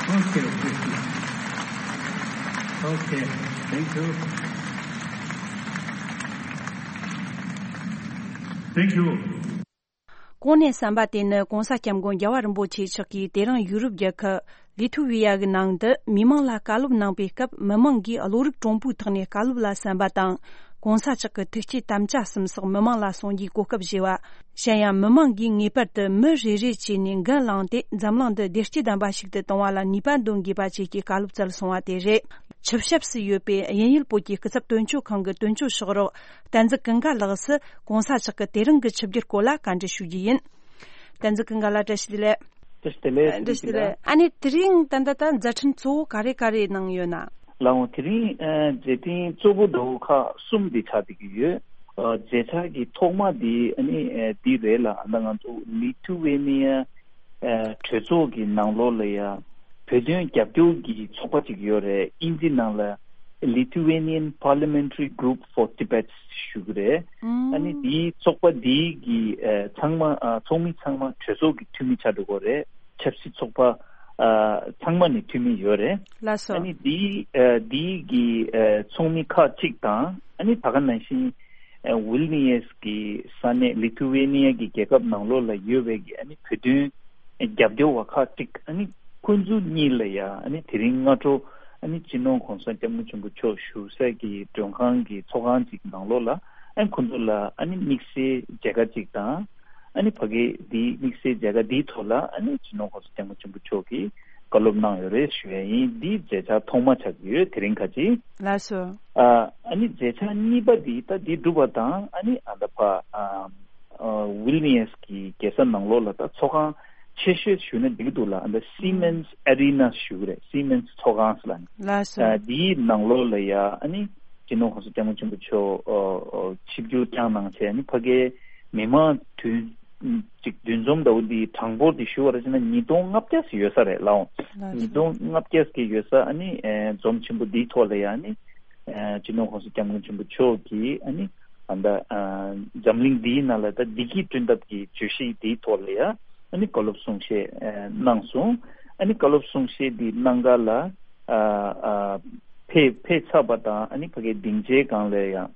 Okay, okay. Okay, thank you. Thank you. གོང་ནས་གསན་པ་དེ་ནི་གོང་ས་སྐྱབས་མགོན་རྒྱལ་བ་རིན་པོ་ཆེ་མཆོག་གིས་དེ་རིང་ཡུ་རོབ་རྒྱལ་ཁབ་ལི་ཐུ་ཝི་ཡ་གི་ནང་དུ་མི་མང་ལ་བཀའ་སློབ་གནང་པའི་སྐབས། མི་མང་གིས་གློ་རིག་གྲུང་པོའི་ཐོག་ནས་བཀའ་སློབ་ལ་གསན་པ་དང་། གོང་ས་མཆོག་གི་ཐུགས་བསྐྱེད་དམ་བཅའ་གསུམ་སོགས་མི་མང་ལ་གསུང་རྒྱུའི་གོ་སྐབས་བཞེས་པ། གཞན་ཡང་མི་མང་གིས་ངེས་པར་དུ་མི་རེ་རེ་བྱས་ནས་འགན་བླངས་ཏེ་འཛམ་གླིང་འདི་བདེ་སྐྱིད་ལྡན་པ་ཞིག་ཏུ་གཏོང་བ་ལ་ནུས་པ་འདོན་དགོས་པ་བཅས་ཀྱི་བཀའ་སློབ་སྩལ་སོང་བ་དེ་རེད། ཆུ་ཞབས་སུ་ཡོད་པའི་དབྱིན་ཡུལ་བོད་ཀྱི་སྐུ་ཚབ་དོན་གཅོད་ཁང་གི་དོན་གཅོད་ཤོག་རོགས་བསྟན་འཛིན་ཀུན་དགའ་ལགས་སུ་གོང་ས་མཆོག་གི་དེ་རིང་གི་ཆིབས་བསྒྱུར་སྐོར་ལ་བཀའ་འདྲི་ཞུ་རྒྱུ་ཡིན། བསྟན་འཛིན་ཀུན་དགའ་ལགས་བཀྲ་ཤིས་བདེ་ལེགས། བཀྲ་ཤིས་བདེ་ལེགས། བཀྲ་ཤིས་བདེ་ལེགས། ཨ་ནི་དེ་རིང་ད་ལྟ་ད་མཛད་འཕྲིན་གཙོ་བོ་ག་རེ་ག་རེ་གནང་ཡོད་ན། ལགས་འོང་། དེ་རིང་ཨ་མཛད་འཕྲིན་གཙོ་བོ་འདྲ་བོ་ཁག་གསུམ་འདི་ཆགས་བསྡད་ཀྱི་ཡོད། ཨ་མཛད་འཆར་གྱི་ཐོག་མ་འདི་ཨ་ནི་ཨ་འདི་རེད་ལ། ཨ་ད་ང་ཚོ་ལི་ཐུ་ཝེ་ནི་ཡ་ཨ་གྲོས་ཚོགས་ཀྱི་ནང་ལོགས་ལ་ཡ་བོད་དོན་རྒྱབ་སྐྱོར་གྱི་ཚོགས་པ་ཅིག་ཡོད་རེད། དབྱིན་ཇི་ནང་ལ་Lithuanian Parliamentary Group for Tibet ཞུ་གི་རེད། ཨ་ནི་འདིའི་ཚོགས་པ་འདིའི་གི་ཨ་ཚང་མ་ཨ་ཚོགས་མི་ཚང་མ་གྲོས་ཚོགས་ཀྱི་འཐུས་མི་ཆགས་འགྲོ་གི་རེད། ཆབ་སྲིད་ཚོགས་པ་ཨ་ཚང་མ་ནས་འཐུས་མི་ཡོད་རེད། ལགས་སོ། ཨ་ནི་འདིའི་ཨ་འདིའི་གི་ཨ་ཚོགས་མི་ཁག་ཅིག་དང་། ཨ་ནི་ད་ག་ནང་བཞིན་ཨ་ཝིལ་ནི་ཡེས་ཀྱི་ས་གནས་ལི་ཐུ་ཝེ་ནི་ཡ་གི་རྒྱལ་ཁབ་ནང་ལོགས་ལ་ཡོད་པའི་གི་ཨ་ནི་བོད་དོན་རྒྱབ་སྐྱོར་བ་ཁག་ཅིག། ཨ་ནི་ཁོང་ཚོ་གཉིས་ལ་ཡ་ཨ་ནི་དེ་རིང་སྔ་དྲོ་ཨ་ནི་སྤྱི་ནོར་གོང་ས་སྐྱབས་མགོན་ཆེན་པོ་མཆོག་བཞུགས་སའི་གི་མགྲོན་ཁང་གི་ཚོགས་ཁང་ཅིག་ནང་ལོགས་ལ། ཨ་ནི་ཁོང་ཚོ་ལ་ཨ་ནི་དམིགས་བསལ་མཇལ་ཁ་ཅིག་དང་། ཨ་ནི་ཕ་གི་འདིའི་དམིགས་བསལ་མཇལ་ཁ་འདིའི་ཐོག་ལ་ཨ་ནི་སྤྱི་ནོར་གོང་ས་སྐྱབས་མགོན་ཆེན་པོ་མཆོག་གིས་བཀའ་སློབ་གནང་ཡོད་རེད་ཞུ་ཡ་ཡིན། འདིའི་མཛད་འཆར་ཐོག་མ་ཆགས་ཀྱི་ཡོད་དེ་རིང་ཁ་ཅིག། ལགས་སོ། ཨ་ཨ་ནི་མཛད་འཆར་གཉིས་པ་འདི་ད་འདི་གྲུབ་པ་དང་། ཨ་ནི་ཨ་ད་ཕ་ཨ་ཨ་ཝིལ་ནི་ཡེས་ཀྱི་རྒྱལ་ས་ནང་ལོགས་ལ་ད་ཚོགས་ཁང་ཆེ་ཤོས་ཞུ་ན་འགྲིག་གི་འདུག་ལ། ཨ་ད་སི་མེན་སི་ཨ་རི་ན་ཞུ་གི་རེད། སི་མེན་སི་ཚོགས་ཁང་ཟེར་ལ་ནི། ལགས་སོ། ཨ་འདིའི་ནང་ལོགས་ལ་ཡ་ཨ་ནི་སྤྱི་ནོར་གོང་ས་སྐྱབས་མགོན་ཆེན་པོ་མཆོག་ཨ་ཨ་ཆིབས་བསྒྱུར་བསྐྱངས་གནང་བྱས། ཨ་ནི་ཕ་གིའི་མི་མང་དུས་ཅིག་འདུ་འཛོམས་འདྲ་བོ་འདི་གྲངས་འབོར་འདི་ཞུ་བ་ར་བྱས་ན་ཉིས་སྟོང་ལྔ་བརྒྱ་ཟིག་ཡོད་ས་རེད་ལགས་འོང་། ལགས་སོ། ཉིས་སྟོང་ལྔ་བརྒྱ་ཟིག་ཡོད་ས། ཨ་ནི་ཨ་འཛོམས་ཆེན་པོ་འདིའི་ཐོག་ལ་ཡ་ཨ་ནི་ཨ་སྤྱི་ནོར་གོང་ས་སྐྱབས་མགོན་ཆེན་པོ་མཆོག་གིས་ཨ་ནི་ཨ་ད་ཨ་འཛམ་གླིང་འདིའི་ནང་ལ་ད་བདེ་སྐྱིད་བསྐྲུན་ཐབས་ཀྱི་བརྗོད་གཞི་འདིའི་ཐོག་ལ་ཡ་ཨ་ནི་བཀའ་སློབ་གསུང་བཤད་ཨ་གནང་སོང་། ཨ་ནི་བཀའ་སློབ་གསུང་བཤད་འདི་གནང་ག་ལ་ཨ་ཨ་ཕེབས་ཕེབས་ཚར་བ་དང་། ཨ་ནི་ཕ་གིའི་སྡིངས་ཆའི་སྒང་ལ་ཡང་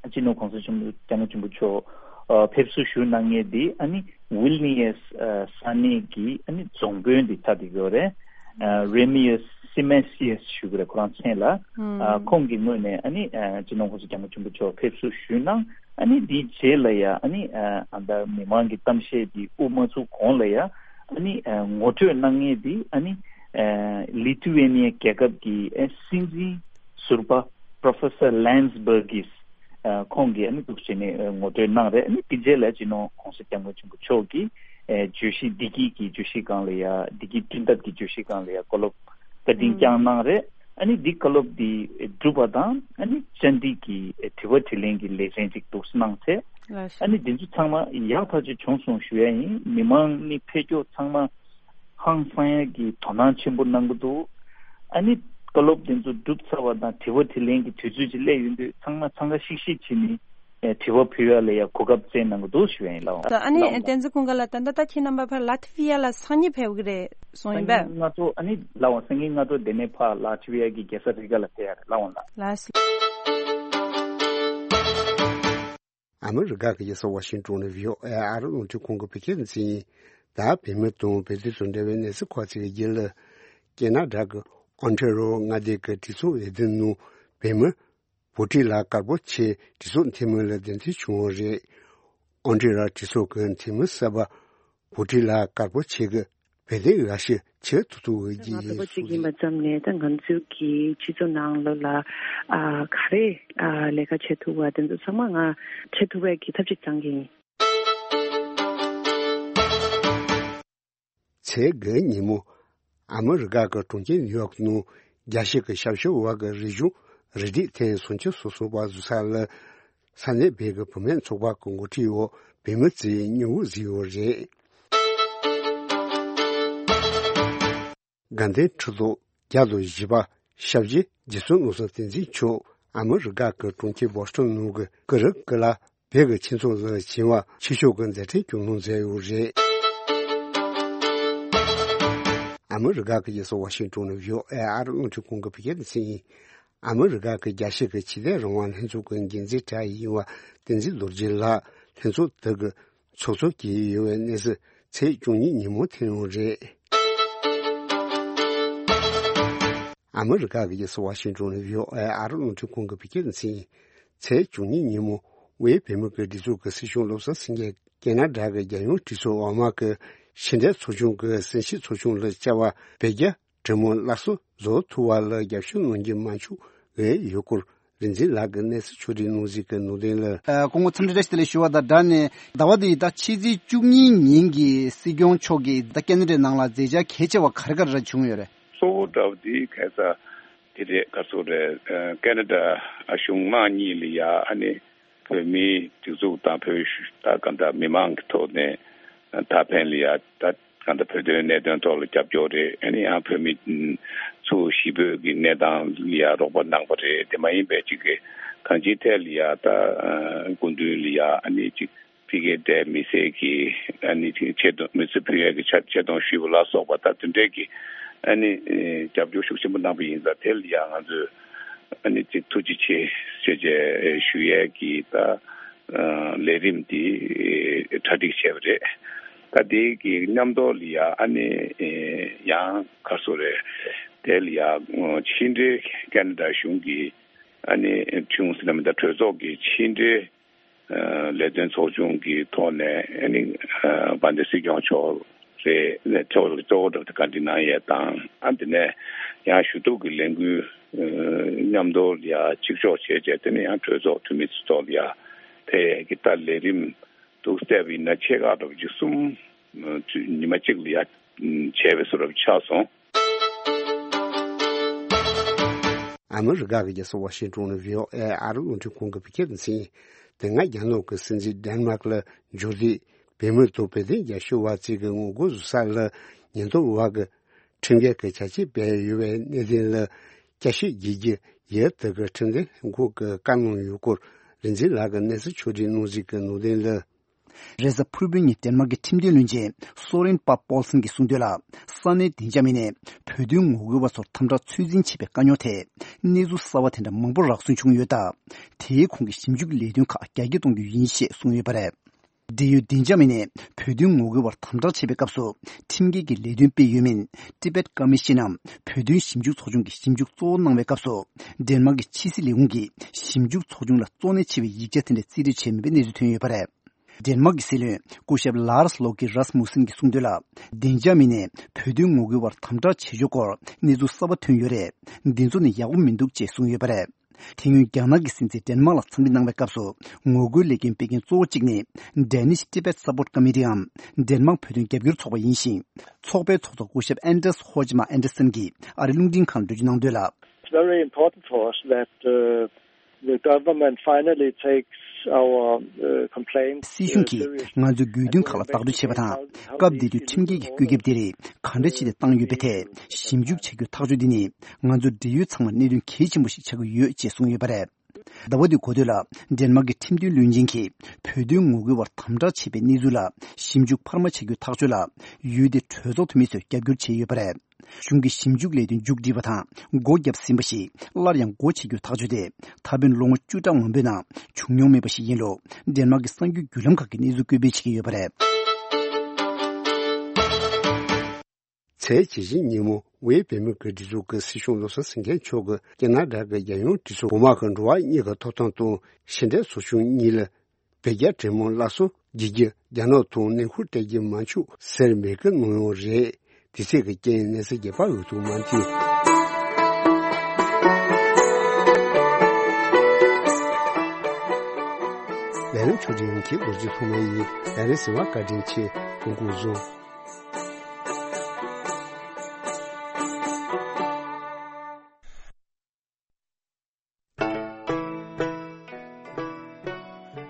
སྤྱི་ནོར་གོང་ས་ཆེན་པོ་སྐྱབས་མགོན་ཆེན་པོ་མཆོག་ཨ་ཕེབས་བསུ་ཞུ་གནང་མཁན་འདི་ཨ་ནི་ཝིལ་ནི་ཡེས་ཨ་ས་གནས་ཀྱི་ཨ་ནི་རྫོང་དཔོན་འདི་ཆགས་བསྡད་ཡོད་རེད། ཨ་རེ་མི་ཡེས་སི་མེ་སི་ཡེས་ཞུ་གི་རེད། ཁོ་རང་མཚན་ལ། ཨ་ཁོང་གི་ངོས་ནས་ཨ་ནི་ཨ་སྤྱི་ནོར་གོང་ས་སྐྱབས་མགོན་ཆེན་པོ་མཆོག་ཕེབས་བསུ་ཞུས་གནང་། ཨ་ནི་དེའི་རྗེས་ལ་ཡ་ཨ་ནི་ཨ་ཨ་ད་མི་མང་གི་གཏམ་བཤད་འདི་དབུ་མ་ཚུགས་གོང་ལ་ཡ་ཨ་ནི་ཨ་ངོ་སྤྲོད་གནང་མཁན་འདི་ཨ་ནི་ཨ་ལི་ཐུ་ཝེ་ནི་ཡ་རྒྱལ་ཁབ་ཀྱི་ཨ་སྲིད་འཛིན་ ཟུར་པ་Professor Lance Burgess ཁོང་གིས་ཨ་ནི་འདུག་བྱས་ནས་ངོ་སྤྲོད་གནང་རེད། ཨ་ནི་དེ་རྗེས་ལ་སྤྱི་ནོར་༸གོང་ས་༸སྐྱབས་མགོན་ཆེན་པོ་མཆོག་གིས་བརྗོད་གཞི་བདེ་སྐྱིད་ཀྱི་བརྗོད་གཞི་སྒང་ལ་ཡ་བདེ་སྐྱིད་བསྐྲུན་ཐབས་ཀྱི་བརྗོད་གཞི་སྒང་ལ་ཡ་བཀའ་སློབ་བཀའ་དྲིན་བསྐྱངས་གནང་རེད། ཨ་ནི་འདི་བཀའ་སློབ་འདི་གྲུབ་པ་དང་ཨ་ནི་བཅར་འདྲི་གི་དྲི་བ་དྲིས་ལན་གྱི་ལེ་ཚན་ཅིག་འདུག་གནང་ཚེ། ཨ་ནི་འདི་ཚོ་ཚང་མ་ཡག་ཐག་ཆོད་བྱུང་སོང་ཞུ་ཡ་ཡིན། མི་མང་ནི་ཕེབས་སྐྱོད་ཚང་མ་ཧང་སང་ཡ་གི་དོ་སྣང་ཆེན་པོ་གནང་གི་འདུག་ཨ་ནི་བཀའ་སློབ་འདི་ཚོ་གྲུབ་ཚར་བ་དང་དྲི་བ་དྲིས་ལན་གྱི་དུས་ཚོད་ཅིག་སླེབས་ཡོང་དུས་ཚང་མ་འཚང་ཁ་ཤིག་ཤིག་བྱས་ནས་དྲི་བ་ཕུལ་ཡ་ལ་ཡ་གོ་སྐབས་བསྩལ་གནང་གི་འདུག་ཞུ་ཡ་ཡིན། ལགས་འོང་། ད་ཨ་ནི་ལགས་འོང་། བསྟན་འཛིན་ཀུན་དགའ་ལགས། ད་ལྟ་ད་ཁྱེད་རྣམ་པ་ཕར་ལ་ཐི་ཝི་ཡ་ལ་སང་ཉིན་ཕེབས་ཀྱི་རེད་གསུངས་ཡིན་པས། སང་ཉིན་སྔ་དྲོ་ཨ་ནི་ལགས་འོང་། སང་ཉིན་སྔ་དྲོ་དེ་ནས་ཕར་ལ་ཐི་ཝི་ཡ་གི་རྒྱལ་ས་རི་ག་ལ་ཕེབས་ཡ་རེད། ལགས་འོང་ལགས། ལགས་སོ། ཨ་མི་རི་ཀ་གི་རྒྱལ་ས་ཝ་ཤིང་ཏོན་ནས་བྷི་ཨོ་ཨེ་ཨ་རི་རླུང་འཕྲིན་ཁང་གི་བོད་སྐད་སྡེ་ཚན་ཡིན། ད་བོད་མི་དང་བོད་དོན་དང་འབྲེལ་བའི་གནས་ཚུལ་ཁག་ཅིག་གི་རྒྱུད་ལ། ཀེ་ན་ཌ་གི་ཨོན་ཊ་རི་ཨོ་མངའ་སྡེ་གི་གྲོས་ཚོགས་འོས་བསྡུ་ནང་བོད་མི་བྷུ་ཊི་ལ་དཀར་པོ་ཆེ་གྲོས་ཚོགས་འཐུས་མི་ལ་གདན་འདྲེན་བྱུང་བ་རེད། ཨོན་ཊ་རི་ཨོ་གྲོས་ཚོགས་ཀྱི་འཐུས་མི་གསར་པ་བྷུ་ཊི་ལ་དཀར་པོ་ཆེ་གིས་བོད་དོན་འགའ་ཤས་བྱེད་ཐུབ་ཐུབ་འོས་ཀྱི་ང་ཡིན་བོད་པ་གཅིག་ཡིན་པ་ཙམ་ནས་ད་ང་ཚོའི་གི་སྤྱི་ཚོགས་ནང་ལོགས་ལ་ཨ་ག་རེ་ཨ་ལས་ཀ་བྱེད་ཐུབ་པ་དེ་ཚོ་ཚང་མ་ང་བྱེད་ཐུབ་པའི་གི་ཐབས་ཤེས་བཅང་གི་ཡིན། ཚེས་དགུ་ཉིན་མོ་ཨ་མི་རི་ཀ་གི་གྲོང་ཁྱེར་ནིའུ་ཡོག་ནང་རྒྱལ་སྤྱི་གི་ཞབས་ཞུ་བ་གི་རིག་གཞུང་རུ་སྒྲིག་ཐེངས་སུམ་ཅུ་སོ་གསུམ་པ་བཞུགས་ས་ལ། ས་གནས་བོད་ཀྱི་བུད་མེད་ཚོགས་པ་གི་འགོ་ཁྲིད་འོག་བོད་མི་ཚོས་སྙིང་བོ་གཟིགས་ཡོད་རེད། དགའ་ལྡན་ཁྲི་ཐོག་བརྒྱ་དང་བཞི་པ་ཞབས་རྗེ་རྗེ་བཙུན་བློ་བཟང་བསྟན་འཛིན་མཆོག་ཨ་མི་རི་ཀ་གི་གྲོང་ཁྱེར་བྷོ་སི་ཊོན་ནང་གི་ཀི་རི་ཀི་ལ་བོད་ཀྱི་ཁྱིམ་ཚང་ལ་བྱིན་པ་ཆེ་ཤོས་ཀྱི་མཛད་འཕྲིན་སྐྱོང་གནང་མཛད་ཡོད་རེད། ཨ་མི་རི་ཀ་གི་རྒྱལ་ས་ཝ་ཤིང་ཏོན་ནས་བྷི་ཨོ་ཨེ་ཨ་རི་རླུང་འཕྲིན་ཁང་གི་བོད་སྐད་སྡེ་ཚན་ཡིན། ཨ་མི་རི་ཀ་གི་རྒྱལ་སྤྱི་གི་ཆོས་དད་རང་དབང་ལྷན་ཚོགས་ཀྱི་འགན་འཛིན་གྲས་ཡིན་པ་བསྟན་འཛིན་རྡོ་རྗེ་ལགས་ལྷན་ཚོགས་དེ་གི་ཚོགས་གཙོ་བྱས་ཡོད་པའི་གནས་ཚུལ་ཚེས་བཅུ་གཉིས་ཉིན་མོ་ཐོན་ཡོད་རེད། ཨ་མི་རི་ཀ་གི་རྒྱལ་ས་ཝ་ཤིང་ཏོན་ནས་བྷི་ཨོ་ཨེ་ཨ་རི་རླུང་འཕྲིན་ཁང་གི་བོད་སྐད་སྡེ་ཚན་ཡིན། ཚེས་བཅུ་གཉིས་ཉིན་མོ་དབུས་བོད་མི་གི་སྒྲིག་འཛུགས་ཀྱི་སྲིད་སྐྱོང་བློ་བཟང་སེང་གེ་ཀེ་ན་ཌ་གི་རྒྱལ་ཡོངས་གྲོས་ཚོགས་འོག་མ་གི་ཕྱི་འབྲེལ་ཚོགས་ཆུང་གི་གསན་བཞེས་ཚོགས་ཆུང་ལ་བཅར་བ་བོད་རྒྱ་གྲོས་མོལ་སླར་གསོ་བཟོ་ཐུབ་པ་ལ་རྒྱབ་སྐྱོར་གནང་རྒྱུ་མ་བྱུང་བའི་ཡུལ་སྐོར་རིག་འཛིན་ལགས་ཀྱིས་གནས་ཚུལ་ཕྱོགས་སྒྲིག་གནང་གཟིགས་ཀྱི་ནང་དོན་ལ། ཨ། སྐུ་ངོ་འཚམས་འདྲི་བཀྲ་ཤིས་བདེ་ལེགས་ཞུ་བ་དང་སྦྲགས་ནས། ཟླ་བ་འདིའི་ཟླ་ཕྱེད་ཚེས་བཅུ་གཉིས་ཉིན་གྱི་སྲིད་སྐྱོང་མཆོག་གིས་ད་ཀེ་ན་ཌའི་ནང་ལ་མཛད་འཆར་གལ་ཆེ་བ་ག་རེ་ག་རེ་བྱུང་ཡོད་རེད། གཙོ་བོ་འདྲ་བོ་དེ་ག་ས་དེ་རེད། ག་ཚོད་རེད། ཨ། ཀེ་ན་ཌ་གཞུང་མང་གཉིས་ལ་ཡ་ཨ་ནི་བོད་མིའི་སྒྲིག་འཛུགས་དང་བོད་ད་ག་འདྲ་མི་མང་གི་ཐོག་ནས་ད་ཕན་ལ་ཡ་ད་ག་འདྲ་བོད་དོན་གནད་དོན་ཐོག་ལ་རྒྱབ་སྐྱོར་རེད། ཨ་ནི་ཡང་བོད་མི་ཚོ་གཞིས་སྤོས་ཀྱི་གནས་སྟངས་ལ་ཡ་རོགས་པ་གནང་བ་རེད། དེ་མ་ཡིན་པའི་ཅིག་གི་གང་ཅིའི་ཐད་ལ་ཡ་ད་སྐུ་མདུན་ལ་ཡ་ཨ་ནི་ཅིག་ཕ་གིའི་མི་སེར་གྱི་ཨ་ནི་ཅིག་ཆེ་མཐོང་མི་ཚེ་ཕུལ་ཡས་ཀྱི་ཆེ་ཆེ་མཐོང་ཞུས་པ་ལ་སོགས་པ་ད་དེ་འདྲའི་གི་ཨ་ནི་རྒྱབ་སྐྱོར་ཤུགས་ཆེན་པོ་གནང་བ་ཡིན་ཙང་། དེ་ལ་ཡ་ང་ཚོས་ཨ་ནི་ཅིག་ཐུགས་རྗེ་ཆེ་ཞུ་ཡས་ཀྱི་ད་ལས་རིམ་འདི་གྲ་སྒྲིག་བྱས་པ་རེད། ད་དེ་གི་མཉམ་དུ་ལ་ཡ་ཨ་ནི་ཡང་ག་ཚོད་རེད། དེ་ལ་ཡ་ཕྱི་འབྲེལ་ཀེ་ན་ཌ་གཞུང་གི་ཨ་ནི་ཁྲིམས་ཟེར་ན་མི་འདུག་གྲོས་ཚོགས་ཀྱི་ཕྱི་འབྲེལ་ལས་དོན་ཚོགས་ཆུང་གི་ཐོག་ནས་ཨ་ནི་དཔལ་ལྡན་སྲིད་སྐྱོང་མཆོག་རེད། ཨ་ནི་ཐོག་གཙོ་བོ་འདྲ་བོ་དེ་བཀའ་འདྲི་གནང་ཡས་དང་། ཨ་དེ་ནས་ཡང་ཞུ་གཏུག་གི་ལས་འགུལ་མཉམ་དུ་ཡ་གཅིག་ལྕོགས་བྱས་རྗེས་དེ་ནས་ཡང་གྲོས་ཚོགས་འཐུས་མི་ཚོ་ཐོག་ལ་ཡ་ཕེབས་ཡས་ཀྱི་ད་ལས་རིམ་འདུག་བལྟས་པ་ཡིན་ན་ཆེ་ཁག་འདྲ་བོ་ཅིག་གསུམ་ཉི་མ་གཅིག་ལ་ཡ་བྱས་པའི་བཟོ་འདྲ་བོ་ཆགས་སོང་། ཨ་མི་རི་ཀ་གི་རྒྱལ་ས་ཝ་ཤིང་ཏོན་ནས་བྷི་ཨོ་ཨེ་ཨ་རི་རླུང་འཕྲིན་ཁང་གི་བོད་སྐད་སྡེ་ཚན། དེ་སྔ་རྒྱ་ནག་གི་སྲིད་འཛིན་ཌེན་མཱག་ལ་འབྱོར་དུས་བོད་མི་དང་བོད་དོན་རྒྱབ་སྐྱོར་བ་ཚོ་གི་ངོ་རྒོལ་བཟོ་ས་ལ་ཉེན་རྟོག་པ་གིས་ཁྲིམས་འགལ་གྱི་བྱ་སྤྱོད་སྤེལ་ཡོད་པའི་གནད་དོན་ལ་བསྐྱར་ཞིབ་བྱེད་རྒྱུ་ཡུལ་དེ་གི་ཁྲིམས་དོན་ལྷན་ཁང་གིས་བཀའ་གནང་ཡོད་སྐོར་རིག་འཛིན་ལགས་ཀྱིས་གནས་ཚུལ་ཕྱོགས་སྒྲིག་གནང་གཟིགས་ཀྱི་ནང་དོན་ལ། རེས་གཟའ་ཕུར་བུའི་ཉིན་ཌེན་མཱག་གི་ཁྲིམས་དོན་བློན་ཆེན་སོ་རེན་པཱ་པོལ་སན་གྱིས་གསུངས་དོན་ལ། ས་གནས་བདེ་འཇགས་མི་སྣས་བོད་དོན་ངོ་རྒོལ་བ་ཚོར་དམ་དྲག་ཚོད་འཛིན་བྱས་པའི་དཀའ་རྙོག་ཐད་གནས་ཚུལ་གསར་བ་དེ་འདྲ་མང་པོ་རག་སོན་བྱུང་ཡོད་སྟབས། དེའི་ཁོངས་ཀྱི་ཞིབ་འཇུག་ལས་དོན་ཁག་རྒྱ་སྐྱེད་གཏོང་རྒྱུ་ཡིན་ཞེས་གསུངས་ཡོད་པ་རེད། འབྲེལ་ཡོད་བདེ་འཇགས་མི་སྣས་བོད་དོན་ངོ་རྒོལ་བར་དམ་དྲག་བྱེད་པའི་སྐབས་སུ་ཁྲིམས་འགལ་གྱི་ལས་དོན་སྤེལ་ཡོད་མིན། Tibet Commission ནམ་བོད་དོན་ཞིབ་འཇུག་ཚོགས་ཆུང་གིས་ཞིབ་འཇུག་གཙོ་བོ་གནང་བའི་སྐབས་སུ། ཌེན་མཱག་གི་ཕྱི་སྲིད་ལས་ཁུངས་ཀྱིས་ཞིབ་འཇུག་ཚོགས་ཆུང་ལ་གཙོ་གནད་ཆེ་བའི་ཡིག་ཆ་དེ་འདྲ་རྩིས་སྤྲོད་བྱས་མེད་པའི་གནས་ཚུལ་ཐོན་ཡོད་པ་རེད། ཌེན་མཱག་གི་སྲིད་བློན་སྐུ་ཞབས་ལཱར་སི་ལོ་ཀི་རཱས་མུ་སན་གྱིས་གསུངས་དོན་ལ། ཌེན་ཅཱ་མིན་ནས་བོད་དོན་ངོ་རྒོལ་བར་དམ་དྲག་བྱེད་ཕྱོགས་སྐོར་གནས་ཚུལ་གསར་པ་ཐོན་ཡོད་རེད། འདི་ཚོ་ནི་ཡག་པོ་མི་འདུག་ཅེས་གསུངས་ཡོད་པ་རེད། དེ་སྔོན་རྒྱ་ནག་གི་སྲིད་འཛིན་ཌེན་མཱག་ལ་འཚམས་འདྲི་གནང་བའི་སྐབས་སུ། ངོ་རྒོལ་ལས་འགུལ་སྤེལ་མཁན་གཙོ་བོ་གཅིག་ནི། Danish Tibet Support Committeeའམ། ཌེན་མཱག་བོད་དོན་རྒྱབ་སྐྱོར་ཚོགས་པ་ཡིན་ཞིང་། ཚོགས་པའི་ཚོགས་གཙོ་སྐུ་ཞབས་ཨན་ཌརས་ཧོ་ཇི་མ་ཨན་ཌར་སན་གྱིས་ཨ་རིའི་རླུང་འཕྲིན་ཁང་ལ་འགྲེལ་བརྗོད་གནང་དོན་ལ། It's very important for us that, uh, the government finally takes our, uh, complaints, uh, seriously. སྲིད་གཞུང་གིས་ང་ཚོའི་དགོས་འདུན་ཁག་ལ་བདག་སྤྲོད་བྱས་པ་དང་། སྐབས་དེ་དུས་ཁྲིམས་འགལ་གྱི་བཀོད་ཁྱབ་དེ་རིགས་ག་འདྲ་བྱས་ཏེ་བཏང་ཡོད་པའི་ཐད་ཞིབ་འཇུག་བྱ་རྒྱུའི་ཐག་གཅོད་འདི་ནི། ང་ཚོ་འབྲེལ་ཡོད་ཚང་མར་གནད་དོན་གལ་ཆེན་པོ་ཞིག་ཆགས་ཀྱི་ཡོད་ཅེས་གསུངས་ཡོད་པ་རེད། ཟླ་བ་འདིའི་འགོ་སྟོད་ལ། ཌེན་མཱག་གི་ཁྲིམས་དོན་བློན་ཆེན་གྱིས་བོད་དོན་ངོ་རྒོལ་བར་དམ་དྲག་བྱས་པའི་གནས་ཚུལ་ལ་ཞིབ་འཇུག་འཕར་མ་བྱ་རྒྱུའི་ཐག་གཅོད་ལ། ཡུལ་དེའི་གྲོས་ཚོགས་འཐུས་མི་ཚོས་རྒྱབ་སྐྱོར་བྱས་ཡོད་པ་རེད། གཞུང་གིས་ཞིབ་འཇུག་ལས་དོན་མཇུག་སྒྲིལ་བ་དང་། སྒོ་བརྒྱབ་ཟིན་པ་ཞིག་སླར་ཡང་སྒོ་ཕྱེ་རྒྱུའི་ཐག་གཅོད་དེ། ད་ཕན་ལོ་ངོ་བཅུ་ཕྲག་མང་པོའི་ནང་བྱུང་མྱོང་མེད་པ་ཞིག་ཡིན་ལུགས། ཌེན་མཱག་གི་གསར་འགྱུར་བརྒྱུད་ལམ་ཁག་གིས་གནས་ཚུལ་སྐད་འབོད་བྱེད་ཀྱི་ཡོད་པ་རེད། ཚེས་ཇི་བཞི་ཉིན་མོ་ཝེ་བོད་མིའི་སྒེར་སྡེ་ཚོགས་ཀྱི་སྲིད་སྐྱོང་བློ་བཟང་སེང་གེ་མཆོག་གིས་ཁེ་ན་ཌ་གི་རྒྱལ་ཡོངས་གྲོས་ཚོགས་འོག་མ་གི་འགྲོ་བ་མིའི་ཐོབ་ཐང་དང་ཕྱི་འབྲེལ་ཚོགས་ཆུང་གཉིས་ལ། བོད་རྒྱ་འབྲེལ་མོལ་སླར་གསོ་བྱེད་རྒྱུར་རྒྱ་ནག་ཐོག་ནུས་ཤུགས་སྤྲད་ཀྱི་མ་བཅུག་ཟེར་འབོད་སྐུལ་གནང་ཡོད་རེད། དེ་ཚོའི་རྐྱེན་གནས་ཚུལ་རྒྱས་པ་འོད་ཐུང་མ་མཐུན། ལས་རིམ་ཕྱོགས་སྒྲིག་གིས་རྡོ་རྗེ་ཐོགས་མེད་ཡིན། ལས་རིམ་གསན་པར་བཀའ་དྲིན་ཆེ། སྐུ་ཁམས་བཟང་།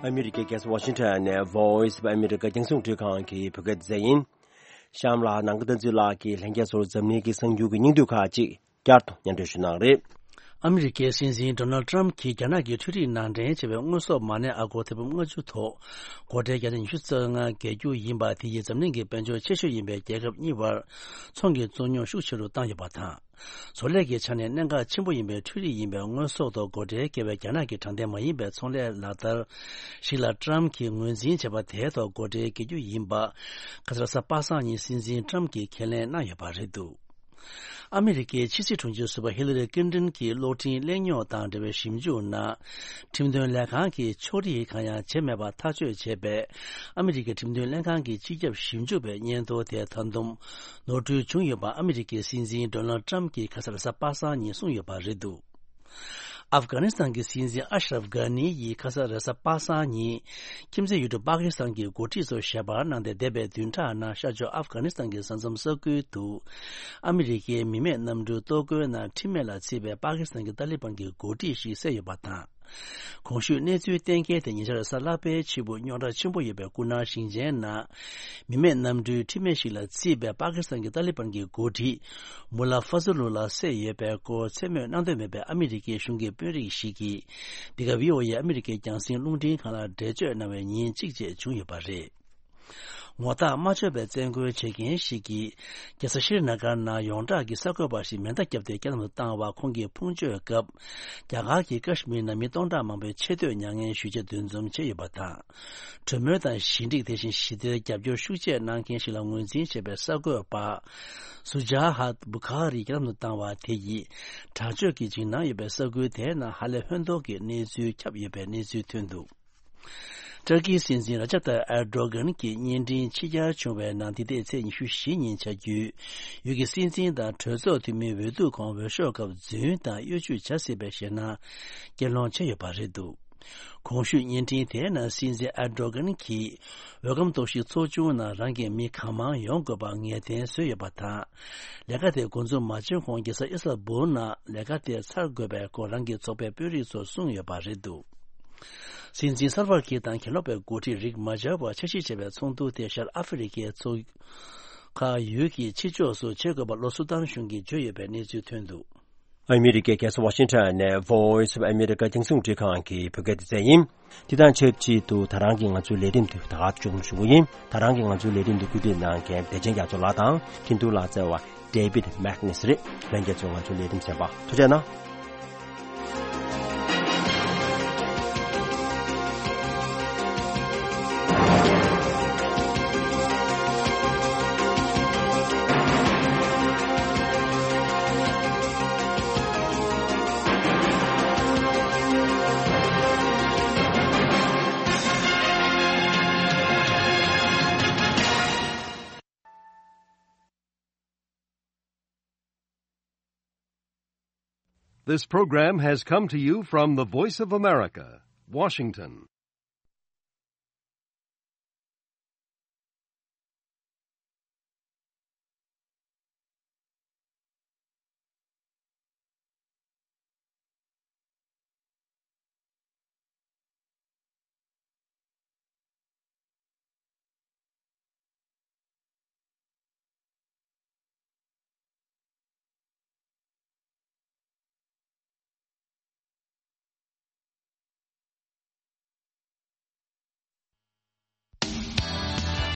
ཨ་མི་རི་ཀའི་རྒྱལ་ས་ཝ་ཤིང་ཊོན་ནས་Voice of America རྒྱང་སྲིང་རླུང་འཕྲིན་ཁང་གི་བོད་སྐད་སྡེ་ཚན་ཡིན། གཤམ་ལ་ནང་པ་བསྟན་འཛིན་ལགས་ཀྱིས་ལྷན་རྒྱས་ཚོར་འཛམ་གླིང་གི་གསར་འགྱུར་གྱི་སྙིང་བསྡུས་ཁག་ཅིག་བསྐྱར་དུ་སྙན་སྒྲོན་ཞུ་གནང་རེད། ཨ་མི་རི་ཀའི་སྲིད་འཛིན་ཌོ་ནལ་ཊམ་གྱིས་རྒྱ་ནག་གི་འཕྲུལ་རིག་ནང་འདྲེན་བྱས་པའི་དངོས་ཟོག་མ་གནས་ཨ་སྒོར་ཐེར་འབུམ་ལྔ་བཅུ་ཐོག་སྒོ་ཁྲལ་བརྒྱ་ཆ་ཉི་ཤུ་རྩ་ལྔ་འགེལ་རྒྱུ་ཡིན་པ། དེ་ཡིས་འཛམ་གླིང་གི་དཔལ་འབྱོར་ཆེ་ཤོས་ཡིན་པའི་རྒྱལ་ཁབ་གཉིས་བར་ཚོང་གི་རྩོད་རྙོག་ཤུགས་ཆེ་རུ་བཏང་ཡོད་པ་དང་། བཟོ་ལས་ཀྱི་ཆ་ནས་གནད་འགག་ཆེན་པོ་ཡིན་པའི་འཕྲུལ་རིག་ཡིན་པའི་དངོས་ཟོག་ཐོག་སྒོ་ཁྲལ་བཀལ་བའི་རྒྱ་ནག་གི་དྲང་བདེན་མ་ཡིན་པའི་ཚོང་ལས་ལག་བསྟར་ཞིག་ལ་ཊམ་གྱིས་ངོས་འཛིན་བྱས་པ་དེའི་ཐོག་སྒོ་ཁྲལ་འགེལ་རྒྱུ་ཡིན་པ། ཁ་སང་རེས་གཟའ་པ་སངས་ཉིན་སྲིད་འཛིན་ཊམ་གྱིས་ཁས་ལེན་གནང་ཡོད་པ་རེད་འདུག་ཨ་མི་རི་ཀའི་ཕྱི་སྲིད་དྲུང་ཆེ་ཟུར་པ་ཧི་ལ་རི་ཀླིན་ཏོན་གྱི་གློག་འཕྲིན་གླེང་རྙོག་དང་འབྲེལ་བའི་ཞིབ་འཇུག་ནང་། ཁྲིམས་དོན་ལས་ཁང་གིས་ཕྱོགས་སྒྲིག་གང་ཡང་བྱས་མེད་པར་ཐག་གཅོད་བྱས་པའི་ཨ་མི་རི་ཀའི་ཁྲིམས་དོན་ལྷན་ཁང་གི་སྤྱི་ཁྱབ་ཞིབ་འཇུག་པའི་སྙན་ཐོ་དེ་ད་དུང་ནོར་འཁྲུལ་བྱུང་ཡོད་པ་ཨ་མི་རི་ཀའི་སྲིད་འཛིན་ཌོ་ནལ་ཊམ་གྱིས་ཁ་སང་རེས་གཟའ་པ་སངས་ཉིན་གསུངས་ཡོད་པ་རེད་འདུག་ཨབ་གྷ་ནི་སི་ཐན་གྱི་སྲིད་འཛིན་ཨ་ཤ་རབ་གྷ་ནི་ཡིས་ཁ་སང་རེས་གཟའ་པ་སངས་ཉིན་ཁྱིམ་མཚེས་ཡུལ་གྲུ་པ་ཀི་སི་ཐན་གྱི་འགོ་ཁྲིད་ཚོར་ཞལ་པར་གནང་སྟེ། འདས་པའི་བདུན་ཕྲག་ནང་ཤར་ཕྱོགས་ཨབ་གྷ་ནི་སི་ཐན་གྱི་ས་མཚམས་ས་ཁུལ་དུ་ཨ་མི་རི་ཀའི་མི་མེད་གནམ་གྲུའི་གཏོར་རྒོལ་ནང་ཁྲིམས་མེད་ལ་བརྩིས་པའི་པ་ཀི་སི་ཐན་གྱི་ཏཱ་ལི་བན་གྱི་འགོ་ཁྲིད་ཞིག་བསད་ཡོད་པ་དང་། གོང་ཞུས་གནས་ཚུལ་གཏན་འཁེལ་དེ་ཉེ་ཆར་གཟའ་ལྷག་པའི་ཕྱི་དབུགས་རྙོག་དྲ་ཆེན་པོ་ཡོད་པའི་སྐུ་ན་ཞིང་ཆེན་ནང་མི་མེད་གནམ་གྲུའི་ཁྲིམས་མེད་ཞིག་ལ་བརྩིས་པའི་པ་ཀི་སི་ཐན་གྱི་ཏཱ་ལི་བན་གྱི་འགོ་ཁྲིད་མུ་ལ་ཧྥ་ཛུ་ལུ་ལ་བསད་ཡོད་པའི་སྐོར་མཚན་སྨོས་གནང་འདོད་མེད་པའི་ཨ་མི་རི་ཀའི་གཞུང་གི་དཔོན་རིགས་ཤིག་གིས། འདི་ག་བྷི་ཨོ་ཨེ་ཨ་མི་རི་ཀའི་རྒྱང་སྲིང་རླུང་འཕྲིན་ཁང་ལ་འགྲེལ་བརྗོད་གནང་བའི་ཉིན་གཅིག་རྗེས་བྱུང་ཡོད་པ་རེད། ངོ་རྟགས་མ་ཆོད་པའི་བཙན་རྒོལ་བྱེད་མཁན་ཞིག་གིས་རྒྱལ་ས་ཤྲི་ན་གར་ནང་ཡོངས་གྲགས་ཀྱི་གསར་འགོད་པ་ཞིག་མེ་མདའ་བརྒྱབ་སྟེ་རྐྱེན་ངན་བཏང་བར། ཁོང་གིས་ཕུང་མཆོད་སྐབས་རྒྱ་གར་གྱི་ཀ་ཤི་མིར་ནང་མི་སྟོང་ཕྲག་མང་པོའི་ཆེ་བསྟོད་མྱ་ངན་ཞུ་ཆེད་འདུ་འཛོམས་བྱས་ཡོད་པ་དང་། གྲོས་མོལ་དང་ཞི་འགྲིག་དེ་བཞིན་ཞི་བདེར་རྒྱབ་སྐྱོར་ཤུགས་ཆེ་གནང་མཁན་ཞིག་ལ་ངོས་འཛིན་བྱས་པའི་གསར་འགོད་པ་སུ་ཇཱ་ཧད་བུ་ཁ་རི་རྐྱེན་ངན་བཏང་བ་དེ་ཡིས་དྲག་སྤྱོད་ཀྱི་འཇིགས་སྣང་ཡོད་པའི་ས་ཁུལ་དེའི་ནང་ཧ་ལས་ཧོན་ཐོར་གྱི་གནས་ཚུལ་ཁྱབ་ཡོད་པའི་གནས་ཚུལ་ཐོན་འདུག་ཏུར་ཀིའི་སྲིད་འཛིན་ར་ཇབ་ཏཱ་ཨེར་ཌོ་གྷན་གྱི་གཉེན་འཕྲིན་ཕྱི་གྱར་བྱུང་བའི་ནང་། འདི་ཟླའི་ཚེས་ཉི་ཤུ་བཞི་ཉིན་བྱ་རྒྱུའི་ཡུལ་གྱི་སྲིད་འཛིན་དང་གྲོས་ཚོགས་འཐུས་མིའི་འོས་བསྡུ་སྐོར་འོས་ཤོག་སྐབས་རྫུན་དང་གཡོ་ཇུས་བྱ་སྲིད་པའི་ཞེད་སྣང་སྐྱེད་སློང་བྱས་ཡོད་པ་རེད་འདུག་གོང་ཞུས་གཉེན་འཕྲིན་དེའི་ནང་སྲིད་འཛིན་ཨེར་ཌོ་གྷན་གྱིས་འོས་སྒམ་གཏོར་བཤིག་ཚོགས་ཆུང་ནང་རང་གི་མི་གང་མང་ཡོང་དགོས་པ་ངེས་གཏན་བཟོས་ཡོད་པ་དང་། ལས་ཀ་དེ་འགོ་འཛུགས་མ་བྱས་གོང་རྒྱལ་ས་ཨི་སི་ཐན་བུལ་ནང་ལས་ཀ་དེ་ཚར་དགོས་པའི་སྐོར་རང་གི་ཚོགས་པའི་དཔོན་རིགས་ཚོར་གསུངས་ཡོད་པ་རེད་འདུག་སྲིད་འཛིན་སལ་ཝ་ཀིར་དང་གྱེན་ལོག་པའི་འགོ་ཁྲིད་རིག་མ་ཇར་བར་འཆར་གཞི་བྱས་པའི་ཚོགས་འདུ་དེ་ཤར་ཨ་ཧྥེ་རི་ཁའི་མཚོ་ཁ་ཡུལ་གྱི་ཕྱི་ཕྱོགས་སུ་བྱེད་དགོས་པ་ལྷོ་སུ་དཱན་གཞུང་གིས་བརྗོད་ཡོད་པའི་གནས་ཚུལ་ཐོན་འདུག་ཨ་མི་རི་ཀའི་རྒྱལ་ས་ཝ་ཤིང་ཊོན་ནས་Voice of America རྒྱང་སྲིང་རླུང་འཕྲིན་ཁང་གི་བོད་སྐད་སྡེ་ཚན་ཡིན། དེ་དང་ཆབས་ཅིག་ཏུ་ད་རང་གི་ང་ཚོའི་ལས་རིམ་འདི་ད་ག་མཇུག་སྒྲིལ་ཞུ་གི་ཡིན། ད་རང་གི་ང་ཚོའི་ལས་རིམ་འདི་བཀོད་སྒྲིག་གནང་མཁན་བདེ་ཆེན་རྒྱ་མཚོ་ལགས་དང་འཕྲིན་གཏོང་ལག་རྩལ་བ་David Magnus རེད། ལྷན་རྒྱས་ཚོས་ང་ཚོའི་ལས་རིམ་གསན་པར་ཐུགས་རྗེ་གནང་། This program has come to you from the Voice of America, Washington.